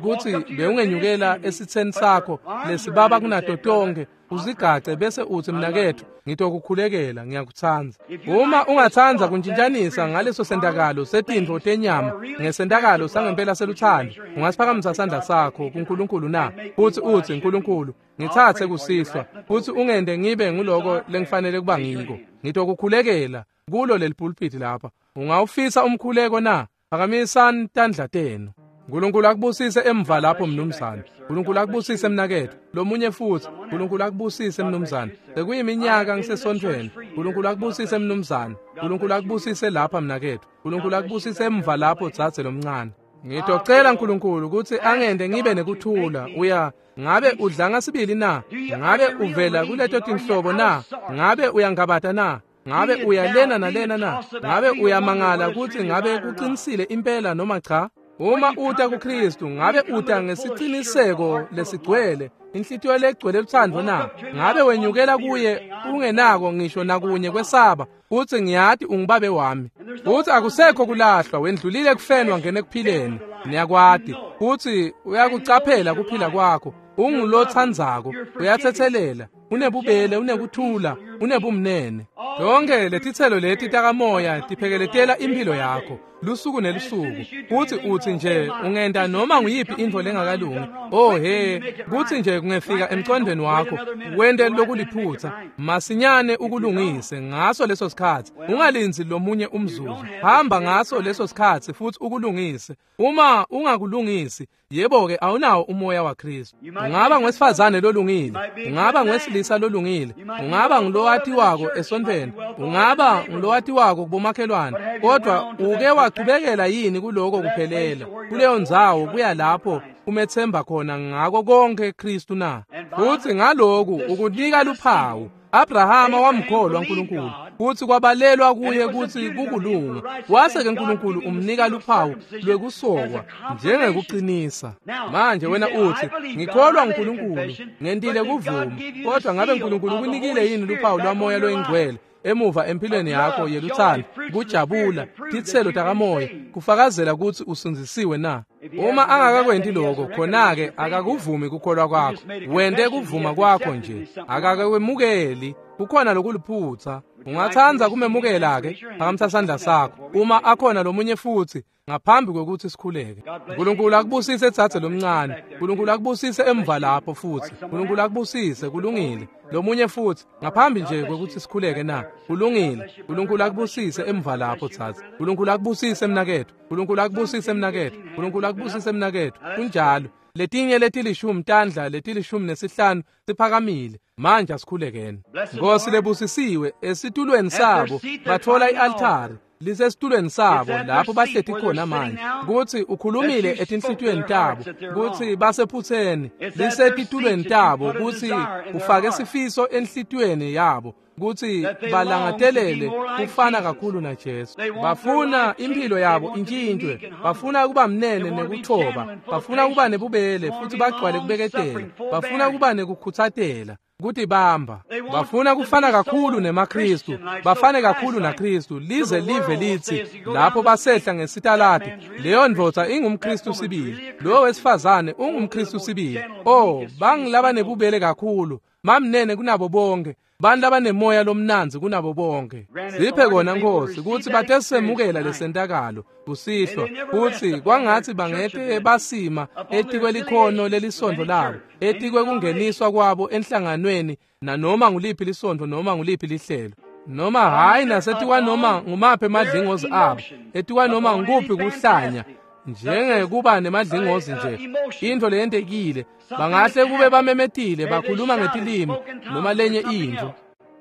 kutsi bewungenyukela esitseni sakho lesibaba kunato tonkhe, uzigace bese utsi, mnaketfu, ngitokukhulekela, ngiyakutsandza. Uma ungatsandza kuntshintshanisa ngaleso sentakalo setintfo tenyama ngesentakalo sangempela selutsandvo, ungasiphakamisa sandla sakho kuNkulunkulu na? Futsi utsi, Nkulunkulu, ngitsatse kusihlwa futsi ungente ngibe nguloko lengifanele kuba ngiko. Ngitokukhulekela kulo leli pulpit lapha. Ungawufisa umkhuleko na? Phakamisani tandla tenu. Nkulunkulu akubusise emva lapho mnumzane. Nkulunkulu akubusise mnaketfu. Lomunye futsi, Nkulunkulu akubusise mnumzane. Sekuyiminyaka ngisesontfweni. Nkulunkulu akubusise mnumzane. Nkulunkulu akubusise lapha mnaketfu. Nkulunkulu akubusise emva lapho dzadze lomncane. Ngitocela Nkulunkulu kutsi angente ngibe nekuthula. Uya ngabe udlanga sibili na? Ngabe uvela kuleto tinhlobo na? Ngabe uyangabata na? Ngabe uyalena nalena na? Ngabe uyamangala kutsi ngabe kuqinisile impela noma cha? Uma uta kuKristu, ngabe uta ngesiciniseko lesigcwele, inhlitiyo legcwele lutsandvo na? Ngabe wenyukela kuye ungenako ngisho nakunye kwesaba, utsi ngiyati ungubabe wami. Utsi akusekho kulahlwa, wendlulile ekufeni wangena ekuphileni. Niyakwati kutsi uyakucaphela kuphila kwakho, ungulotsandzako, uyatsetselela, unebubele, unekuthula, unebumnene. Tonke letitselo leti takamoya tiphekeletela impilo yakho lusuku nelusuku. Kutsi utsi nje ungenta noma nguyiphi intfo lengakalungi, oh he, kutsi nje kungefika emcondweni wakho wente lokuliphutsa, masinyane ukulungise ngaso leso sikhatsi. Ungalindzi lomunye umzuzu, hamba ngaso leso sikhatsi futsi ukulungise. Uma ungakulungisi, yebo-ke awunawo umoya waKristu. Ungaba ngwesifazane lolungile, ungaba ngwesilisa lolungile, ungaba ngulowatiwako esontfweni, ungaba ngulowatiwako kubomakhelwane, kodwa uke wachubekela yini kuloko kuphelela, kuleyo ndzawo kuya lapho umethemba khona ngako konke Kristu na? Futsi ngaloku ukunika luphawu. Abrahama wamkholwa uNkulunkulu, futsi kwabalelwa kuye kutsi kukulunga. Wase ke uNkulunkulu umnika luphawu lwekusokwa njengekuqinisa. Manje wena utsi, ngikholwa uNkulunkulu, ngentile kuvuma. Kodwa ngabe uNkulunkulu ukunikile yini luphawu lwamoya loyingcwele emuva empilweni yakho yelutsandvo, kujabula, titselo takamoya, kufakazela kutsi usindzisiwe na? Uma angakakwenti lokho, khona-ke akakuvumi kukholwa kwakho. Wente kuvuma kwakho nje, akakakwemukeli. Kukhona lokuliphutsa. Ungatsandza kumemukela-ke? Phakamisa sandla sakho. Uma akhona lomunye futsi, ngaphambi kwekutsi sikhuleke. Nkulunkulu akubusise dzadze lomncane. Nkulunkulu akubusise emva lapho futsi. Nkulunkulu akubusise, kulungile. Lomunye futsi, ngaphambi nje kwekutsi sikhuleke na? Kulungile. Nkulunkulu akubusise emva lapho dzadze. Nkulunkulu akubusise mnaketfu. Nkulunkulu akubusise mnaketfu. Nkulunkulu akubusise mnaketfu. Kunjalo. Letinye letilishumi tandla letilishumi nesihlanu siphakamile. Manje asikhulekeni. Nkosi lebusisiwe, esitulweni sabo batfola i-altari lisesitulweni sabo lapho bahleti khona manje, kutsi ukhulumile etinhlitiyweni tabo kutsi basephutseni. Lisetitulweni tabo kutsi ufake sifiso enhlitiyweni yabo kutsi balangatelele kufana kakhulu naJesu. Bafuna impilo yabo intshintshwe, bafuna kuba mnene nekuthoba, bafuna kuba nebubele futsi bagcwale kubeketela, bafuna kuba nekukhutsatela, kutibamba. Bafuna kufana kakhulu nemaKristu, bafane kakhulu naKristu, lize live litsi lapho basehla ngesitaladi, leyo ndvodza ingumKristu sibili, lowo wesifazane ungumKristu sibili. Oh, bangilaba nebubele kakhulu, mamnene kunabo bonke, bantu labanemoya lomnandzi kunabo bonke. Siphe kona Nkosi kutsi batesemukela lesentakalo kusihlwa, kutsi kwangatsi bangete basima etikwelikhono lelisontfo labo, etikwekungeniswa kwabo enhlanganweni nanoma nguliphi lisontfo noma nguliphi lihlelo. Noma hhayi nasetikwa noma ngumaphi emadlingozi abo, etikwa noma ngukuphi kuhlanya, njengekuba nemadlingozi nje, intfo leyentekile, bangahle kube bamemetile, bakhuluma ngetilimi noma lenye intfo.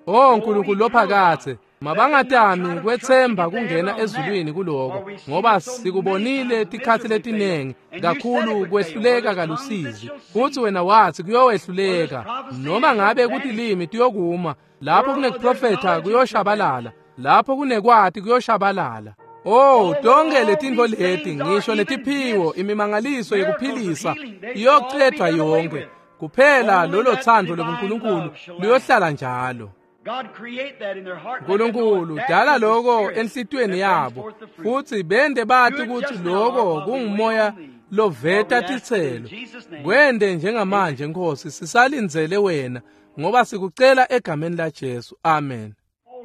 O Nkulunkulu lophakathe, mabangatami kwetsemba kungena ezulwini kuloko, ngoba sikubonile tikhatsi letinengi kakhulu kwehluleka kalusizi. Futsi wena wathi kuyowehluleka, noma ngabe kutilimi tiyokuma, lapho kunekuprofetha kuyoshabalala, lapho kunekwati kuyoshabalala. Oh, tonke letintfo leti, ngisho netiphiwo, imimangaliso yekuphilisa iyocedvwa yonke. Kuphela lolo thando lobuNkulunkulu luyohlala njalo. Nkulunkulu dala loko enhlitiyweni yabo, futsi bente bati kutsi loko kungumoya loveta titselo. Kwente njengamanje Nkosi, sisalindzele wena, ngoba sikucela egameni laJesu. Amen.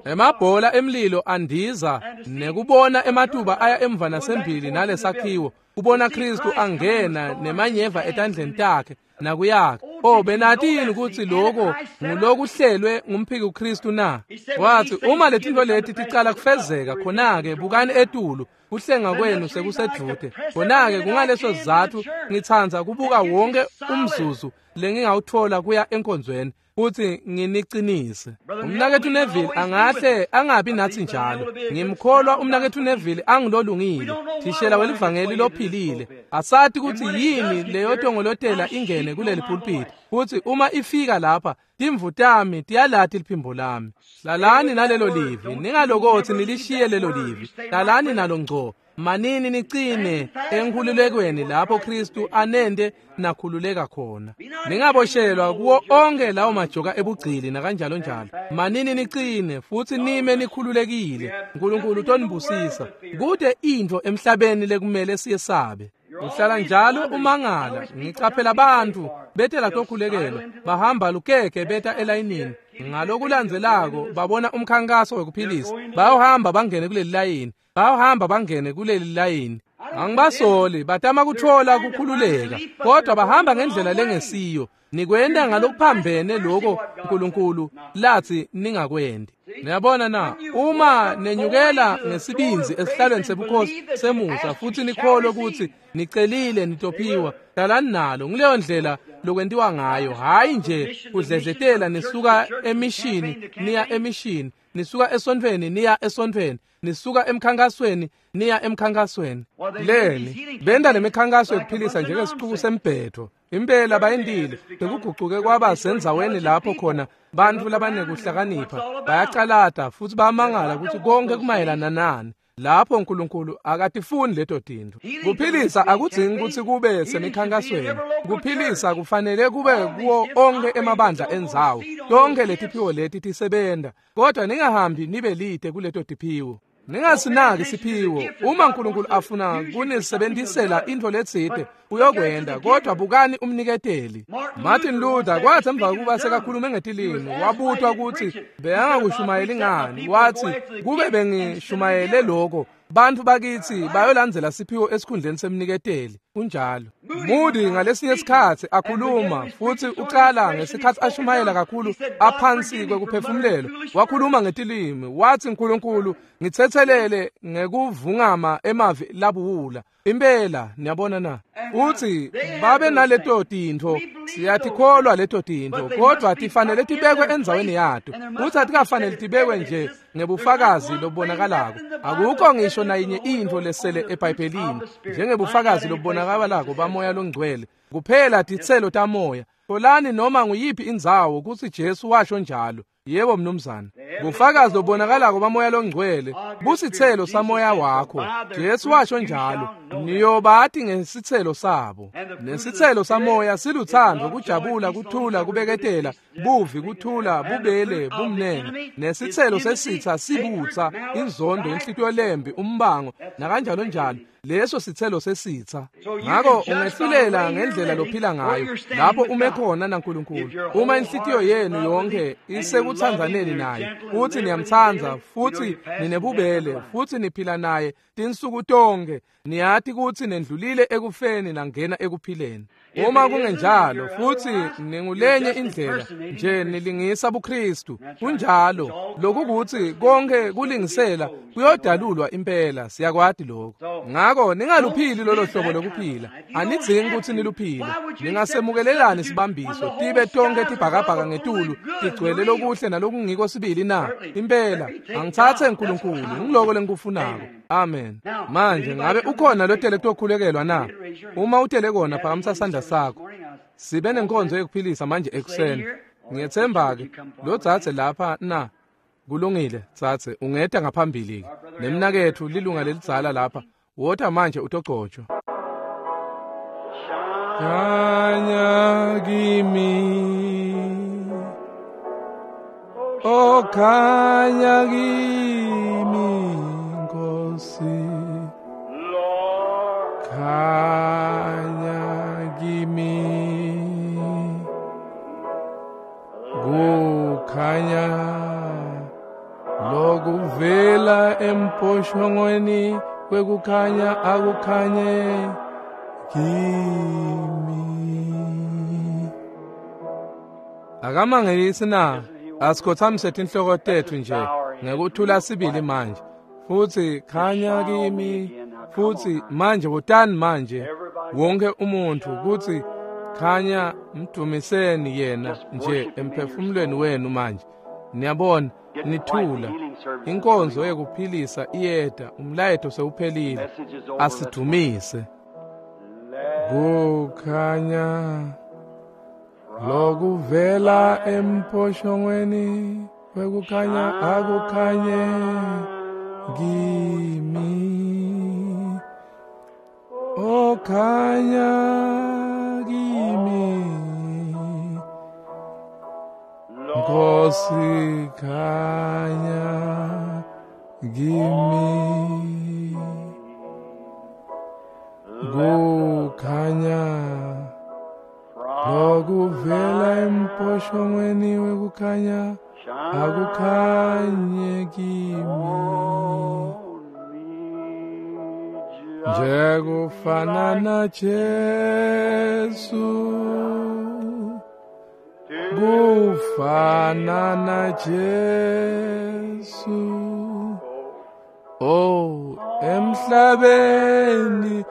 Emabhola emlilo andiza nekubona ematuba aya emva nasembili nalesakhiwo, kubona Kristu angena nemanyeva etandleni takhe nakuyakhe. Oh, benatini kutsi loko ngulokuhlelwe ngumphiki Kristu na? Wathi uma letintfo leti ticala kufezeka, khona-ke bukani etulu, kuhlenga kwenu sekusedvute. Khona-ke kungaleso sizatfu ngitsandza kubuka wonke umzuzu lengingawutfola kuya enkonzweni, futsi nginicinise. Umnaketfu Neville angahle angabi natsi njalo. Ngimkholwa umnaketfu Neville angilolungile, thishela welivangeli lophilile. Asati kutsi yini leyotongolotela ingene kuleli pulpit. Futsi uma ifika lapha, timvu tami tiyalati liphimbo lami. Hlalani nalelo livi, ningalokothi nilishiye lelo livi. Hlalani nalo ngco. Manini nicine enkhululekweni lapho Kristu anente nakhululeka khona. Ningaboshelwa kuwo onke lawo majoka ebugcili nakanjalo njalo. Manini nicine futsi nime nikhululekile. Nkulunkulu utonibusisa. Kude intfo emhlabeni lekumele siyesabe. Uhlala njalo umangala. Ngicaphela bantfu betela tokhulekelwa, bahamba lukeke beta elayinini. Ngalokulandzelako babona umkhankaso wekuphilisa, bayohamba bangene kuleli layini, bayohamba bangene kuleli layini. Angibasoli, batama kutfola kukhululeka, kodwa bahamba ngendlela lengesiyo. Nikwenta ngalokuphambene loko Nkulunkulu latsi ningakwendi. Niyabona na, uma nenyukela ngesibindzi esihlalweni sebukhosi semusa futsi nikholwe kutsi nicelile nitophiwa, hlalani nalo. Nguleyo ndlela lokwentiwa ngayo, hhayi nje kudledletela nisuka emishini niya emishini, nisuka esontfweni niya esontfweni, nisuka emkhankasweni niya emkhankasweni. Leni benta lemikhankaso yekuphilisa njengesixuku sembhetho. Impela bayentile, bekugucuke kwaba sendzaweni lapho khona bantfu labanekuhlakanipha bayacalata futsi bayamangala kutsi konke kumayelana nani. Lapho Nkulunkulu akatifuni leto tintfo. Kuphilisa akudzingi kutsi kube semikhankasweni. Kuphilisa kufanele kube kuwo onke emabandla endzawo. Tonke letiphiwo leti tisebenta, kodwa ningahambi nibe lide kuleto tiphiwo. Ningasinaki siphiwo. Uma Nkulunkulu afuna kunisebentisela intfo letsite, uyokwenta, kodwa bukani umniketeli. Martin Luther kwathi emva kokuba sekakhulume ngetilimi, wabutwa kutsi bekangakushumayeli ngani. Wathi kube bengishumayele loko, bantfu bakitsi bayolandzela siphiwo esikhundleni semniketeli. Kunjalo. Moody ngalesinye sikhatsi akhuluma futsi ucala ngesikhatsi ashumayela kakhulu aphansi kwekuphefumulelwa, wakhuluma ngetilimi. Wathi Nkulunkulu ngitsetselele ngekuvungama emavi labuwula. Impela niyabona na, uthi babe naleto tintfo, siyatikholwa leto tintfo, kodwa tifanele tibekwe endzaweni yato. Uthi atikafanele tibekwe nje ngebufakazi lobubonakalako. Akukho ngisho nayinye intfo lesele eBhayibhelini njengebufakazi lobubonakalako bamoya longcwele, kuphela titselo tamoya. Tholani noma nguyiphi indzawo kutsi Jesu washo njalo. Yebo mnumzane. Bufakazi lobubonakalako bamoya longcwele busitselo samoya wakho. Jesu washo njalo, niyobati ngesitselo sabo. Nesitselo samoya silutsandvo, kujabula, kuthula, kubeketela, buvi, kuthula, bubele, bumnene. Nesitselo sesitsa sibutsa, inzondo, inhlitiyo lembi, umbango, nakanjalo njalo. Leso sitselo sesitsa. Ngako ungehlulela ngendlela lophila ngayo lapho ume khona naNkulunkulu. Uma inhlitiyo yenu yonke isekutsandzaneni naye, futhi niyamtsandza, futhi ninebubele, futhi niphila naye tinsuku tonke, niyati kutsi nendlulile ekufeni nangena ekuphileni. Uma kungenjalo futhi ningulenye indlela, nje nilingisa buKristu. Kunjalo, lokukuthi konke kulingisela kuyodalulwa impela, siyakwati lokho. Ngako ningaluphili lolo hlobo lokuphila. Anidzingi ukuthi niluphile. Ningasemukelelani sibambiso, tibe tonke tibhakabhaka ngetulu, tigcwele lokuhle nalokungiko sibili na? Impela, angitsatse uNkulunkulu, ngiloko lengikufunako. Amen. Manje ngabe ukhona lotele kutokhulekelwa na? Uma utele kona, phakamisa sandla sakho. Sibe nenkonzo yekuphilisa manje ekuseni. Ngiyethemba-ke lo dzadze lapha na? Kulungile dzadze, ungeta ngaphambili-ke. Nemnaketfu lilunga lelidzala lapha, wota manje utogcotshwa. Khanya kimi, oh khanya kimi, Nkosi. Khanya kimi, kukhanya lokuvela emposhongweni kwekukhanya akukhanye kimi. Akamangisi na? Asikhothamise tinhloko tetfu nje ngekuthula sibili manje. Futhi khanya kimi, futhi manje wotani manje wonke umuntu kuthi khanya, mdumiseni yena nje emphefumulweni wenu manje. Niyabona, nithula. Inkonzo yekuphilisa iyeda, umlayeto sewuphelile. Asidumise. Kukhanya lokuvela emposhongweni kwekukhanya akukhanye kimi. Oh khanya kimi, Nkosi khanya kimi. Kukhanya lokuvela emposhongweni wekukhanya akukhanye kimi. Njekufana na Jesu, kufana na Jesu. Oh, emhlabeni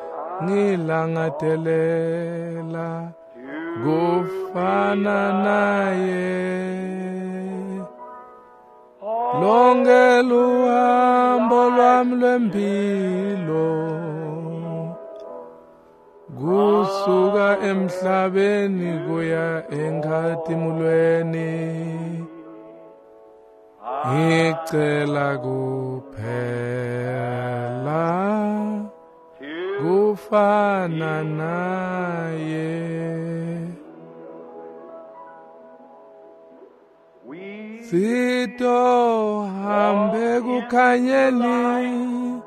ngilangatelela kufana naye. Lonke luhambo lwami lwempilo kusuka emhlabeni kuya enkhatimulweni, ngicela kuphela kufana naye. Sitohambe kukhanyeni,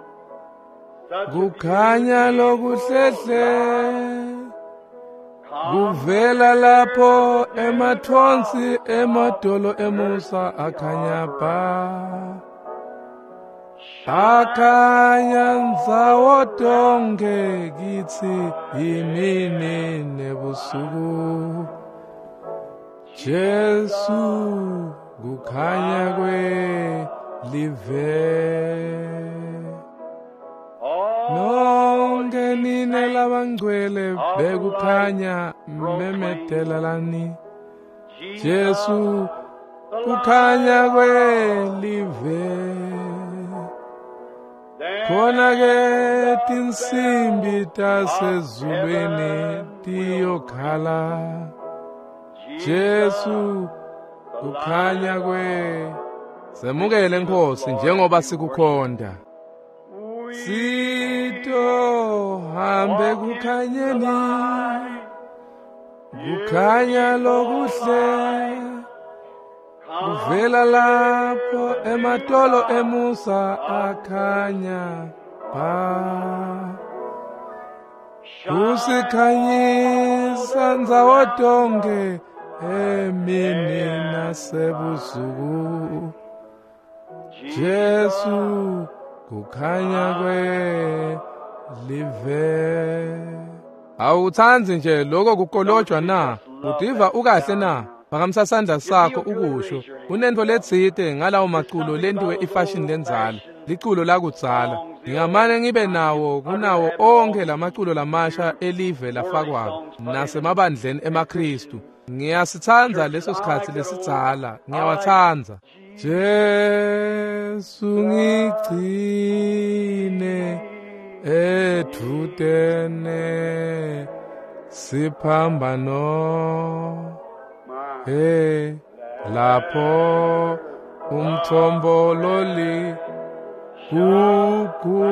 kukhanya lokuhlehle, kuvela lapho emathonsi emadolo emusa akhanya ba. Akhanya ndzawo tonke kitsi imini nebusuku. Jesu kukhanya kwelive. Nonke nine labangcwele bekukhanya memetelelani. Jesu kukhanya kwelive. Khona ke tinsimbi tasezulwini tiyokhala. Jesu kukhanya kwe. Semukele Nkosi njengoba sikukhonda. Sitohambe kukhanyeni, kukhanya lokuhle, kuvela lapho ematolo emusa akhanya ba. Kusikhanyisa ndzawo tonke emini nasebusuku. Jesu kukhanya kwelive. Awutsandzi nje lokho kukolojwa na? Utiva ukahle na? Phakamisa sandla sakho ukusho. Kunento letsite ngalawo maculo lentiwe ifashion lenzala, liculo lakudzala. Ngingamane ngibe nawo kunawo onke lamaculo lamasha elive lafakwako nasemabandleni emaKristu. Ngiyasitsandza leso sikhatsi lesidzala, ngiyawatsandza. Jesu ngigcine edvutene siphambano, hey lapho umthombo loli gugu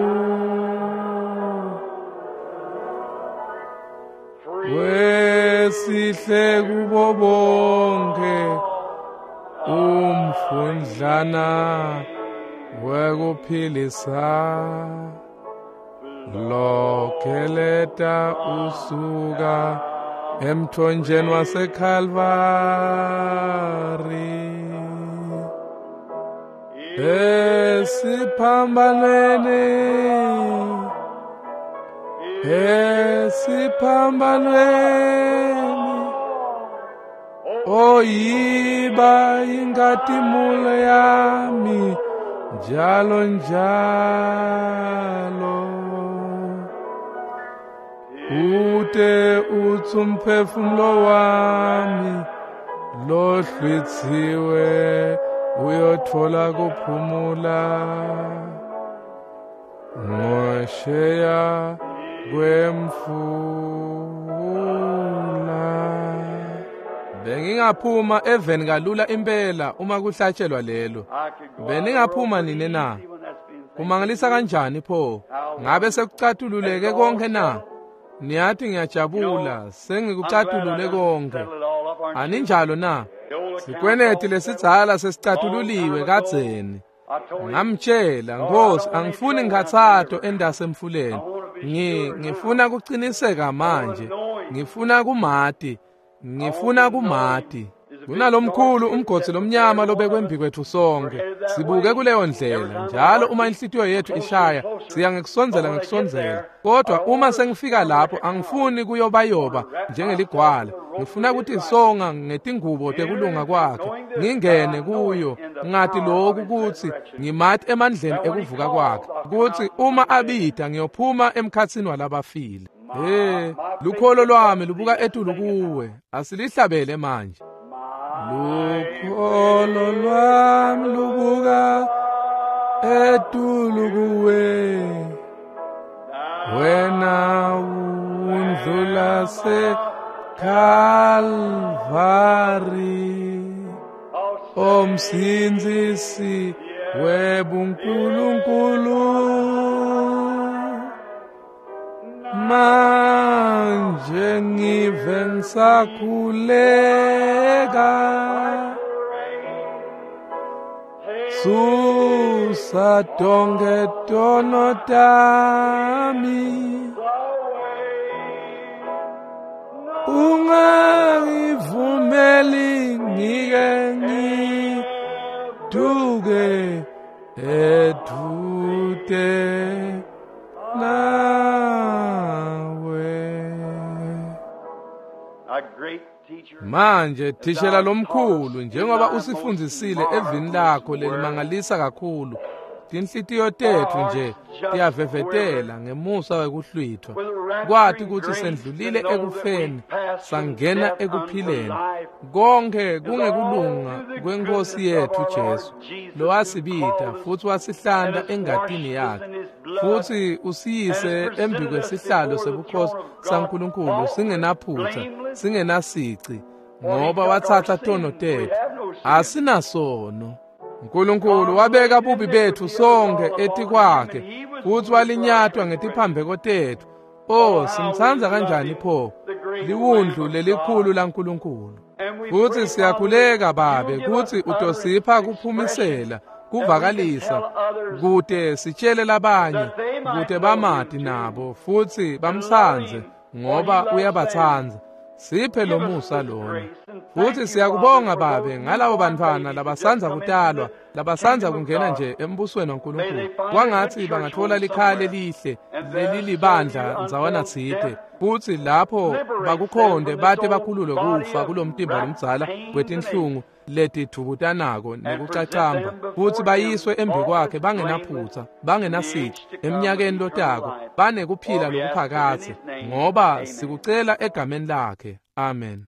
wesihle kubo bonke umfundlana wekuphilisa lokeleta usuka emthonjeni waseKalvari. Esiphambanweni, esiphambanweni, oyiba inkazimulo yami njalo njalo. Ute utsi umphefumulo wami lohlwitsiwe uyothola kuphumula ngosheya kwemfula. Bengingaphuma eveni kalula impela uma kuhlatshelwa lelo. Beningaphuma nini na? Kumangalisa kanjani pho? Ngabe sekucatululeke konke na? Niyathi ngiyajabula, sengikucatulule konke. Aninjalo na? Sikweneti lesidzala sesicatululiwe kadzeni. Ngamtshela, Nkosi, angifuni ngikhathato endasemfuleni. Ngifuna kuciniseka manje. Ngifuna kumati. Ngifuna kumati. Kunalomkhulu umgodzi lomnyama lobekwe embi kwethu sonke. Sibuke kuleyo ndlela. Njalo uma inhlitiyo yethu ishaya, siya ngekusondzela ngekusondzela. Kodwa uma sengifika lapho, angifuni kuyobayoba njengeligwala. Ngifuna kutisonga ngetingubo tekulunga kwakhe. Ngingene kuyo, ngati lokhu kutsi ngimati emandleni ekuvuka kwakhe. Kutsi uma abida ngiyophuma emkhatsini walabafile. Hey, lukholo lwami lubuka etulu kuwe. Asilihlabele manje. Lukholo lwami lubuka etulu kuwe, wena undlula seKalvari, omsindzisi webunkulunkulu. Manje ngive ngisakhuleka, susa tonke tono tami, ungangivumeli ngike ngithuke edvute nawe. Manje thishela lomkhulu, njengoba usifundzisile evini lakho lelimangalisa kakhulu, tinhlitiyo tetfu nje tiyavevetela ngemusa wekuhlwithwa, kwati kutsi sendlulile ekufeni sangena ekuphileni. Konke kungekulunga kweNkosi yetfu Jesu, lowasibita futsi wasihlanta engatini yakhe, futsi usiyise embi kwesihlalo sebukhosi saNkulunkulu singenaphutha, singenasici, ngoba watsatsa tono tetfu. Asinasono. Nkulunkulu wabeka bubi betfu sonke etikwakhe, futsi walinyatwa ngetiphambeko tetfu. Oh, simtsandza kanjani pho liwundlu lelikhulu laNkulunkulu. Futsi siyakhuleka Babe kutsi utosipha kuphumisela, kuvakalisa, kute sitshele labanye, kute bamati nabo futsi bamsandze, ngoba uyabatsandza. Siphe lomusa lona. Futsi siyakubonga Babe ngalabo bantfwana labasandza kutalwa labasandza kungena nje embusweni waNkulunkulu, kwangatsi bangatfola likhaya lelihle lelilibandla ndzawana tsite, futsi lapho bakukhonde bate bakhululwe kufa kulomtimba lomdzala wetinhlungu letidvubutanako nekucacamba, futsi bayiswe embikwakhe bangenaphutsa, bangenasici eminyakeni lotako, banekuphila lokuphakadze, ngoba sikucela egameni lakhe. Amen.